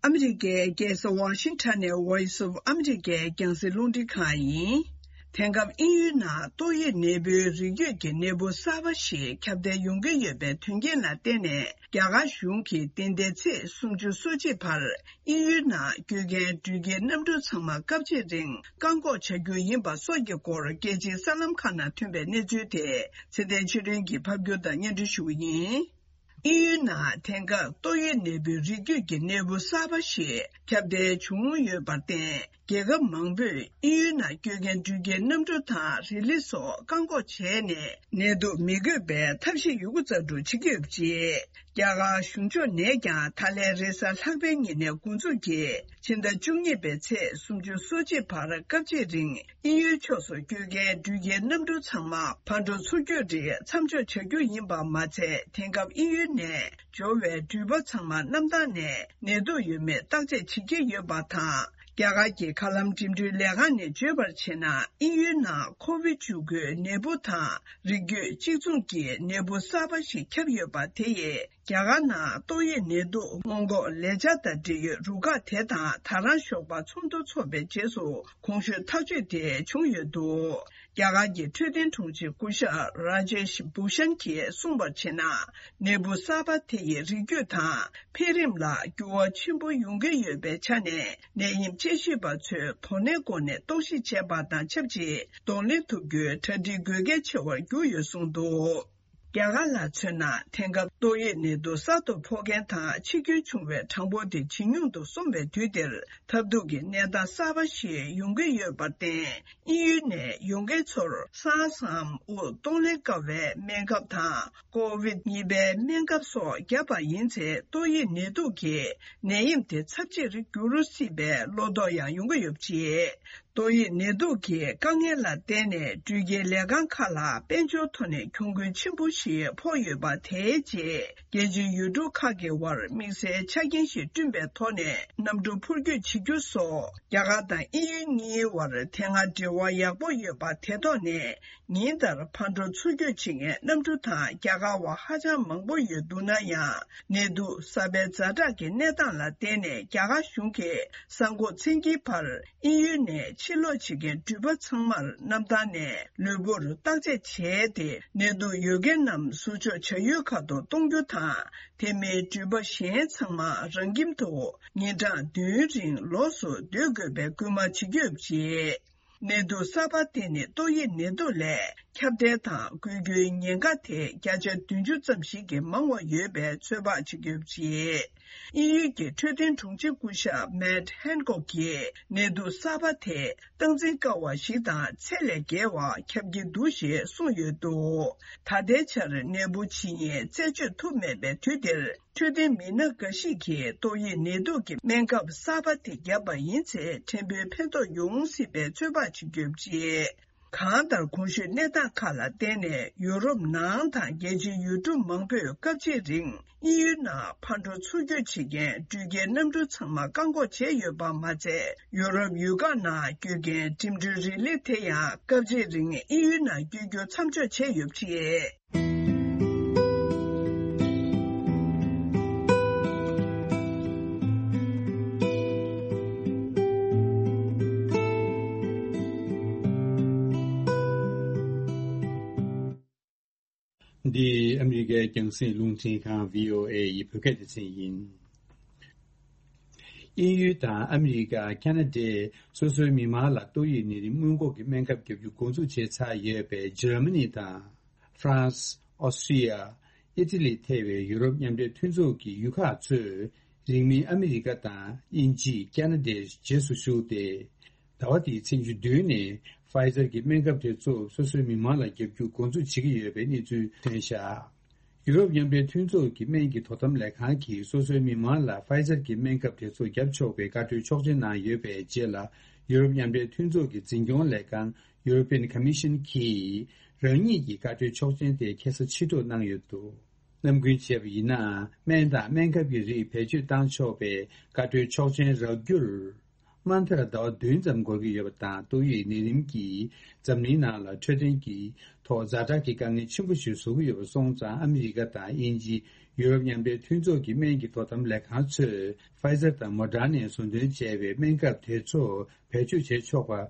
ཨ་མི་རི་ཀའི་རྒྱལ་ས་ཝ་ཤིང་ཊོན་ནས་Voice of America་རྒྱང་སྲིང་རླུང་འཕྲིན་ཁང་ཡིན། དེང་སྐབས་དབྱིན་ཡུལ་ནང་ཏོག་དབྱིབས་ནད་འབུའི་རིགས་རྒྱུད་ཀྱི་ནད་འབུ་གསར་པ་ཞིག་ཁྱབ་གདལ་ཡོང་གི་ཡོད་པའི་དོན་རྐྱེན་ལ་བརྟེན་ནས། རྒྱ་གར་གཞུང་གིས་འདི་ཟླའི་ཚེས་སུམ་ཅུ་སོ་གཅིག་བར་དབྱིན་ཡུལ་ནང་སྐྱོད་མཁན་འགྲུལ་སྐྱེལ་གནམ་གྲུ་ཚང་མ་སྐབས་གཅིག་རིང་བཀག་འགོག་བྱ་རྒྱུ་ཡིན་པ་སོགས་ཀྱི་སྐོར་རྒྱལ་སྤྱིའི་གསར་ལམ་ཁག་ནང་ཐོན་པའི་གནས་ཚུལ་དེ་ཚེ་བརྟན་ཆོས་སྒྲོན་གྱིས་ཕབ་སྒྱུར་དང་སྙན་སྒྲོན་ཞུ་གི་ཡིན། དབྱིན་ཡུལ་ནང་དེང་སྐབས་ཏོག་དབྱིབས་ནད་འབུའི་རིགས་རྒྱུད་ཀྱི་ནད་འབུ་གསར་པ་ཞིག་ཁྱབ་གདལ་བྱུང་ཡོད་པར་བརྟེན། རྒྱལ་ཁབ་མང་པོས་དབྱིན་ཡུལ་ནང་སྐྱོད་མཁན་འགྲུལ་སྐྱེལ་གནམ་གྲུ་དང་རི་ལི་སོགས་བཀག་འགོག་བྱས་ནས། ནད་དུག་མི་འགོས་པའི་ཐབས་ཤེས་ཡོད་རྒུ་རྩལ་སྤྲུགས་བྱེད་ཀྱི་ཡོད་པ་རེད། རྒྱ་གར་གཞུང་ཕྱོགས་ནས་ཀྱང་ད་ལན་རེས་གཟའ་ལྷག་པའི་ཉིན་ནས་འགོ་འཛུགས་ཀྱིས་ཕྱི་ཟླ་བཅུ་གཉིས་པའི་ཚེས་སུམ་ཅུ་སོ་གཅིག་བར་སྐབས་གཅིག་རིང་དབྱིན་ཡུལ་ཕྱོགས་སུ་སྐྱོད་མཁན་འགྲུལ་སྐྱེལ་གནམ་གྲུ་ཚང་མ་ཕར་འགྲོ་ཚུར་སྐྱོད་རིགས་མཚམས་འཇོག་བྱ་རྒྱུ་ཡིན་པ་མ་ཚད། དེང་སྐབས་དབྱིན་ཡུལ་ནས་འབྱོར་བའི་འགྲུལ་པ་ཚང་མ་གནམ་ཐང་ནས་ནད་དུག་ཡོད་མེད་བརྟག་དཔྱད་བྱེད་ཀྱི་ཡོད་པ་དང་། རྒྱ་གར་གྱི་མཁའ་ལམ་འགྲིམ་འགྲུལ་ལས་ཁང་ནས་བརྗོད་པར་བྱས་ན། དབྱིན་ཡུལ་ནང་ཁོ་བིད་བཅུ་དགུའི་ནད་འབུ་དང་རིགས་རྒྱུད་གཅིག་མཚུངས་ཀྱི་ནད་འབུ་གསར་པ་ཞིག་ཁྱབ་ཡོད་པ་དེ་ཡིས་རྒྱ་གར་ནང་ཏོག་དབྱིབས་ནད་དུག་སྔོན་འགོག་ལས་འཆར་དང་འབྲེལ་ཡོད་རུ་ཁག་དེ་དང་ད་རང་ཞོགས་པ་ཚོགས་འདུ་འཚོགས་པའི་རྗེས་སུ་གོང་ཞུས་ཐག་གཅོད་དེ་བྱུང་ཡོད་འདུག་རྒྱ་གར་གྱི་འཕྲོད་བསྟེན་དྲུང་ཆེ་སྐུ་ཞབས་ར་ཇེཤ་བྷུ་ཤན་གྱིས་གསུངས་པར་བྱས་ན། ནད་འབུ་གསར་པ་དེ་ཡི་རིགས་རྒྱུད་དང་འཕེལ་རིམ་ལ་འགྱུར་བ་ཆེན་པོ་ཡོང་གི་ཡོད་པའི་ཆ་ནས། ནད་ཡམས་དཔྱད་ཞིབ་པ་ཚོས་དོ་ནན་སྒོ་ནས་རྟོག་ཞིབ་བྱས་པ་དང་ཆབས་ཅིག་གདོང་ལེན་ཐུབ་རྒྱུའི་གྲ་སྒྲིག་དགོས་གལ་ཆེ་བར་གྱུར་ཡོད་གསུངས་འདུག་རྒྱ་གར་ལ་མཚོན་ན། དེང་སྐབས་ཏོག་དབྱིབས་ནད་དུག་གསར་དུ་ཕོག་མཁན་དང་འཆི་སྐྱོན་བྱུང་བའི་གྲངས་འབོར་དེ་ཇེ་ཉུང་དུ་སོང་བའི་དུས་འདིར། ཐབས་སྡུག་གི་གནས་སྟངས་གསར་པ་ཞིག་ཡོང་གི་ཡོད་པར་བརྟེན། དབྱིན་ཡུལ་ནས་ཡོང་མཁན་ཚོར་ས་ཧ་སམ་དབུགས་གཏོང་ལེན་དཀའ་བའི་སྨན་ཁབ་དང་། ཀོ་བིད་གཉིས་པའི་སྨན་ཁབ་སོགས་བརྒྱབ་པ་ཡིན་ཚེ། ཏོག་དབྱིབས་ནད་དུག་གི་ནད་ཡམས་དེ་ཚབས་ཆེར་འགྱུར་སྲིད་པའི་བློ་དོགས་ཡང་ཡོང་གི་ཡོད་པ་རེད། ཏོག་དབྱིབས་ནད་དུག་གི་དཀའ་ངལ་ལ་བརྟེན་ནས། འགྲུལ་སྐྱེལ་ལས་ཁང་ཁག་ལ་དཔལ་འབྱོར་ཐོག་ནས་གྱོང་གུན་ཆེན་པོ་ཞིག་ཕོག་ཡོད་པ་དེའི་རྗེས། རྒྱལ་སྤྱིའི་ཡུལ་གྲུ་ཁག་གི་དབར་དམིགས་བསལ་ཆ་རྐྱེན་ཞིག་བསྐྲུན་པའི་ཐོག་ནས། གནམ་གྲུ་འཕུར་སྐྱོད་བྱེད་རྒྱུ་སོགས། རྒྱ་གར་དང་དབྱིན་ཡུལ་གཉིས་དབར་དེ་སྔ་འབྲེལ་བ་ཡག་པོ་ཡོད་པ་དེ་ཐོག་ནས། ཉིན་ལྟར་ཕར་འགྲོ་ཚུར་སྐྱོད་བྱེད་མཁན་གནམ་གྲུ་དང་རྒྱ་གར་བ་ཧ་ཅང་མང་པོ་ཡོད་འདུག་ན་ཡང་། ནད་དུག་གསར་པའི་ཛ་དྲག་གི་གནས་སྟངས་ལ་བརྟེན་ནས། རྒྱ་གར་གཞུང་གིས་གསར་འགོག་མཚན་འཁྱེར་བར། དབྱིན་ཡུལ་ནས་ཕྱིར་ལོག་བྱེད་མཁན་འགྲུལ་པ་ཚང་མར་གནམ་ཐང་ནས་ལུས་པོར་བརྟག་དཔྱད་བྱས་ཏེ། ནད་དུག་ཡོད་མཁན་རྣམས་ཟུར་འཇོག་བྱ་ཡུལ་ཁག་ཏུ་གཏོང་རྒྱུ་དང་། དེ་མིན་འགྲུལ་པ་གཞན་ཚང་མ་རང་ཁྱིམ་དུ་ཉིན་གྲངས་བདུན་རིང་ལོགས་སུ་སྡོད་དགོས་པའི་སྐུལ་མ་བྱེད་ཀྱི་ཡོད་པ་རེད། ནད་དུག་གསར་པ་དེ་ནི་ཏོག་དབྱིབས་ནད་དུག་ལས་ཁྱབ་གདལ་དང་འགོས་རྒྱུའི་ཉེན་ཁ་དེ་བརྒྱ་ཆ་བདུན་ཅུ་ཙམ་ཞིག་གིས་མང་བ་ཡོད་པའི་ཚོད་དཔག་བྱེད་ཀྱི་ཡོད་པ་རེད། དབྱིན་ཡུལ་གྱི་འཕྲོད་བསྟེན་དྲུང་ཆེ་སྐུ་ཞབས་མེཊ་ཧན་ཀོག་གིས། ནད་དུག་གསར་པ་དེ་སྟངས་འཛིན་དཀའ་བ་ཞིག་དང་ཚད་ལས་བརྒལ་བ་ཁྱབ་ཀྱི་འདུག་ཞེས་གསུངས་ཡོད་འདུག་ད་ལྟའི་ཆར་ནད་འབུ་ཇི་སྙེད་རྩད་གཅོད་ཐུབ་མེད་པའི་དུས་འདིར། འཕྲོད་བསྟེན་མི་སྣ་འགའ་ཞིག་གིས་ཏོག་དབྱིབས་ནད་དུག་གི་སྨན་ཁབ་གསར་པ་དེ་བརྒྱབ་པ་ཡིན་ཚེ། ཕྲན་བུའི་ཕན་ཐོགས་ཡོང་སྲིད་པའི་ཚོད་དཔག་བྱེད་ཀྱི་ཡོད་པ་རེད། གང་ལྟར། གོང་ཞུས་གནས་སྟངས་ཁག་ལ་བརྟེན་ནས། ཡུ་རོབ་ནང་དང་རྒྱལ་སྤྱིའི་ཡུལ་གྲུ་མང་པོས་སྐབས་གཅིག་རིང་དབྱིན་ཡུལ་ནང་ཕར་འགྲོ་ཚུར་སྐྱོད་བྱེད་མཁན་འགྲུལ་སྐྱེལ་གནམ་གྲུ་ཚང་མ་བཀག་འགོག་བྱས་ཡོད་པ་མ་ཚད། ཡུ་རོབ་ཡུལ་ཁག་ནང་སྐྱོད་མཁན་འགྲིམ་འགྲུལ་རིང་ལི་དེ་ཡང་སྐབས་གཅིག་རིང་དབྱིན་ཡུལ་ནང་སྐྱོད་རྒྱུ་མཚམས་འཇོག་བྱས་ཡོད་པ་རེད། འདི་ཨ་མི་རི་ཀའི་རྒྱང་སྲིང་རླུང་འཕྲིན་ཁང་བྷི་ཨོ་ཨེ་ཡི་བོད་སྐད་སྡེ་ཚན་ཡིན། དབྱིན་ཡུལ་དང་ཨ་མི་རི་ཀ། ཁ་ན་ཌས་སོ་སོའི་མི་མང་ལ་ཏོག་དབྱིབས་ནད་རིམས་སྔོན་འགོག་གི་སྨན་ཁབ་བརྒྱབ་རྒྱུ་འགོ་འཛུགས་བྱས་ཚར་ཡོད་པའི་འཇར་མ་ནི་དང་། ཧྥ་རན་སི། ཨོ་སི་ཀྲི་ཡ། ཨི་ཊ་ལི་ཐེ་བའི་ཡུ་རོབ་མཉམ་འབྲེལ་མཐུན་ཚོགས་ཀྱི་ཡུལ་ཁག་ཚོས་རིང་མིན་ཨ་མི་རི་ཀ་དང་དབྱིན་ཇི། ཁ་ན་ཌའི་རྗེས་སུ་ཞུགས་ཏེ། ཟླ་བ་འདིའི་ཚེས་བཅུ་བདུན་ནས་ཕའི་ཛར་གྱི་སྨན་ཁབ་དེ་ཚོ་སོ་སོའི་མི་མང་ལ་བརྒྱབ་རྒྱུ་འགོ་འཛུགས་བྱེད་ཀྱི་ཡོད་པའི་གནས་ཚུལ་ཐོན་བཞག་ཡུ་རོབ་མཉམ་འབྲེལ་མཐུན་ཚོགས་ཀྱི་སྨན་གྱི་དོ་དམ་ལས་ཁང་གིས་སོ་སོའི་མི་མང་ལ་ཕའི་ཛར་གྱི་སྨན་ཁབ་དེ་ཚོ་བརྒྱབ་ཆོག་པའི་བཀའ་འཁྲོལ་ཆོག་མཆན་གནང་ཡོད་པའི་རྗེས་ལ། ཡུ་རོབ་མཉམ་འབྲེལ་མཐུན་ཚོགས་ཀྱི་འཛིན་སྐྱོང་ལས་ཁང་། European Commission གྱིས་རང་ཉིད་ཀྱི་བཀའ་འཁྲོལ་ཆོག་མཆན་དེ་ཁ་སང་ཕྱིར་སྒྲོག་གནང་ཡོད་འདུག་ནམ་རྒྱུན་བྱས་པ་ཡིན་ན། སྨན་དང་སྨན་ཁབ་ཀྱི་རིགས་བེད་སྤྱོད་བཏང་ཆོག་པའི་བཀའ་འཁྲོལ་ཆོག་མཆན་རག་རྒྱུར། དམའ་མཐར་ཟླ་བ་བདུན་ཙམ་འགོར་གྱི་ཡོད་པ་དང་། ཏོག་དབྱིབས་ནད་རིམས་ཀྱིས་འཛམ་གླིང་ནང་ལ་འཕྲོད་བསྟེན་གྱི་ཐོག་ཛ་དྲག་གི་དཀའ་ངལ་ཆེན་པོ་ཞིག་བཟོ་གི་ཡོད་པ་སོང་ཙང་། ཨ་མི་རི་ཀ་དང་དབྱིན་ཇི། ཡུ་རོབ་མཉམ་འབྲེལ་མཐུན་ཚོགས་ཀྱི་སྨན་གྱི་དོ་དམ་ལས་ཁང་ཚོས་ཕའི་ཛར་དང་མོ་ཌར་ནས་བཟོ་འདོན་བྱས་པའི་སྨན་ཁབ་དེ་ཚོ་བེད་སྤྱོད་བྱེད་ཆོག་པ་བྱ་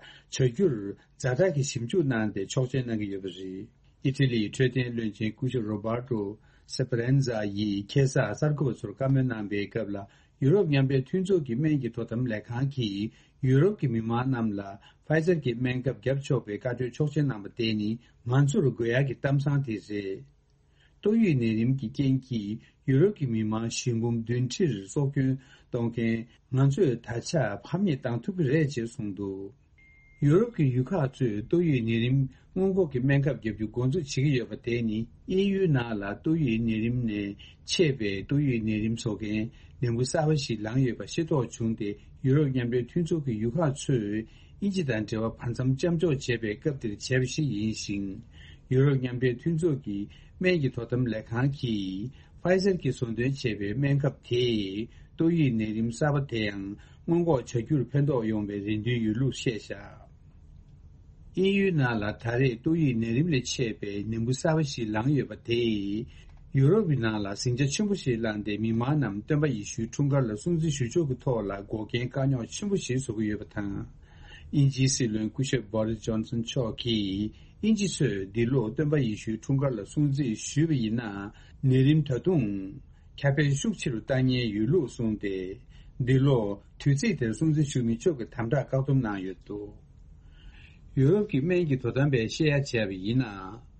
རྒྱུར་ཛ་དྲག་གི་ཞིབ་འཇུག་གནང་སྟེ་ཆོག་མཆན་གནང་གི་ཡོད་པ་རེད། ཨི་ཊ་ལིའི་འཕྲོད་བསྟེན་བློན་ཆེན་སྐུ་ཞབས་རོ་བར་ཏོ་སེ་པ་རན་ཛ་ཡིས་ཁ་སང་གསར་འགོད་པ་ཚོར་བཀའ་མོལ་གནང་པའི་སྐབས་ལ། ཡུ་རོབ་མཉམ་འབྲེལ་མཐུན་ཚོགས་ཀྱི་སྨན་གྱི་དོ་དམ་ལས་ཁང་གིས་ཡུ་རོབ་ཀྱི་མི་མང་རྣམས་ལ་ཕའི་ཛར་གྱི་སྨན་ཁབ་བརྒྱབ་ཆོག་པའི་བཀའ་འཁྲོལ་ཆོག་མཆན་གནང་པ་དེ་ནི་ང་ཚོར་དགོས་ཡག་གི་གཏམ་བཟང་དེ་རེད། ཏོག་དབྱིབས་ནད་རིམས་ཀྱི་རྐྱེན་གྱིས་ཡུ་རོབ་ཀྱི་མི་མང་ཞེ་འབུམ་བདུན་ཁྲིར་སྲོག་སྐྱོན་གཏོང་མཁན་ང་ཚོས་ད་ཆ་ཕམ་ཉེས་བཏང་ཐུབ་ཀྱི་རེད་ཅེས་གསུངས་འདུག་ཡུ་རོབ་ཀྱི་ཡུལ་ཁག་ཚོས་ཏོག་དབྱིབས་ནད་རིམས་སྔོན་འགོག་གི་སྨན་ཁབ་བརྒྱབ་རྒྱུ་འགོ་འཛུགས་བྱེད་ཀྱི་ཡོད་པ་དེ་ནི། དབྱིན་ཡུལ་ནང་ལ་ཏོག་དབྱིབས་ནད་རིམས་ནས་མཆེད་པའི་ཏོག་དབྱིབས་ནད་རིམས་བཟོ་མཁན་ནད་འབུ་གསར་པ་ཞིག་ལངས་ཡོད་པ་ཤེས་རྟོགས་བྱུང་སྟེ། ཡུ་རོབ་མཉམ་འབྲེལ་མཐུན་ཚོགས་ཀྱི་ཡུལ་ཁག་ཚོས་དབྱིན་ཇི་དང་འབྲེལ་བ་བར་མཚམས་མཚམས་འཇོག་བྱས་པའི་སྐབས་དེར་བྱས་པ་ཞིག་ཡིན་ཞིང་། ཡུ་རོབ་མཉམ་འབྲེལ་མཐུན་ཚོགས་ཀྱི་སྨན་གྱི་དོ་དམ་ལས་ཁང་གིས་ ཕའི་ཟར་གྱིས་བཟོ་འདོན་བྱས་པའི་སྨན་ཁབ་དེས་ཏོག་དབྱིབས་ནད་རིམས་གསར་པ་དེའང་སྔོན་འགོག་བྱ་རྒྱུར་ཕན་ཐོགས་ཡོང་བའི་རེ་འདུན་ཡོད་ལུགས་བཤད་བཞག། དབྱིན་ཡུལ་ནང་ལ་ད་རེས་ཏོག་དབྱིབས་ནད་རིམས་ལས་མཆེད་པའི་ནད་འབུ་གསར་པ་ཞིག་ལངས་ཡོད་པ་དེས། ཡུ་རོབ་ཀྱི་ནང་ལ་ཟིང་ཆ་ཆེན་པོ་ཞིག་བསླངས་ཏེ། མི་མང་རྣམས་སྟོན་པ་ཡེ་ཤུའི་འཁྲུངས་སྐར་ལ་སྲུང་བརྩི་ཞུ་ཕྱོགས་ཀྱི་ཐོག་ལ་འགོག་རྐྱེན་དཀའ་རྙོག་ཆེན་པོ་ཞིག་བཟོ་གི་ཡོད་པ་དང་། དབྱིན་ཇིའི་སྲིད་བློན་སྐུ་ཞབས་བྷོ་རིས་ཇོན་སན་མཆོག་གིས། དབྱིན་ཇི་ཚོས་འདི་ལོ་སྟོན་པ་ཡེ་ཤུའི་འཁྲུངས་སྐར་ལ་སྲུང་བརྩི་ཞུས་པ་ཡིན་ན། ནད་རིམས་ད་དུང་ཁྱབ་སྤེལ་ཤུགས་ཆེ་རུ་བཏང་ཉེན་ཡོད་ལུགས་གསུངས་ཏེ། འདི་ལོ་དུས་ཚིགས་དེར་སྲུང་བརྩི་ཞུ་མི་ཆོག་གི་དམ་དྲག་བཀག་སྡོམ་གནང་ཡོད་འདུག། ཡུ་རོབ་ཀྱི་སྨན་གྱི་དོ་དམ་པས་བཤད་ཡ་བྱས་པ་ཡིན་ན།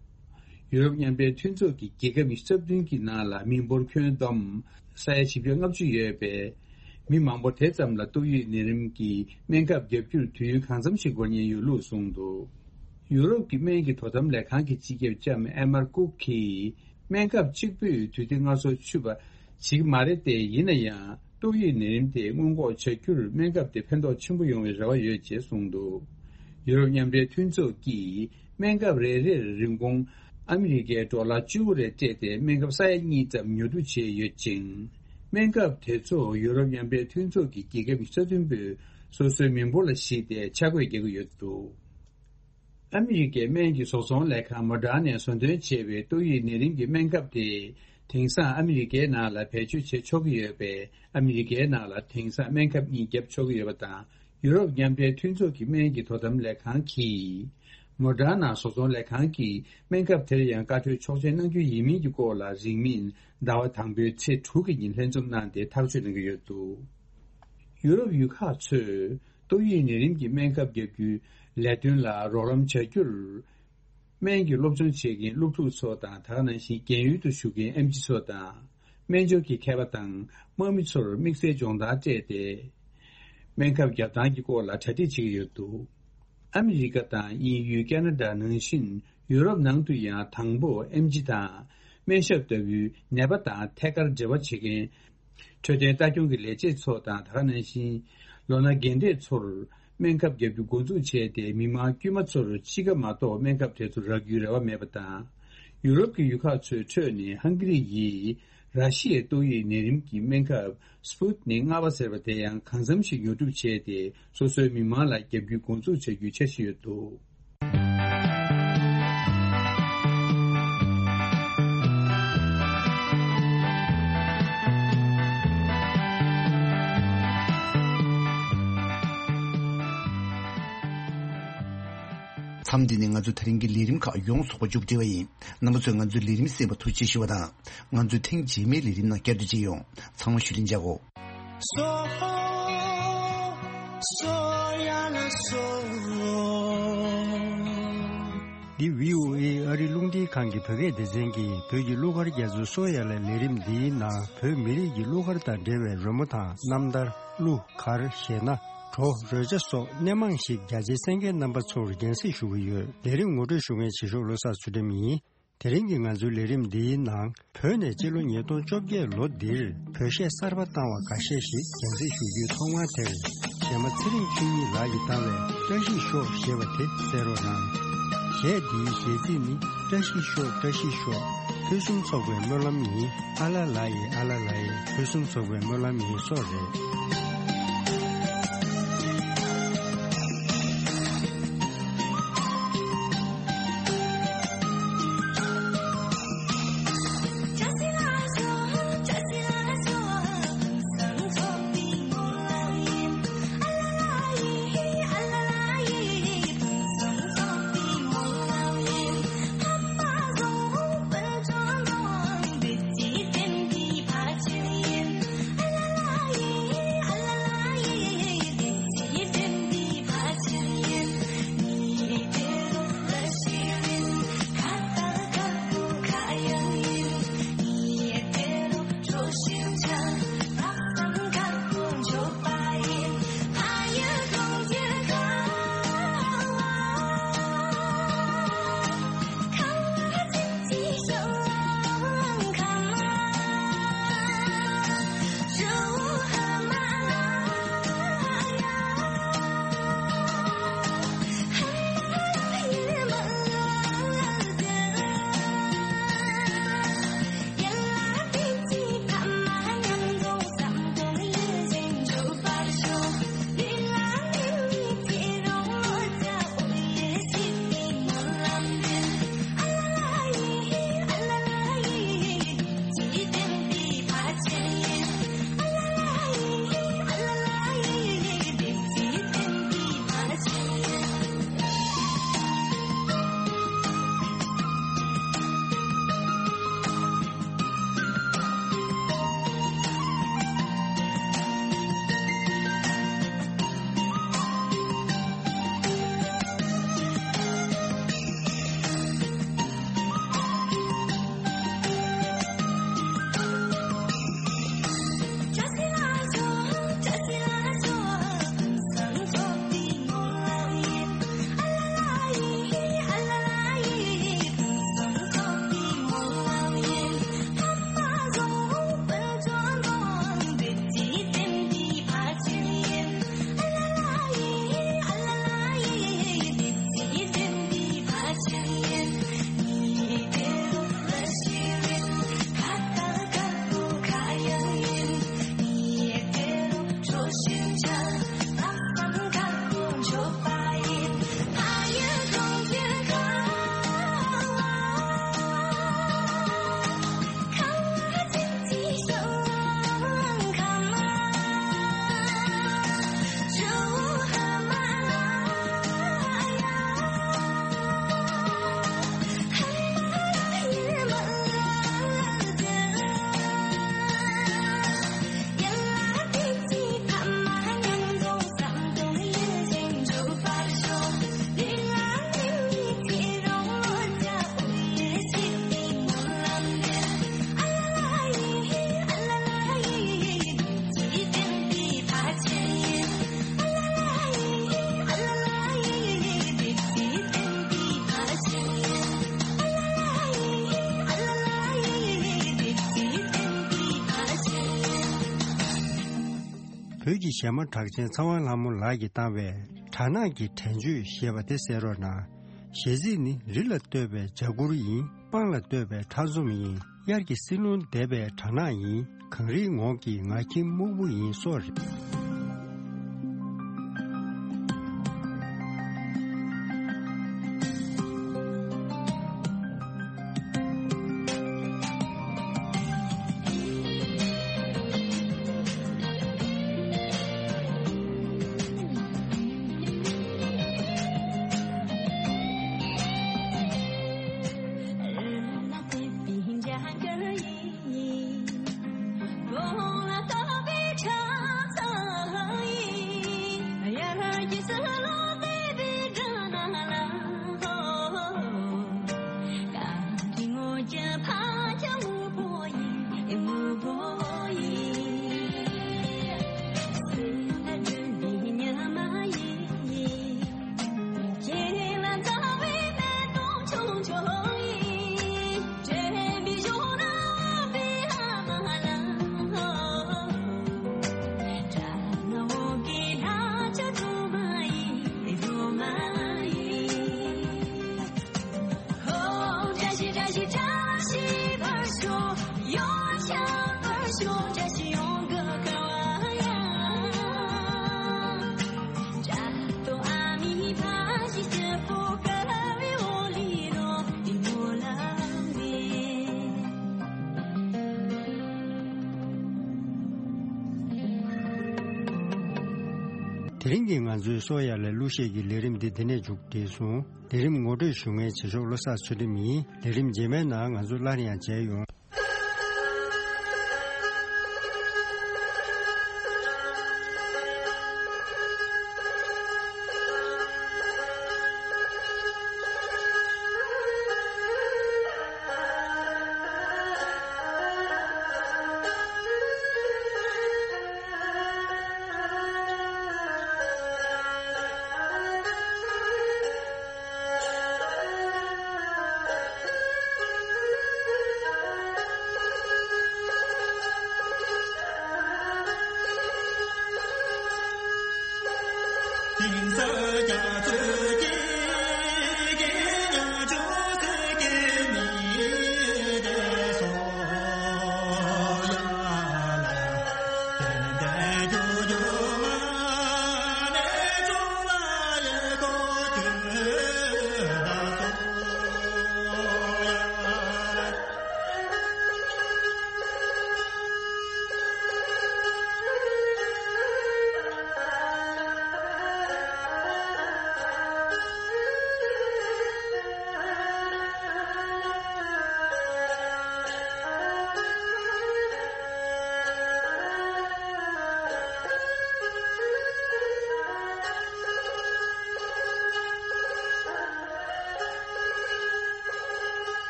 ཡུ་རོབ་མཉམ་འབྲེལ་མཐུན་ཚོགས་ཀྱི་རྒྱལ་ཁབ་ཉི་ཤུ་རྩ་བདུན་གྱི་ནང་ལ་མི་འབོར་ཁྱོན་བསྡོམས་ས་ཡ་བཞི་བརྒྱ་ལྔ་བཅུ་ཡོད་པའི་མི་མང་པོ་དེ་ཙམ་ལ་ཏོག་དབྱིབས་ནད་རིམས་ཀྱི་སྨན་ཁབ་བརྒྱབ་རྒྱུར་དུས་ཡུན་གང་འཚམ་ཞིག་འགོར་ཉེན་ཡོད་ལུགས་གསུངས་འདུག། ཡུ་རོབ་ཀྱི་སྨན་གྱི་དོ་དམ་ལས་ཁང་གི་སྤྱི་ཁྱབ་ལྕམ་ཨེ་མར་ཀུག་གིས། སྨན་ཁབ་གཅིག་པུས་དུས་ཚོད་སྔ་སོར་ཆུད་པ་བྱེད་ཀྱི་མ་རེད་དེ། ཡིན་ན་ཡང་ཏོག་དབྱིབས་ནད་རིམས་དེ་སྔོན་འགོག་བྱ་རྒྱུར་སྨན་ཁབ་དེ་ཕན་ཐོགས་ཆེན་པོ་ཡོང་བའི་རེ་བ་ཡོད་ཅེས་གསུངས་འདུག། ཡུ་རོབ་མཉམ་འབྲེལ་མཐུན་ཚོགས་ཀྱིས་སྨན་ཁབ་རེ་རེར་རིན་གོང་ཨ་མི་རི་ཀའི་ཌོ་ལར་བཅུ་དགུ་རེ་སྤྲད་དེ། སྨན་ཁབ་ས་ཡ་གཉིས་ཙམ་ཉོ་སྒྲུབ་བྱས་ཡོད་ཅིང་། སྨན་ཁབ་དེ་ཚོ་ཡུ་རོབ་མཉམ་འབྲེལ་མཐུན་ཚོགས་ཀྱི་རྒྱལ་ཁབ་ཉི་ཤུ་རྩ་བདུན་པོས་སོ་སོའི་མི་འབོར་ལ་གཞིགས་ཏེ་ཆ་བགོས་རྒྱག་གི་ཡོད་འདུག། ཨ་མི་རི་ཀའི་སྨན་གྱི་བཟོ་ཚོང་ལས་ཁང་མོ་ཌར་ནས་བཟོ་འདོན་བྱས་པའི་ཏོག་དབྱིབས་ནད་རིམས་ཀྱི་སྨན་ཁབ་དེ། དེང་སང་ཨ་མི་རི་ཀའི་ནང་ལ་བེད་སྤྱོད་བྱེད་ཆོག་གི་ཡོད་པས། ཨ་མི་རི་ཀའི་ནང་ལ་དེང་སང་སྨན་ཁབ་གཉིས་བརྒྱབ་ཆོག་གི་ཡོད་པ་དང་། ཡུ་རོབ་མཉམ་འབྲེལ་མཐུན་ཚོགས་ཀྱི་སྨན་གྱི་དོ་དམ་ལས་ཁང་གིས། མོ་ཌར་ན་བཟོ་ཚོང་ལས་ཁང་གིས་སྨན་ཁབ་དེར་ཡང་བཀའ་འཁྲོལ་ཆོག་མཆན་གནང་རྒྱུ་ཡིན་མིན་གྱི་སྐོར་ལ། རིང་མིན་ཟླ་བ་དང་པོའི་ཚེས་དྲུག་གི་ཉིན་ལྷན་འཛོམས་གནང་སྟེ་ཐག་གཅོད་གནང་གི་ཡོད་འདུག། ཡུ་རོབ་ཡུལ་ཁག་ཚོས་ཏོག་དབྱིབས་ནད་རིམས་ཀྱི་སྨན་ཁབ་བརྒྱབ་རྒྱུའི་ལས་དོན་ལ་རོགས་རམ་བྱ་རྒྱུར། སྨན་གྱི་སློབ་སྦྱོང་བྱེད་མཁན་སློབ་ཕྲུག་ཚོ་དང་། ད་ག་ནང་བཞིན་རྒན་ཡོལ་དུ་བཞུགས་མཁན་ཨེམ་ཆི་ཚོ་དང་། སྨན་སྦྱོར་གྱི་མཁས་པ་དང་དམག་མི་ཚོར་དམིགས་བསལ་སྦྱོང་བརྡར་སྤྲད་དེ། སྨན་ཁབ་བརྒྱབ་སྟངས་ཀྱི་སྐོར་ལ་གྲ་སྒྲིག་བྱེད་ཀྱི་ཡོད་འདུག། ཨ་མི་རི་ཀ་དང་དབྱིན་ཡུལ། ཁ་ན་ཌ་ནང་བཞིན་ཡུ་རོབ་ནང་དུ་ཡང་དང་པོ་ཨེམ་ཆི་དང་སྨན་ཞབས་ལྟ་བུའི་ནད་པ་དང་ཐད་ཀར་འབྲེལ་བ་བྱེད་མཁན། འཕྲོད་བསྟེན་ལྟ་སྐྱོང་གི་ལས་བྱེད་ཚོ་དང་། ད་ག་ནང་བཞིན་ལོ་ན་རྒན་གྲས་ཚོར་སྨན་ཁབ་བརྒྱབ་རྒྱུ་འགོ་འཛུགས་བྱས་ཏེ། མི་མང་དཀྱུས་མ་ཚོར་གཅིག་ཀ་མ་གཏོགས་སྨན་ཁབ་དེ་ཚོ་རག་རྒྱུའི་རེ་བ་མེད་པ་དང་། ཡུ་རོབ་ཀྱི་ཡུལ་ཁག་ཚོའི་ཁྲོད་ནས་ཧང་གི་རི་ཡིས་ར་ཤི་ཡའི་ཏོག་དབྱིབས་ནད་རིམས་ཀྱི་སྨན་ཁབ་སྤུ་ཏི་ནིག་ལྔ་པ་ཟེར་བ་དེ་ཡང་གང་འཚམ་ཞིག་ཉོ་སྒྲུབ་བྱས་ཏེ། སོ་སོའི་མི་མང་ལ་བརྒྱབ་རྒྱུའི་འགོ་འཛུགས་བྱ་རྒྱུའི་འཆར་གཞི་ཡོད་འདུག། མཚམས་འདི་ནས་ང་ཚོ་དེ་རིང་གི་ལས་རིམ་ཁག་ཡོངས་སུ་མཇུག་སྒྲིལ་བ་ཡིན། རྣམ་པ་ཚོས་ང་ཚོའི་ལས་རིམ་གསན་པར་ཐུགས་རྗེ་ཞུ་བ་དང་། ང་ཚོའི་ཐེངས་རྗེས་མའི་ལས་རིམ་ནང་བསྐྱར་དུ་མཇལ་ཡོང་། ཚང་མ་བཞུགས་རིན་ཆགས་འོ། སོ། སོ་ཡ་ལ་སོ། འདི་བྷི་ཨོ་ཨེ་ཨ་རི་རླུང་འཕྲིན་ཁང་གི་བོད་སྐད་སྡེ་ཚན་གྱི་བོད་ཀྱི་གླུ་གར་རྒྱ་མཚོའི་སོ་ཡ་ལ་ལས་རིམ་འདིའི་ནང་། བོད་མི་རིགས་ཀྱི་གླུ་གར་དང་འབྲེལ་བའི་རོལ་མོ་དང་རྣམ་ཐར། གླུ་གར། གཞས་སྣ། བྲོ། རོལ་ཆ་སོགས་སྣེ་མང་ཞིག་རྒྱ་ཆེའི་གསན་མཁན་རྣམ་པ་ཚོར་རྒྱང་སྲིང་ཞུ་གི་ཡོད། ལས་རིམ་ངོ་སྤྲོད་ཞུ་མཁན་བྱེད་ཤོག་བློ་བཟང་ཚུལ་ཁྲིམས་ཡིན། དེ་རིང་གི་ང་ཚོའི་ལས་རིམ་འདིའི་ནང་། བོད་ནས་སྤྱི་ལོ་ཉིས་སྟོང་བཅོ་བརྒྱད་ལོ་འདིར་བོད་གཞས་གསར་པ་བཏང་བ་འགའ་ཤས་ཤིག་རྒྱང་སྲིང་ཞུ་རྒྱུའི་ཐོག་མར་དེར། གཞས་མ་ཚེ་རིང་ཆོས་ཉིད་ལགས་ཀྱིས་བཏང་བའི་བཀྲ་ཤིས་ཤོག་ཞེས་པ་དེ་གསན་རོགས་གནང་། གཞས་འདིའི་གཞས་ཚིག་ནི། བཀྲ་ཤིས་ཤོག། བཀྲ་ཤིས་ཤོག། ཕུན་སུམ་ཚོགས་པའི་སྨོན་ལམ་ཡིན། ཨ་ལ་ལ་ཡེ། ཨ་ལ་ལ་ཡེ། ཕུན་སུམ་ཚོགས་པའི་སྨོན་ལམ་ཡིན་སོགས་རེད། བོད་ཀྱི་གཞས་མ་གྲགས་ཅན་ཚེ་དབང་ལྷ་མོ་ལགས་ཀྱིས་བཏང་བའི་སྦྲ་ནག་གི་དྲན་བརྗོད་ཞེས་པ་དེ་གསན་རོགས་གནང་། གཞས་ཚིག་ནི། རི་ལ་བཏོད་པའི་འཇའ་གུར་ཡིན། སྤང་ལ་བཏོད་པའི་ཁྲག་འཛོམས་ཡིན། དབྱར་གྱི་བསིལ་རླུང་འདེབས་པའི་སྦྲ་ནག་ཡིན། གངས་རིའི་ངོགས་ཀྱི་ང་ཁྱིམ་སྨུག་པོ་ཡིན་སོགས་རེད། དེ་རིང་གི་ང་ཚོའི་སོ་ཡ་ལ་གླུ་གཞས་ཀྱི་ལས་རིམ་འདི་འདི་ནས་མཇུག་སྒྲིལ་སོང་། ལས་རིམ་ངོ་སྤྲོད་ཞུ་མཁན་བྱེད་ཕྱོགས་བློ་བཟང་ཚུལ་ཁྲིམས་ཡིན། ལས་རིམ་རྗེས་མའི་ནང་ང་ཚོ་སླར་ཡང་མཇལ་ཡོང་།